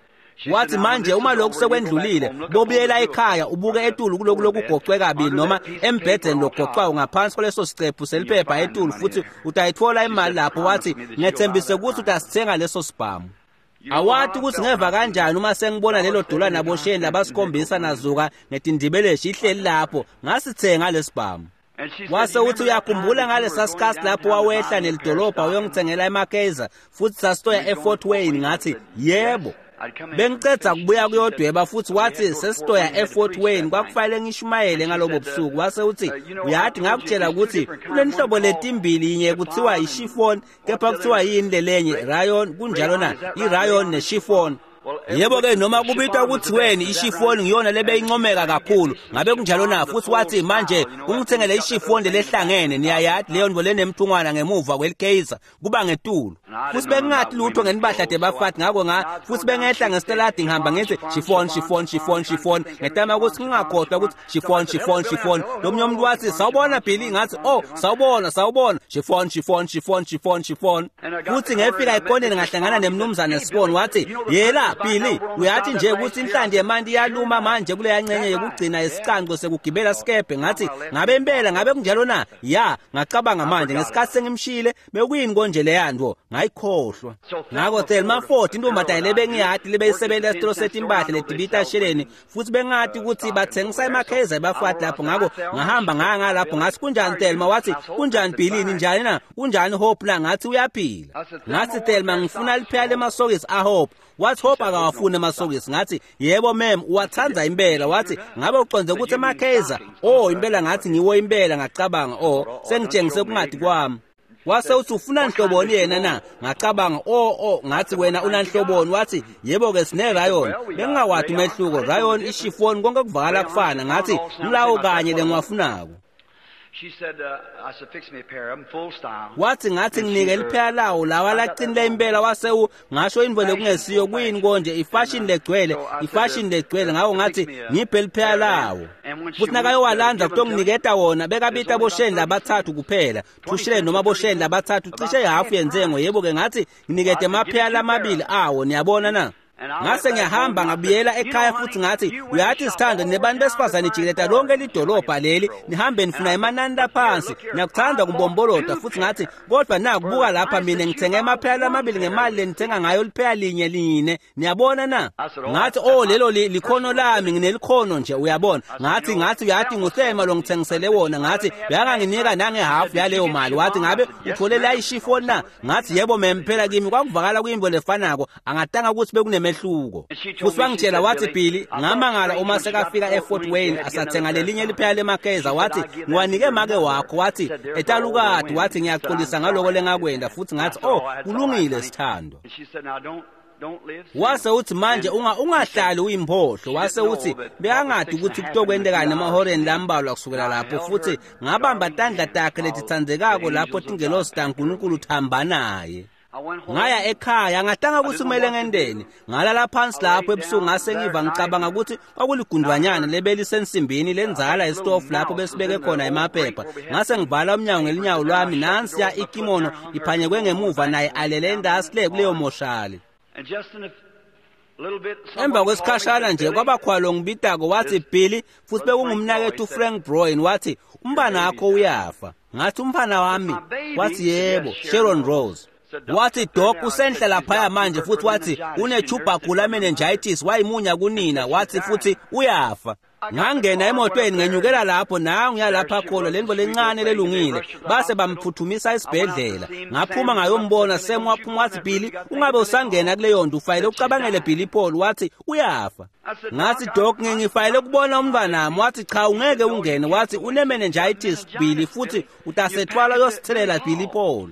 Wathi manje uma lokhu sekwendlulile bobuyela ekhaya ubuke etulu kuloku lokugocwe kabili noma embhedeni logocwayo ngaphansi kwaleso sicephu seliphepha etulu futhi utayithola imali lapho. Wathi ngethembise ukuthi utasithenga leso sibhamu. Awathi ukuthi ngeva kanjani uma sengibona lelo dola nabosheni labasikhombisa nazuka ngetindibeleshi ihleli lapho, ngasithenga lesibhamu. Wase uthi uyakhumbula ngalesa sikhathi lapho wawehla nelidolobha uyongithengela emakeza futhi sasitoya eFort Wayne? Ngathi yebo. Bengiceda kubuya kuyodweba futhi wathi sesitoya eFort Wayne, kwakufanele ngishumayele ngalobo busuku. Wase uthi uyathi ngakutshela ukuthi kulenhlobo letimbili, yinye kuthiwa ishifon kepha kuthiwa yini lelenye rayon, kunjalo na? Irayon neshifon. Yebo-ke noma kubitwa kutsi weni ishifoni ngiyona lebeyincomeka kakhulu, ngabe kunjalo na? Futhi wathi manje ungithengele ishifoni lehlangene, niyayati leyo nto lenemthungwana ngemuva kwelikheyiza kuba ngetulu. Futhi bengingathi lutho ngenibahla tebafati, ngako futhi bengehla ngesiteladi ngihamba ngithi chiffon chiffon chiffon chiffon, ngetama ukuthi ngingakhohlwa ukuthi chiffon chiffon chiffon. Lomunye umuntu wathi sawubona Billy, ngathi oh sawubona sawubona, chiffon chiffon chiffon chiffon chiffon. Futhi ngefika ekoneni ngahlangana nemnumzane Sibon, wathi yela Billy, uyathi nje ukuthi inhlanti yemanti iyaluma manje kuleya ncenye yokugcina isicanco sekugibela sikebhe. Ngathi ngabe impela ngabe kunjalo na? Ya, ngacabanga manje ngesikhathi sengimshile bekuyini konje leya nto, ngayikhohlwa. Ngako Thelma Ford, intombazane lebengiyati lebeyisebenza esitolo setimpahla letibita sheleni, futhi bengati ukuthi bathengisa emakheza ebafati lapho. Ngako ngahamba ngaya ngalapho, ngathi kunjani Thelma? Wathi kunjani Billy, ninjani na? Kunjani Hope na? Ngathi uyaphila. Ngathi Thelma ngifuna liphela lemasokisi aHope. Wathi Hope akawafuni emasokisi. Ngathi yebo ma'am, uwathanda impela. Wathi ngabe uconze ukuthi emakheza? Oh impela, ngathi ngiwo impela. Ngacabanga oh sengitshengise kungadi kwami. Wase uthi ufuna nhloboni yena na? Ngacabanga oh ngathi wena unanhloboni. Wathi yebo ke sine rayon. Bengingawadi umehluko, rayon ishifoni konke kuvakala kufana. Ngathi ngilawo kanye lengiwafunako. Wathi ngathi nginike liphela lawo lawa laqinile impela. Wase ngasho into lekungesiyo kuyini konje, ifashion legcwele, ifashion legcwele. Ngako ngathi ngiphe liphela lawo. Futhi nakayowalanda kutonginiketa wona bekabita bosheni labathathu kuphela, 2 shilling noma bosheni labathathu, cishe ihafu yenzengo. Yebo ke ngathi nginikete amaphela lamabili awo, niyabona na? Ngase ngiyahamba ngabuyela ekhaya futhi ngathi uyathi sithando, nebantu besifazane jikeleta lonke lidolobha leli, nihambe nifuna emanani laphansi, niyakuthanda kumbombolota. Futhi ngathi kodwa nakubuka lapha mina ngithenge amaphela amabili ngemali lenithenga ngayo liphela linye line, niyabona na? Ngathi oh lelo likhono lami, nginelikhono nje uyabona. Ngathi uyathi nguThelma lo ngithengisele wona. Ngathi uyanganginika nangehafu yaleyo mali. Wathi ngabe uthole la ishifoni na? Ngathi yebo ma'am, phela kimi kwakuvakala kuyimbo lefanako, angatanga ukuthi bekuneme mehluko. Futhi wangitshela wathi Billy, ngamangala uma sekafika eFort Wayne asathenga lelinye liphela lemakeza. Wathi ngiwanike make wakho, wathi etalukati, wathi ngiyaxolisa ngaloko lengakwenda. Futhi ngathi oh kulungile sithando. Wase uthi manje ungahlali uyimphotlo. Wase uthi bekangadi ukuthi kutokwendekani emahoreni lambalwa kusukela lapho. Futhi ngabamba tandla takhe letitsandzekako lapho tingelosi taNkulunkulu thamba naye. Ngaya ekhaya ngatanga ukuthi kumele ngendeni. Ngalala phansi lapho ebusuku, ngase ngiva ngicabanga ukuthi kwakuligundwanyana lebelisensimbini lenzala esitofu lapho besibeke khona emaphepha. Ngase ngivala umnyango ngelinyawo lwami, nansiya ikimono iphanyekwe ngemuva naye alele endasi le kuleyo moshali. Emva kwesikhashana nje kwabakhwalo ngibidako, wathi Billy, futhi bekungumnakethu Frank Brown, wathi umntwana wakho uyafa. Ngathi umfana wami? Wathi yebo, Sharon Rose. Wathi Doc usenhla laphaya manje, futhi wathi une-tubercular meningitis, wayimunya kunina, wathi futhi uyafa. Ngangena emotweni ngenyukela lapho, nangu yalapha khona lento lencane lelungile, base bamphuthumisa esibhedlela. Ngaphuma ngayombona, Sam waphuma wathi Billy ungabe usangena kuleyo nto, ufayele ucabangele Billy Paul, wathi uyafa. Ngathi Doc ngifayele ukubona umntwanami. Wathi cha ungeke ungene, wathi une-meningitis Billy, futhi utasethwala uyosithelela Billy Paul.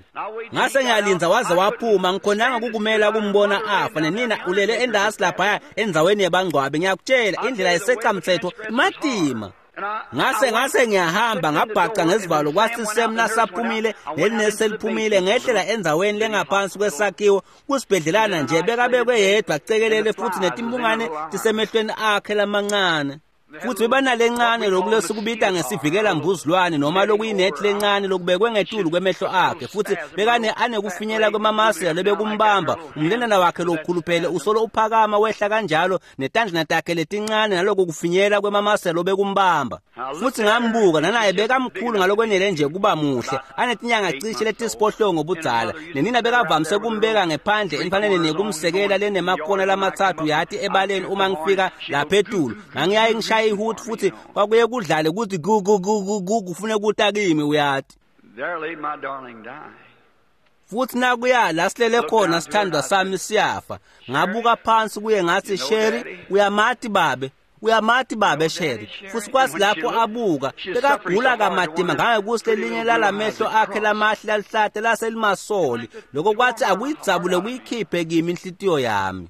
Ngase ngiyalinza waze waphuma, ngikhonanga kukumela kumbona afa, nenina ulele endasi laphaya endzaweni yebangcwabe. Ngiyakutshela indlela yeseqamthetho matima. Ngase ngiyahamba ngabhaca ngesivalo, kwathi Sam nasaphumile nelinesi seliphumile, ngehlela endzaweni lengaphansi kwesakhiwo kusibhedlelana nje, bekabekwe yedwa acekelele, futhi netimbungane tisemehlweni akhe lamancane. Futhi bebanalencane lokhu lesikubita ngesivikela mbuzilwane noma lokuyinethi lencane lokubekwe ngetulu kwemehlo akhe, futhi bekane anekufinyela kwemamasela lebekumbamba umlendana wakhe lokhuluphele usolo uphakama wehla kanjalo netandlana takhe letincane naloko kufinyela kwemamasela obekumbamba. Futhi ngambuka nanaye bekamkhulu ngalokwenele nje kuba muhle, anetinyanga cishe letisiphohlongo budzala, nenina bekavamise kumbeka ngephandle emfaneni nekumsekela lenemakona lamathathu yathi ebaleni. Uma ngifika lapha etulu ngangiyaye ngishaya ihuthi, futhi kwakuye kudlale kuthi gu gu gu gu gu kufune kutakimi uyati. Futhi nakuya la silele khona sithandwa sami siyafa. Ngabuka phansi kuye ngathi Sherry uyamati babe, uyamati babe Sherry. Futhi kwathi lapho abuka bekagula kamatima ngangekuthi lelinye lalamehlo akhe lamahle lalihlate laselimasoli, lokho kwathi akuyidzabule kuyikhiphe kimi inhlitiyo yami.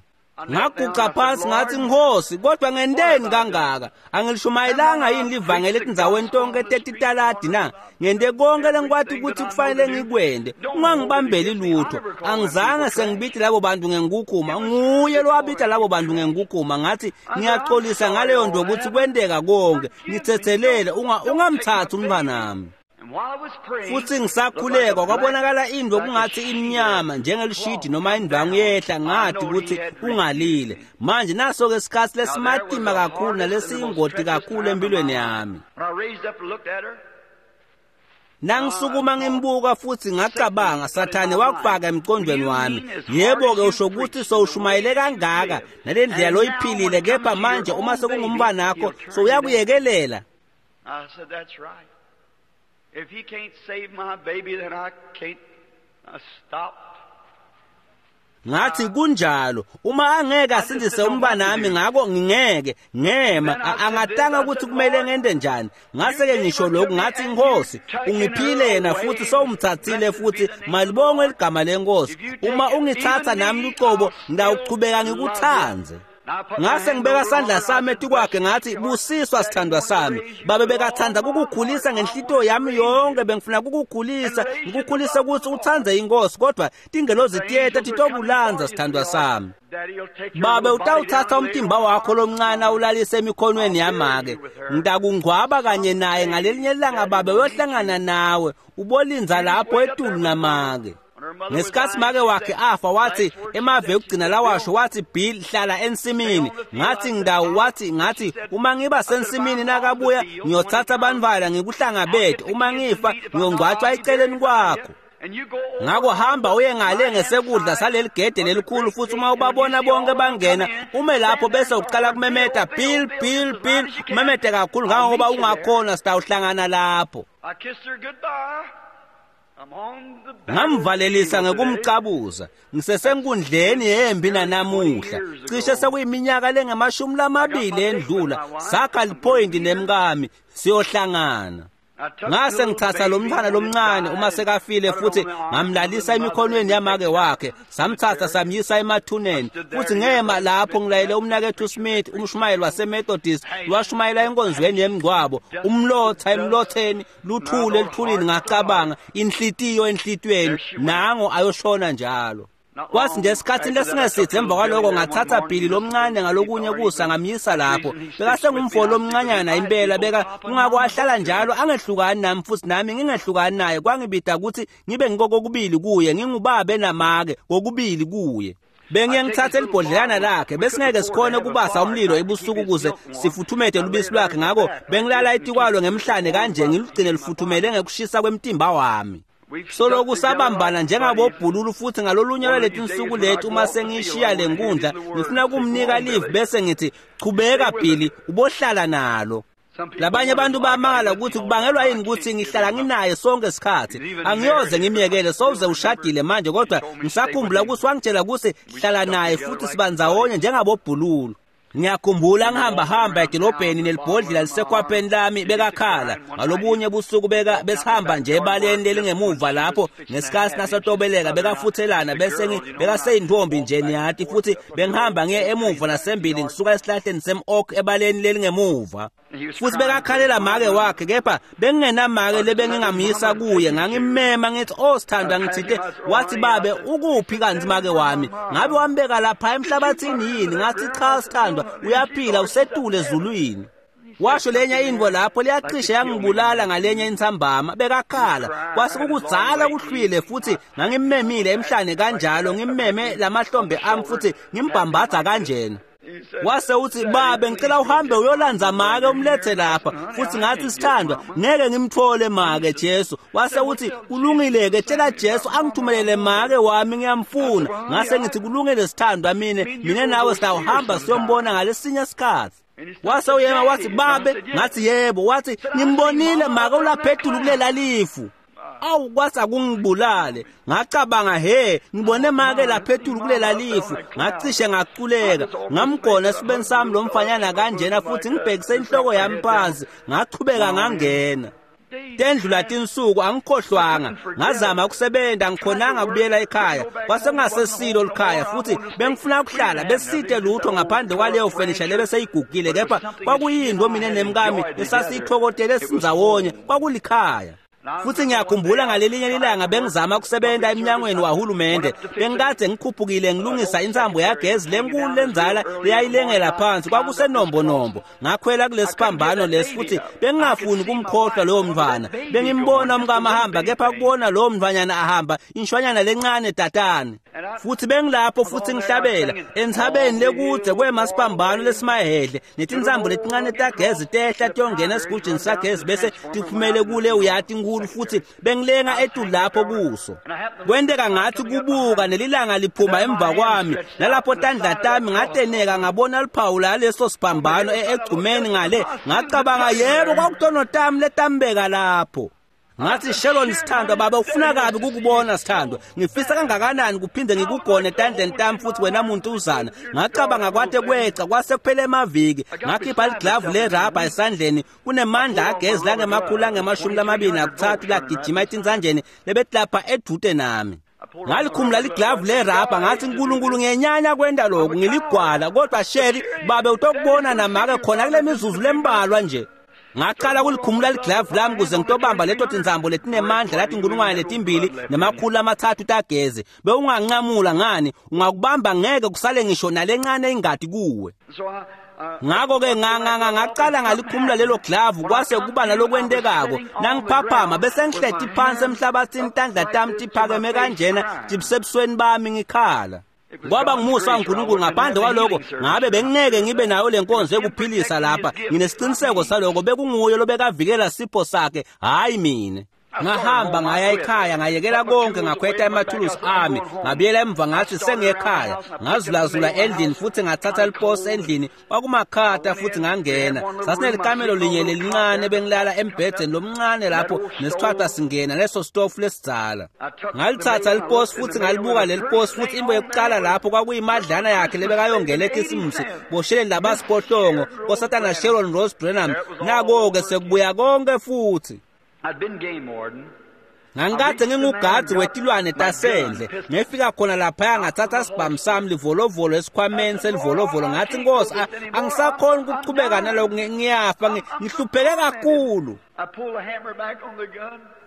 Ngaguca phansi ngathi, Nkosi, kodwa ngenteni kangaka? Angilishumayelanga yini livangeli etindzaweni tonke tetitaladi na? Ngente konke lengikwati ukuthi kufanele ngikwente. Ungangibambeli lutho. Angizange sengibite labo bantu ngenkukhuma. Nguye lowabita labo bantu ngenkukhuma. Ngathi ngiyaxolisa ngaleyo nto ukuthi kwenteka konke. Ngithethelele, ungamthathi umntwanami. Futhi ngisakhuleka kwabonakala into kungathi imnyama njengelishidi noma indwangu yehla, ngathi ukuthi ungalile. Manje naso ke isikhathi lesimatima kakhulu nalesiyingoti kakhulu empilweni yami. Nangisukuma ngimbuka futhi ngacabanga, Sathane wakufaka emqondweni wami. Yebo-ke usho ukuthi sowushumayele kangaka nale ndlela loyiphilile, kepha manje uma sekungumntwanakho sowuyakuyekelela.
If he can't save my baby, then I can't stop.
Ngathi kunjalo, uma angeke asindise umntwanami, ngako ngingeke ngema. Angatanga ukuthi kumele ngente njani. Ngase-ke ngisho lokhu, ngathi Nkosi, ungiphile yena futhi sowumthathile futhi, malibongwe ligama lenkosi. Uma ungithatha nami lucobo, ngitawuchubeka ngikuthandze. Ngase ngibeka sandla sami etikwakhe ngathi, busiswa sithandwa sami. Babe bekathanda kukukhulisa ngenhlitiyo yami yonke, bengifuna kukukhulisa, ngikukhulise ukuthi uthandze inkosi, kodwa tingelozi tiyeta titokulandza sithandwa sami. Babe utawuthatha umtimba wakho lomncane awulalise emikhonweni yamake. Ngitakungcwaba kanye naye ngalelinye ilanga, babe uyohlangana nawe, ubolinza lapho etulu namake. Ngesikhathi make wakhe afa, wathi emave ekugcina lawasho, wathi Bill, hlala ensimini. Ngathi ngidawu, wathi ngathi uma ngiba sensimini nakabuya ngiyothatha abantwana ngikuhlangabete, uma ngifa ngiyongcwatshwa eceleni kwakho. Ngako hamba uye ngale ngesekudla saleli gede lelikhulu, futhi uma ubabona bonke bangena ume lapho bese uqala kumemeta Bill, Bill, Bill, umemete kakhulu ngangoba ungakhona, sitawuhlangana lapho. Ngamvalelisa ngekumcabuza. Ngisesenkundleni yempi nanamuhla. Cishe sekuyiminyaka lengamashumi endlula. Sakha lipoint nemkami siyohlangana. Ngase ngithatha lo mntwana lomncane uma sekafile futhi ngamlalisa emikhonweni yamake wakhe. Samthatha samyisa emathuneni. Futhi ngema lapho ngilayele umnakethu Smith, umshumayeli waseMethodist, washumayela enkonzweni yemngcwabo. Umlotha emlotheni, luthule elithulini. Ngacabanga, inhlitiyo enhlitiyweni, nango ayoshona njalo. Kwathi nje esikhathini lesingesithe emva kwaloko ngathatha Billy lomncane ngalokunye kusa ngamyisa lapho. Bekasengumfo lomncanyana impela, beka kungako ahlala njalo angehlukani nami futhi nami ngingehlukani naye. Kwangibida ukuthi ngibe ngikokubili kuye, ngingubabe namake kokubili kuye. Bengiye ngithathe elibhodlelana lakhe, besingeke sikhone ukubasa umlilo ebusuku ukuze sifuthumete lubisi lwakhe, ngako bengilala etikwalo ngemhlane kanje ngilugcine lufuthumele ngekushisa kwemtimba wami. Soloku sabambana njengabobhululu, futhi ngalolunye lwaleti nsuku leti uma sengishiya le nkundla ngifuna kumnika live bese ngithi chubeka Billy, ubohlala nalo. Labanye abantu bamangala ukuthi kubangelwa yini ukuthi ngihlala nginaye sonke isikhathi. Angiyoze ngimyekele, sowuze ushadile manje, kodwa ngisakhumbula ukuthi wangitshela ukuthi hlala naye futhi sibandzawonye njengabobhululu. Ngiyakhumbula ngihamba hamba edolobheni nelibhodlela lisekhwapheni lami bekakhala. Ngalobunye busuku beka besihamba nje ebaleni lelingemuva lapho ngesikhathi nasatobeleka bekafuthelana, bese bekaseyintombi nje niyati, futhi bengihamba ngiye emuva nasembili ngisuka esihlahleni sem-oak ebaleni lelingemuva. Futhi bekakhalela make wakhe, kepha bengingenamake lebengingamyisa kuye. Ngangimema ngithi, oh sithandwa, ngithinte. Wathi, babe ukuphi kanti make wami? Ngabe wambeka lapha emhlabathini yini? Ngathi cha sithandwa, uyaphila, usetule ezulwini. Washo lenye into lapho liyacishe yangibulala ngalenye intsambama. Bekakhala kwase kukudzala kuhlwile, futhi ngangimmemile emhlane kanjalo, ngimmeme lamahlombe ami futhi ngimbhambatha kanjena. Wase uthi, babe ngicela uhambe uyolandza make umlethe lapha. Futhi ngathi, sithandwa, ngeke ngimthole make Jesu. Wase uthi, kulungile-ke, tshela Jesu angithumelele make wami, ngiyamfuna. Ngase ngithi, kulungile sithandwa, mine nawe sitawuhamba siyombona ngalesinye isikhathi. Wase uyema wathi, babe. Ngathi yebo. Wathi, ngimbonile make ulapha etulu kulela lifu. Awu, kwasa kungibulale. Ngacabanga, he, ngibone make lapha etulu kulela lifu. Ngacishe ngaculeka. Ngamgona esibeni sami lo mfanyana kanjena futhi ngibhekise inhloko yami phansi. Ngachubeka ngangena. Tendlula tinsuku angikhohlwanga, ngazama ukusebenza, ngikhonanga kubuyela ekhaya. Kwasekungasesilo likhaya futhi bengifuna ukuhlala besite lutho ngaphandle kwaleyo fenisha lebeseyigugile, kepha kwakuyinto mina nemkami esasiyithokotele sindzawonye, kwakulikhaya. Futhi ngiyakhumbula ngalelinye ilanga bengizama ukusebenza emnyangweni wahulumende. Bengikade ngikhuphukile ngilungisa insambo yagezi lenkulu lenzala leyayilengela phansi, kwakusenombonombo. Ngakhwela kulesiphambano lesi futhi bengingafuni kumkhohlwa lowo mntwana. Bengimbona umkami ahamba, kepha kubona lowo mntwanyana ahamba, inshwanyana lencane tatane. Futhi bengilapho futhi ngihlabela entsabeni lekudze kwemasiphambano lesimahedle netinsambo letincane tagezi tehla tiyongena esigujini sagezi bese tiphumele kule uyati nkulu, futhi bengilenga etulu lapho kuso. Kwenteka ngathi kubuka nelilanga liphuma emva kwami, nalapho tandla tami ngateneka ngabona liphawu laleso siphambano egcumeni ngale. Ngacabanga, yebo, kwakutono tami letambeka lapho. Ngathi, Sharon sithandwa, baba ufuna kabi kukubona sithandwa. Ngifisa kangakanani kuphinde ngikugone etandleni tami futhi wena muntu uzana. Ngacabanga kwate kweca kwase kuphela emaviki. Ngakhipha liglavu lerabha esandleni, kunemandla agezi langemakhulu ange-23 lagijima etinsanjeni lebetilapha edude nami. Ngalikhumula liglavu lerabha, ngathi, Nkulunkulu ngenyanya kwenta lokhu, ngiligwala, kodwa Sheri babe utokubona namake khona kule mizuzu lembalwa nje. Ngaqala kulikhumula liglavu lami kuze ngitobamba leto tinsambo letinemandla lathi 2300 tagezi. Bewunganqamula ngani, ungakubamba ngeke kusale ngisho nalencane ingadi kuwe. Ngakho-ke ngaqala ngalikhumula lelo glavu, kwase kuba nalokwentekako. Nangiphaphama bese ngihleti phansi emhlabathini, tandla tami tiphakeme kanjena tibusebusweni bami ngikhala. Kwaba ngumusa waNkulunkulu, ngaphandle kwaloko ngabe bengingeke ngibe nayo le nkonzo yokuphilisa lapha. Nginesiqiniseko saloko, bekunguye lobekavikela sipho sakhe, hhayi mina. Ngahamba ngaya ekhaya, ngayekela konke, ngakhweta emathulusi ami, ngabuyela emva ngathi sengiyekhaya. Ngazulazula endlini futhi ngathatha liposi endlini, kwakumakhata futhi ngangena. Sasinelikamelo linye lelincane, bengilala embhedeni lomncane lapho nesithwatha singena leso stofu lesidzala. Ngalithatha liposi futhi ngalibuka leli posi, futhi into yokuqala lapho kwakuyimadlana yakhe lebekayongela ekhisimusi bosheleni labasiphohlongo kosatana Sharon Rose Branham. Nako-ke sekubuya konke futhi. Ngangikade ngingugadzi wetilwane tasendle. Ngefika khona laphaya ngathatha sibhamu sami livolovolo esikhwameni selivolovolo. Ngathi, Nkosi, angisakhoni ukuchubeka naloku, ngiyafa, ngihlupheke kakhulu.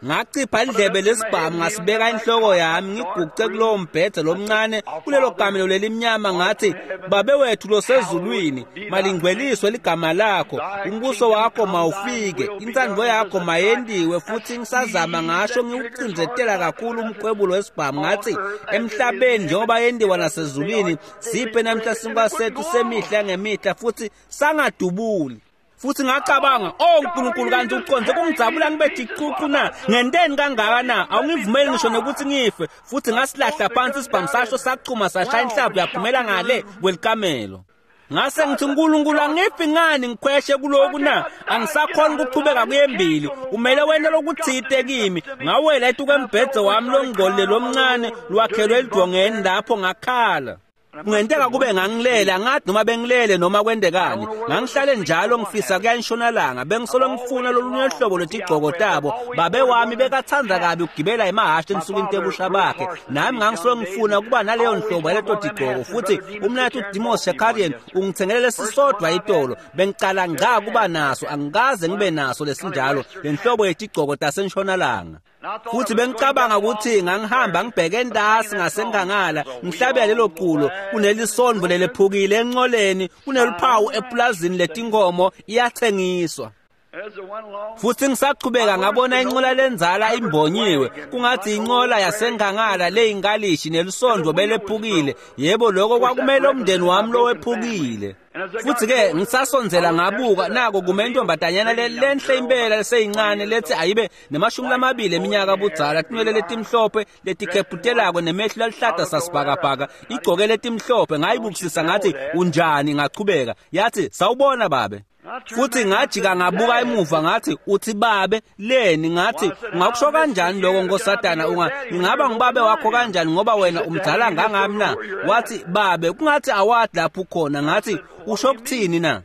Ngacipha indlebe lesibhamu ngasibeka enhloko yami, ngiguqe kulowo mbhede lomncane kulelo kamelo lelimnyama. Ngathi, Babe wethu losezulwini, malingcweliswe ligama lakho, umbuso wakho mawufike, intsandvo yakho mayendiwe. Futhi ngisazama ngasho ngiwucinzetela kakhulu umkhwebulo wesibhamu, ngathi, emhlabeni njengoba yendiwa nasezulwini, siphe namhla sinkwa sethu semihla ngemihla. Futhi sangadubuli. Futhi ngacabanga, oh Nkulunkulu, kanti uconze kungidzabula ngibe ticucu na? Ngenteni kangaka na? Awungivumeli ngisho nokuthi ngife. Futhi ngasilahla phansi isibhamu, sasho sachuma sashaya inhlavu yaphumela ngale kwelikamelo. Ngase ngithi, Nkulunkulu, angifi ngani ngikhweshe kuloku na? Angisakhoni ukuchubeka kuyembili, umele wena lokuthite kimi. Ngawela etukwembhedze wami longcolile lomncane lwakhelwe elidvongeni lapho, ngakhala. Kungenteka kube ngangilele, angathi noma bengilele noma kwentekani. Ngangihlale njalo ngifisa kuya entshonalanga, bengisolo ngifuna lolunye hlobo lwetigcoko tabo. Babe wami bekatsandza kabi ukugibela emahhashi ensukwini tebusha bakhe, nami ngangisolo ngifuna ukuba naleyo nhlobo yaleto tigcoko. Futhi umnathu Dimos Shakarian ungithengele lesisodwa itolo, bengicala ngca kuba naso, angikaze ngibe naso lesinjalo, lenhlobo yetigcoko tasentshonalanga. Futhi bengicabanga ukuthi ngangihamba ngibheke entasi ngasenkangala ngihlabela lelo culo, kunelisondvo lelephukile encoleni, kuneluphawu epulazini letinkomo, iyathengiswa. Futhi ngisachubeka ngabona incola lenzala imbonyiwe, kungathi incola yasenkangala leyinkalishi nelisondvo belephukile. Yebo, lokho kwakumele umndeni wami lowephukile. Futhi-ke ngisasondzela ngabuka, nako kume intombazanyana lenhle impela leseyincane lethi ayibe nema-20 eminyaka budzala, tinwele letimhlophe letikhephutelako nemehlo aluhlata sasibhakabhaka, igcoke letimhlophe. Ngayibukisisa ngathi, unjani? Ngachubeka. Yathi, sawubona babe. Futhi ngajika ngabuka emuva, ngathi, uthi babe leni? Ngathi, ungakusho kanjani lokho nkosatana? Ngingaba ngibabe wakho kanjani ngoba wena umdzala ngangami na? Wathi, babe, kungathi awadi lapho ukhona. Ngathi, usho kuthini na?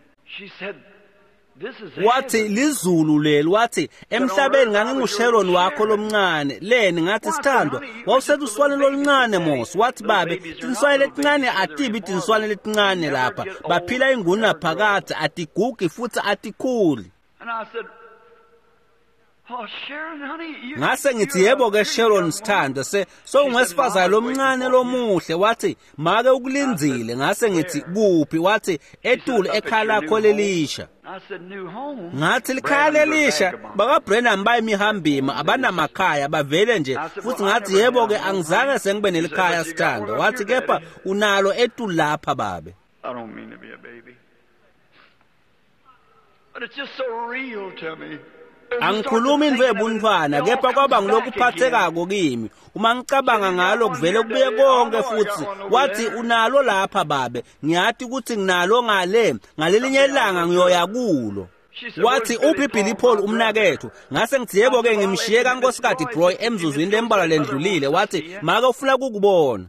Wathi lizulu leli, wathi emhlabeni nganginguSharon wakho lomncane. Leni ngathi sithandwa, wawuseluswane loluncane mos. Wathi babe, tinswane letincane atibi tinswane letincane lapha. Baphila inguna phakadze, atigugi futhi atikhuli. Ngase ngithi yebo ke Sharon sithandwa, sowungwesifazane lomncane lomuhle. Wathi make ukulindzile. Ngase ngithi kuphi? Wathi etulu ekhaya lakho lelisha. Ngathi likhaya lelisha? BakaBrenham bayimihambima, abanamakhaya, bavele nje. Futhi ngathi yebo ke angizange sengibe nelikhaya sithandwa. Wathi kepha unalo etulu lapha babe.
I don't mean to be a baby, but it's just so real to me.
Angikhulumi into ebuntwana, kepha kwaba ngilokuphathekako kimi. Uma ngicabanga ngalo kuvele kubuye konke futhi. Wathi unalo lapha babe, ngiyathi ukuthi nginalo ngale, ngalelinye ilanga ngiyoya kulo. Wathi uphi Billy Paul umnakethu? Ngase ngithi yebo ke ngimshiye kaNkosikazi Broy emzuzwini lembalwa lendlulile. Wathi make ufuna kukubona.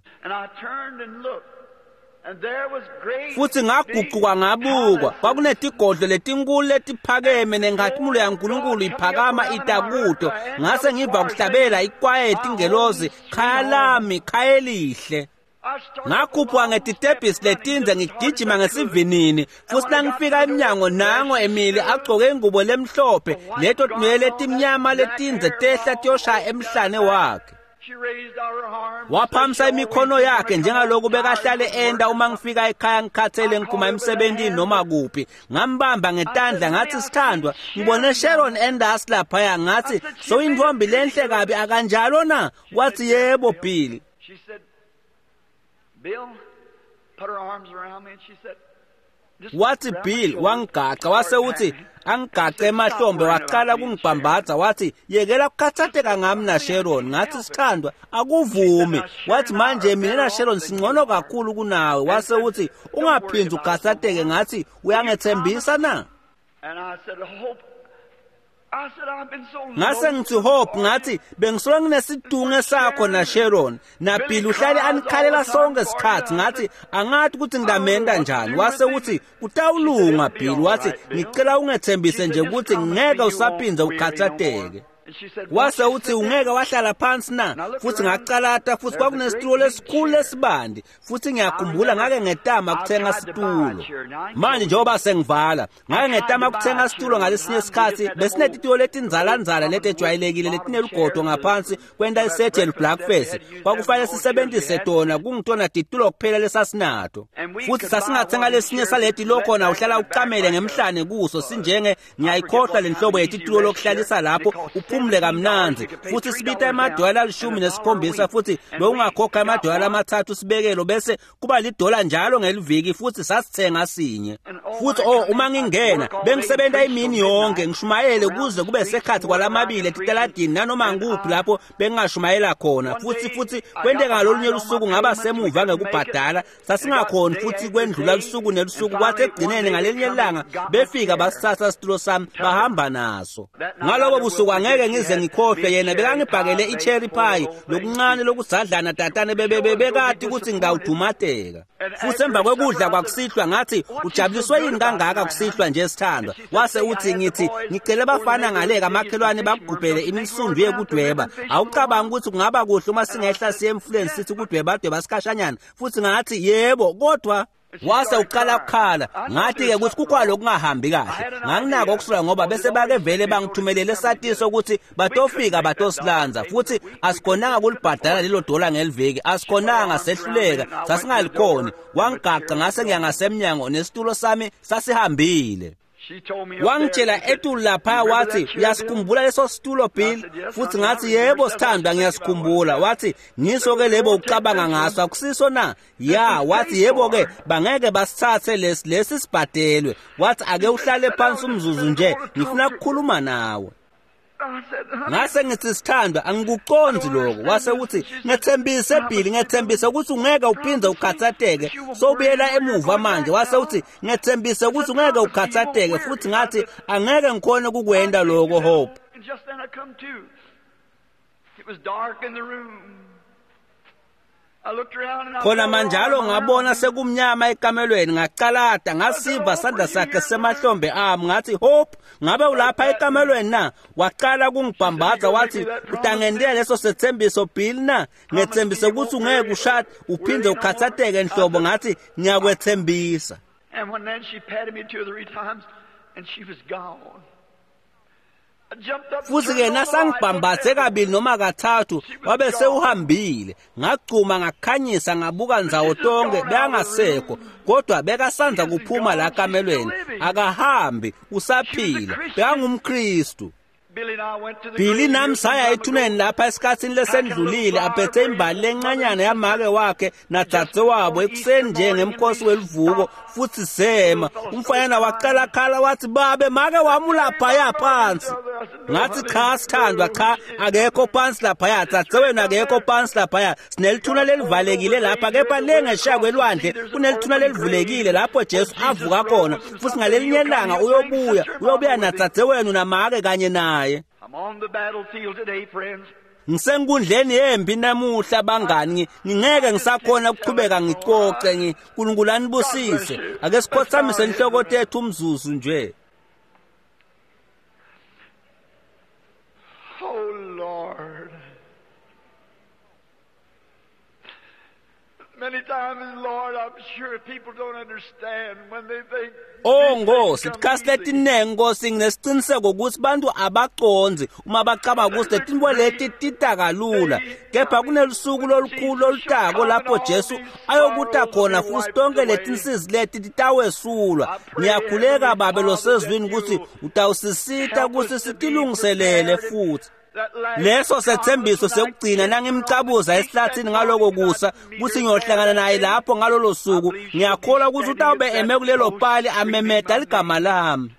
Futhi ngaguquka ngabukwa, kwakunetigodlo letinkulu letiphakeme nenkhatimulo yaNkulunkulu iphakama itakuto. Ngase ngiva kuhlabela ikwaya yetingelozi, khaya lami, khaya elihle. Ngakhuphuka ngetitebhisi letindze ngigijima ngesivinini, futhi nangifika emnyango nango Emily agcoke ingubo lemhlophe, leto tinwele letimnyama letindze tehla tiyoshaya emhlane wakhe. Waphamisa imikhono yakhe njengaloku bekahlale enda uma ngifika ekhaya ngikhathele ngiphuma emsebentini noma kuphi. Ngambamba ngetandla ngathi sithandwa, ngibone Sharon Enders laphaya. Ngathi sowintombi lenhle kabi akanjalo na? Wathi yebo Billy. Wathi Bill, wangigaca wase uthi angigace emahlombe, waqala kungibhambatha. Wathi yekela kukhathatheka ngami na Sharon. Ngathi sithandwa akuvumi. Wathi manje mina na Sharon singcono kakhulu kunawe. Wase uthi ungaphindzi ukhathatheke. Ngathi uyangethembisa na? Ngase ngithi Hope, ngathi bengisola nginesidunge sakho na Sharon na Bill uhlale anikhalela sonke isikhathi. Ngathi angathi ukuthi ngilamenda njani. Wase uthi kutawulunga Bill. Wathi ngicela ungethembise nje ukuthi ngeke usaphinze ukhathatheke. Wase uthi ungeke wahlala phansi na? Futhi ngacalata, futhi kwakunesitulo lesikhulu lesibandi. Futhi ngiyakhumbula ngake ngetama kuthenga situlo. Manje njengoba sengivala, ngake ngetama kuthenga situlo ngalesinye isikhathi. Besinetitulo letinzalanzala letejwayelekile letinelugodo ngaphansi kwenta isethe blackface. Kwakufanele sisebenzise tona, kungitona titulo kuphela lesasinato. Futhi sasingathenga lesinye saleti lokhona uhlala uqamele ngemhlane kuso, sinjenge ngiyayikhohlwa lenhlobo yetitulo lokuhlalisa lapho uphumule kamnandzi. Futhi sibita emadola 17, futhi bewungakhokha amadola 3 sibekelo, bese kuba lidola njalo ngeliviki. Futhi sasithenga sinye. Futhi uma ngingena bengisebenza imini yonke ngishumayele kuze kube sekhathi kwalamabili etitaladini nanoma ngikuphi lapho bengingashumayela khona. Futhi kwenteka ngalolunye lusuku ngaba semuva ngekubhadala, sasingakhoni futhi kwendlula lusuku nelusuku. Kwathi ekugcineni ngalelinye ilanga befika basithatha isitulo sami bahamba naso. Ngalobo busuku angeke ngize ngikhohlwe, yena bekangibhakele i-cherry pie lokuncane lokusadlana tatane bebekade ukuthi ngawudumateka. Futhi emva kwekudla kwakusihlwa ngathi ujabuliswe yini kangaka kusihlwa nje sithandwa? Wase uthi ngithi ngicela bafana ngale kamakhelwane bakugubhele imisundu yekudweba. Awucabanga ukuthi kungaba kuhle uma singehla siye emfuleni sithi kudweba dweba sikhashanyana? Futhi ngathi yebo, kodwa wase uqala ukukhala. Ngathi-ke ukuthi kukhona lokungahambi kahle. Nganginako ukusuka ngoba bese bake vele bangithumelele esatiso ukuthi batofika batosilanza, futhi asikhonanga kulibhadala lelo dola ngeliviki, asikhonanga, sehluleka, sasingalikhoni. Wangigaca ngase ngiya ngasemnyango nesitulo sami sasihambile. Wangitshela etulu lapha, wathi uyasikhumbula leso situlo Bill? Futhi ngathi yebo sithandwa ngiyasikhumbula. Wathi ngiso ke lebo ucabanga ngaso akusiso na? Ya, wathi yebo ke bangeke basithathe lesi sibhadelwe. Wathi ake uhlale phansi umzuzu nje, ngifuna ukukhuluma nawe. Ngase ngithi sithandwa angikuconzi lokho. Wase uthi ngethembise Bill, ngethembise ukuthi ungeke uphinde ukhathatheke, sobuyela emuva manje. Wase uthi ngethembise ukuthi ungeke ukhathatheke. Futhi ngathi angeke ngikhone ukukwenda lokho Hope. Khona manjalo ngabona sekumnyama ekamelweni, ngacalata ngasiva sandla sakhe semahlombe ami, ngathi, Hope, ngabe ulapha ekamelweni na? Waqala kungibhambatha wathi, utangentela leso sethembiso Bill na? Ngethembise ukuthi ungeke ushade uphinde ukhathatheke nhlobo. Ngathi, ngiyakwethembisa.
And when then she patted me 2 or 3 times and she was gone.
Futhi ke nasangibhambathe kabili noma kathathu wabe sewuhambile. Ngagcuma ngakhanyisa ngabuka ndzawo tonke, bekangasekho, kodwa bekasanza kuphuma la kamelweni. Akahambi, usaphila, bekangumKristu. Billy nami saya ethuneni lapha esikhathini lesendlulile, aphethe imbali lencanyana yamake wakhe nadzadze wabo ekuseni nje ngemkhosi welivuko, futhi sema. Umfanyana waqala khala wathi, babe, make wami ulaphaya phansi. Ngathi, cha sithandwa, cha, akekho phansi laphaya, dzadze wenu akekho phansi laphaya. Sinelithuna lelivalekile lapha, kepha le ngesheya kwelwandle kunelithuna lelivulekile lapho Jesu avuka khona, futhi ngalelinye ilanga uyobuya nadzadze wenu namake kanye naye.
I'm on the battlefield today, friends.
Ngisenkundleni yempi namuhla bangani, ngingeke ngisakhona ukuchubeka ngicoce. NgiNkulunkulu anibusise. Ake sikhothamise inhloko tethu umzuzu nje.
Oh Lord. Many times, Lord, I'm sure people don't understand when they think.
Oh Nkosi, isikhathi letiningi Nkosi nginesiqiniseko ukuthi bantu abacondzi uma bacabanga ukuthi letinto leti tita kalula, kepha kunelusuku lolukhulu lolutako lapho Jesu ayokuta khona futhi tonke letinsizi leti titawesulwa. Ngiyakhuleka Babe losezwini ukuthi utawusisita ukuthi sitilungiselele futhi. Leso sethembiso sekugcina nangimcabuza esihlathini ngaloko kusa kuthi ngiyohlangana naye lapho ngalolo suku. Ngiyakholwa ukuthi utawube eme kulelo pali amemeta ligama lami.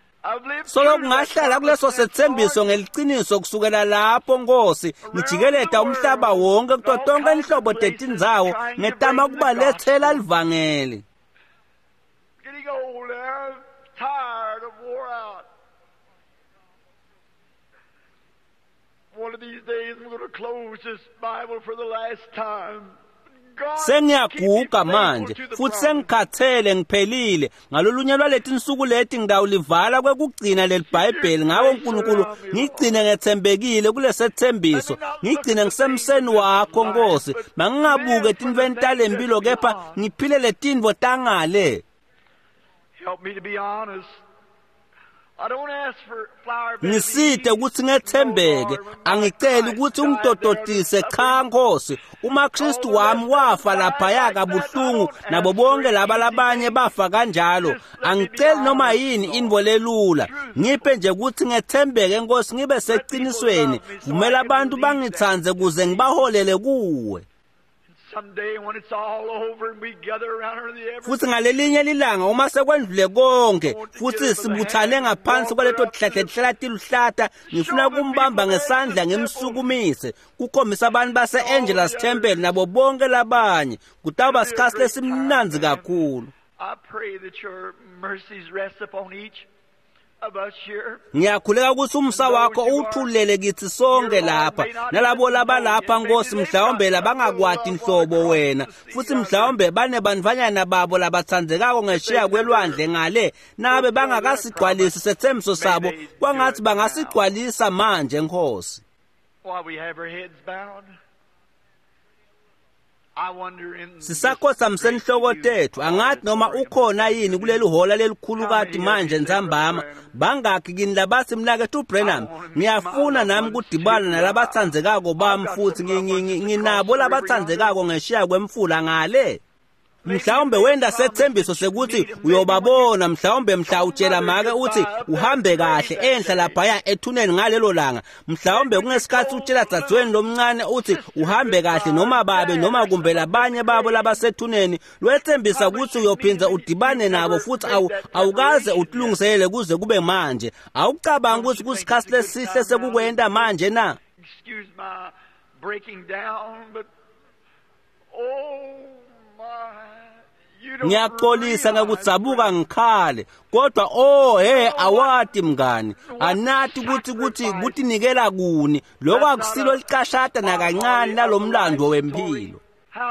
Solo kungahlala kuleso sethembiso ngeliciniso kusukela lapho Nkosi, ngijikeleta umhlaba wonke kuto tonke inhlobo tetindzawo ngetama kubalethela livangeli.
Getting old, I'm tired, I'm wore out. One of these days I'm going to close this Bible for the last time.
Sengiyaguga manje futhi sengikhathele, ngiphelile. Ngalolunye lwaleti nsuku leti ngidawulivala kwekugcina leli Bhayibheli. Ngako uNkulunkulu ngigcine ngethembekile kulesethembiso, ngigcine ngisemseni wakho Nkosi. Mangingabuke etintfweni talempilo kepha ngiphile letintfo tangale.
Help me to be honest.
Ngisite ukuthi ngethembeke, angiceli ukuthi ungitototise, cha Nkosi. Uma Kristu wami wafa laphaya kabuhlungu nabo bonke laba labanye bafa kanjalo, angiceli noma yini intfo lelula. Ngiphe nje ukuthi ngethembeke Nkosi, ngibe seqinisweni. Vumela abantu bangitsandze kuze ngibaholele kuwe. Futhi ngalelinye lilanga uma sekwendlule konke futhi sibuthane ngaphansi kwaleto tihlahla tihlala tiluhlata, ngifuna kumbamba ngesandla ngimsukumise kukhombisa abantu base-Angelus Temple nabo bonke labanye. Kutawuba sikhathi lesimnandzi kakhulu.
I pray that your mercies rest upon each of us here.
Ngiyakhuleka ukuthi umsa wakho uthulele kithi sonke lapha nalabo labalapha Nkosi, mhlawumbe labangakwati inhlobo wena, futhi mhlawumbe banebantfwanyana babo labatsandzekako ngesheya kwelwandle ngale, nabe bangakasigcwalisi sethembiso sabo, kwangathi bangasigcwalisa manje Nkosi.
While we have our heads bowed, I wonder in
Sisakhothamise inhloko tethu, angathi noma ukhona yini kuleli hola lelikhulukati manje ntsambama. Bangakhi kini labathi, mnaketfu Branham, ngiyafuna nami kudibana nalabatsandzekako bami, futhi nginabo labatsandzekako ngesheya kwemfula ngale. Mhlawumbe wenda sethembiso sekuthi uyobabona, mhlawumbe mhla utshela make uthi uhambe kahle enhla laphaya ethuneni ngalelo langa, mhlawumbe kungesikhathi utshela dzadzweni lomncane uthi uhambe kahle, noma babe noma kumbe labanye babo labasethuneni, lwethembisa ukuthi uyophinza udibane nabo futhi awukaze utilungiselele kuze kube manje. Awucabangi ukuthi kusikhathi lesihle sekukwenta manje na?
Excuse my breaking down, but oh my,
Ngiyaxolisa ngekudzabuka ngikhale, kodwa oh he, awati mngani, anati ukuthi kutinikela kuni lokho akusilo licashata nakancane nalomlando wempilo.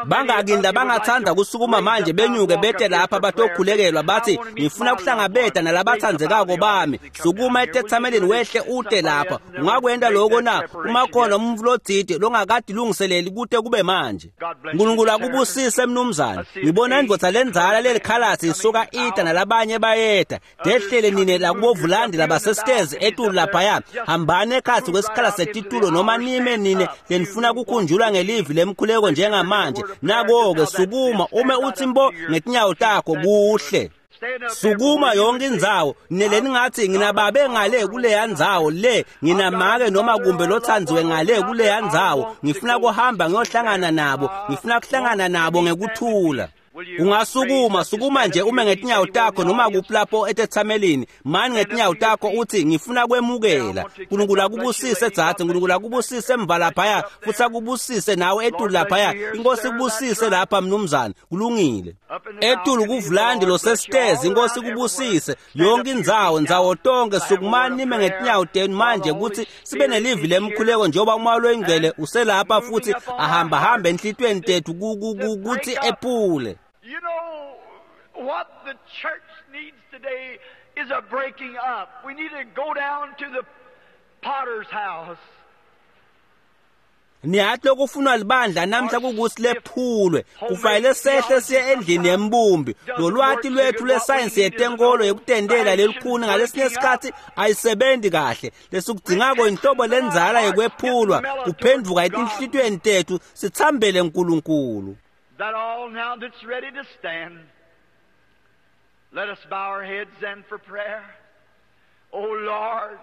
Bangaki labangathanda kusukuma manje benyuke bete lapha batokhulekelwa bathi ngifuna kuhlangabeta nalabathandzekako bami. Sukuma etethameleni wehle ute lapha. Ungakwenda lokho na? Uma khona umuntu lotsite longakade lungiseleli kute kube manje. Nkulunkulu akubusise mnumzane. Ngibona indvodza lendzala lelikhalasi isuka ita nalabanye bayeta. Dehlele nine lakubovulandi labasestezi etulu laphaya. Hambani ekhatsi kwesikhala setitulo noma nime nine lenifuna kukhunjulwa ngelivi lemkhuleko njengamanje. Nako-ke sukuma ume uthi mbo ngetinyawo takho kuhle. Sukuma yonke indzawo nele ningathi nginababe ngale kuleya ndzawo le nginamake noma kumbe lothandziwe ngale kuleya ndzawo ngifuna kuhamba ngiyohlangana nabo ngifuna kuhlangana nabo ngekuthula. Ungasukuma sukuma nje ume ngetinyawo takho noma kuphi lapho etethamelini mani ngetinyawo takho uthi ngifuna kwemukela. Nkulunkulu akubusise dzadze, Nkulunkulu akubusise emva laphaya futhi akubusise nawe etulu laphaya. Inkosi ikubusise lapha mnumzane. Kulungile. Etulu kuvulandi losestezi inkosi ikubusise yonke indzawo ndzawo tonke. Sukumani nime ngetinyawo tenu manje ukuthi sibe nelivi lemkhuleko njengoba umoya loyingcwele uselapha futhi ahamba hambe enhlitiyweni tethu kuthi ephule.
You know what the church needs today is a breaking up. We need to go down to the potter's house.
Niyathi lokufunwa libandla namhla kukuthi lephulwe. Kufanele sehle siye endlini yembumbi. Lolwati lwethu lwesayensi yetenkolo yekutendela lelikhuni ngalesinye isikhathi ayisebenzi kahle. Lesikudzingako inhlobo lendzala yekwephulwa kuphendvuka etinhlitiyweni tethu sitsambele Nkulunkulu.
That all now that's ready to stand, let us bow our heads then for prayer. Oh Lord,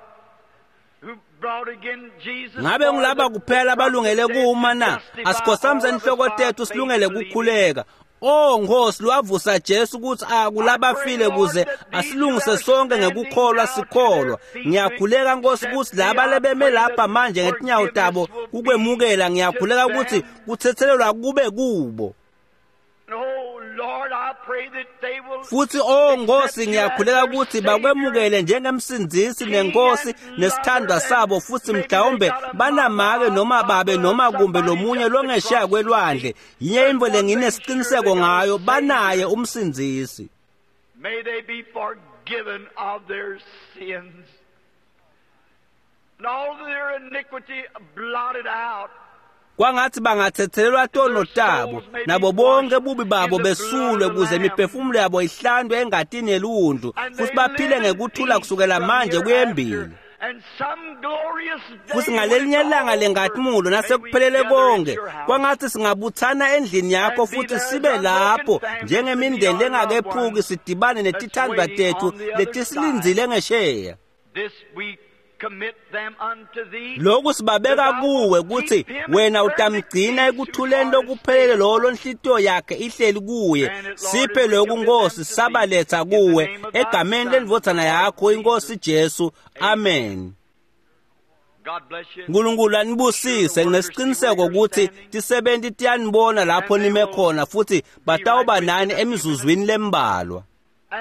who brought again Jesus.
Ngabe ngilaba kuphela abalungele kuma na? Asikhosamize inhloko tethu silungele kukhuleka. Oh Nkosi lwavusa Jesu ukuthi akulabafile kuze asilungise sonke ngekukholwa sikholwa. Ngiyakhuleka Nkosi ukuthi laba lebeme lapha manje ngetinyawo tabo kukwemukela. Ngiyakhuleka ukuthi kuthethelelwa kube kubo. Futhi oh Nkosi ngiyakhuleka ukuthi bakwemukele njengemsindzisi nenkosi nesithandwa sabo futhi mhlawumbe banamake noma babe noma kumbe lomunye longesheya kwelwandle. Yinye intfo lenginesiqiniseko ngayo, banaye umsindzisi.
May they be forgiven of their sins and all their iniquity blotted out.
Kwangathi bangathethelelwa tono tabo nabo bonke bubi babo besulwe kuze imiphefumulo yabo ihlandwe engatini yeliwundlu futhi baphile ngekuthula kusukela manje kuyembili. Futhi ngalelinye ilanga lenkazimulo nasekuphelele konke kwangathi singabuthana endlini yakho futhi sibe lapho njengemindeni lengakephuki sidibane netithandwa tethu letisilindzile ngesheya. Lokhu sibabeka kuwe ukuthi wena utamgcina ekuthuleni lokuphelele lowo lonhlitiyo yakhe ihleli kuye. Siphe lokhu Nkosi, sabaletha kuwe egameni lendvodzana yakho inkosi Jesu. Amen. Nkulunkulu anibusise. Nginesiqiniseko ukuthi tisebenti tiyanibona lapho nime khona futhi batawuba nani emizuzwini lembalwa.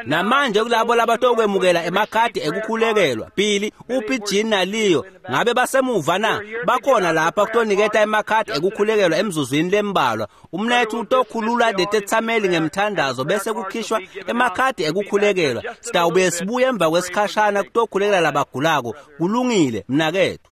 Namanje kulabo labatokwemukela emakhadi ekukhulekelwa, Billy, uphi Jean naLeo? Ngabe basemuva na? Bakhona lapha kutoniketa emakhadi ekukhulekelwa emzuzwini lembalwa. Umnethu utokhulula letethameli ngemthandazo bese kukhishwa emakhadi ekukhulekelwa. Sitawubuye sibuye emva kwesikhashana kutokhulekela labagulako. Kulungile mnakethu.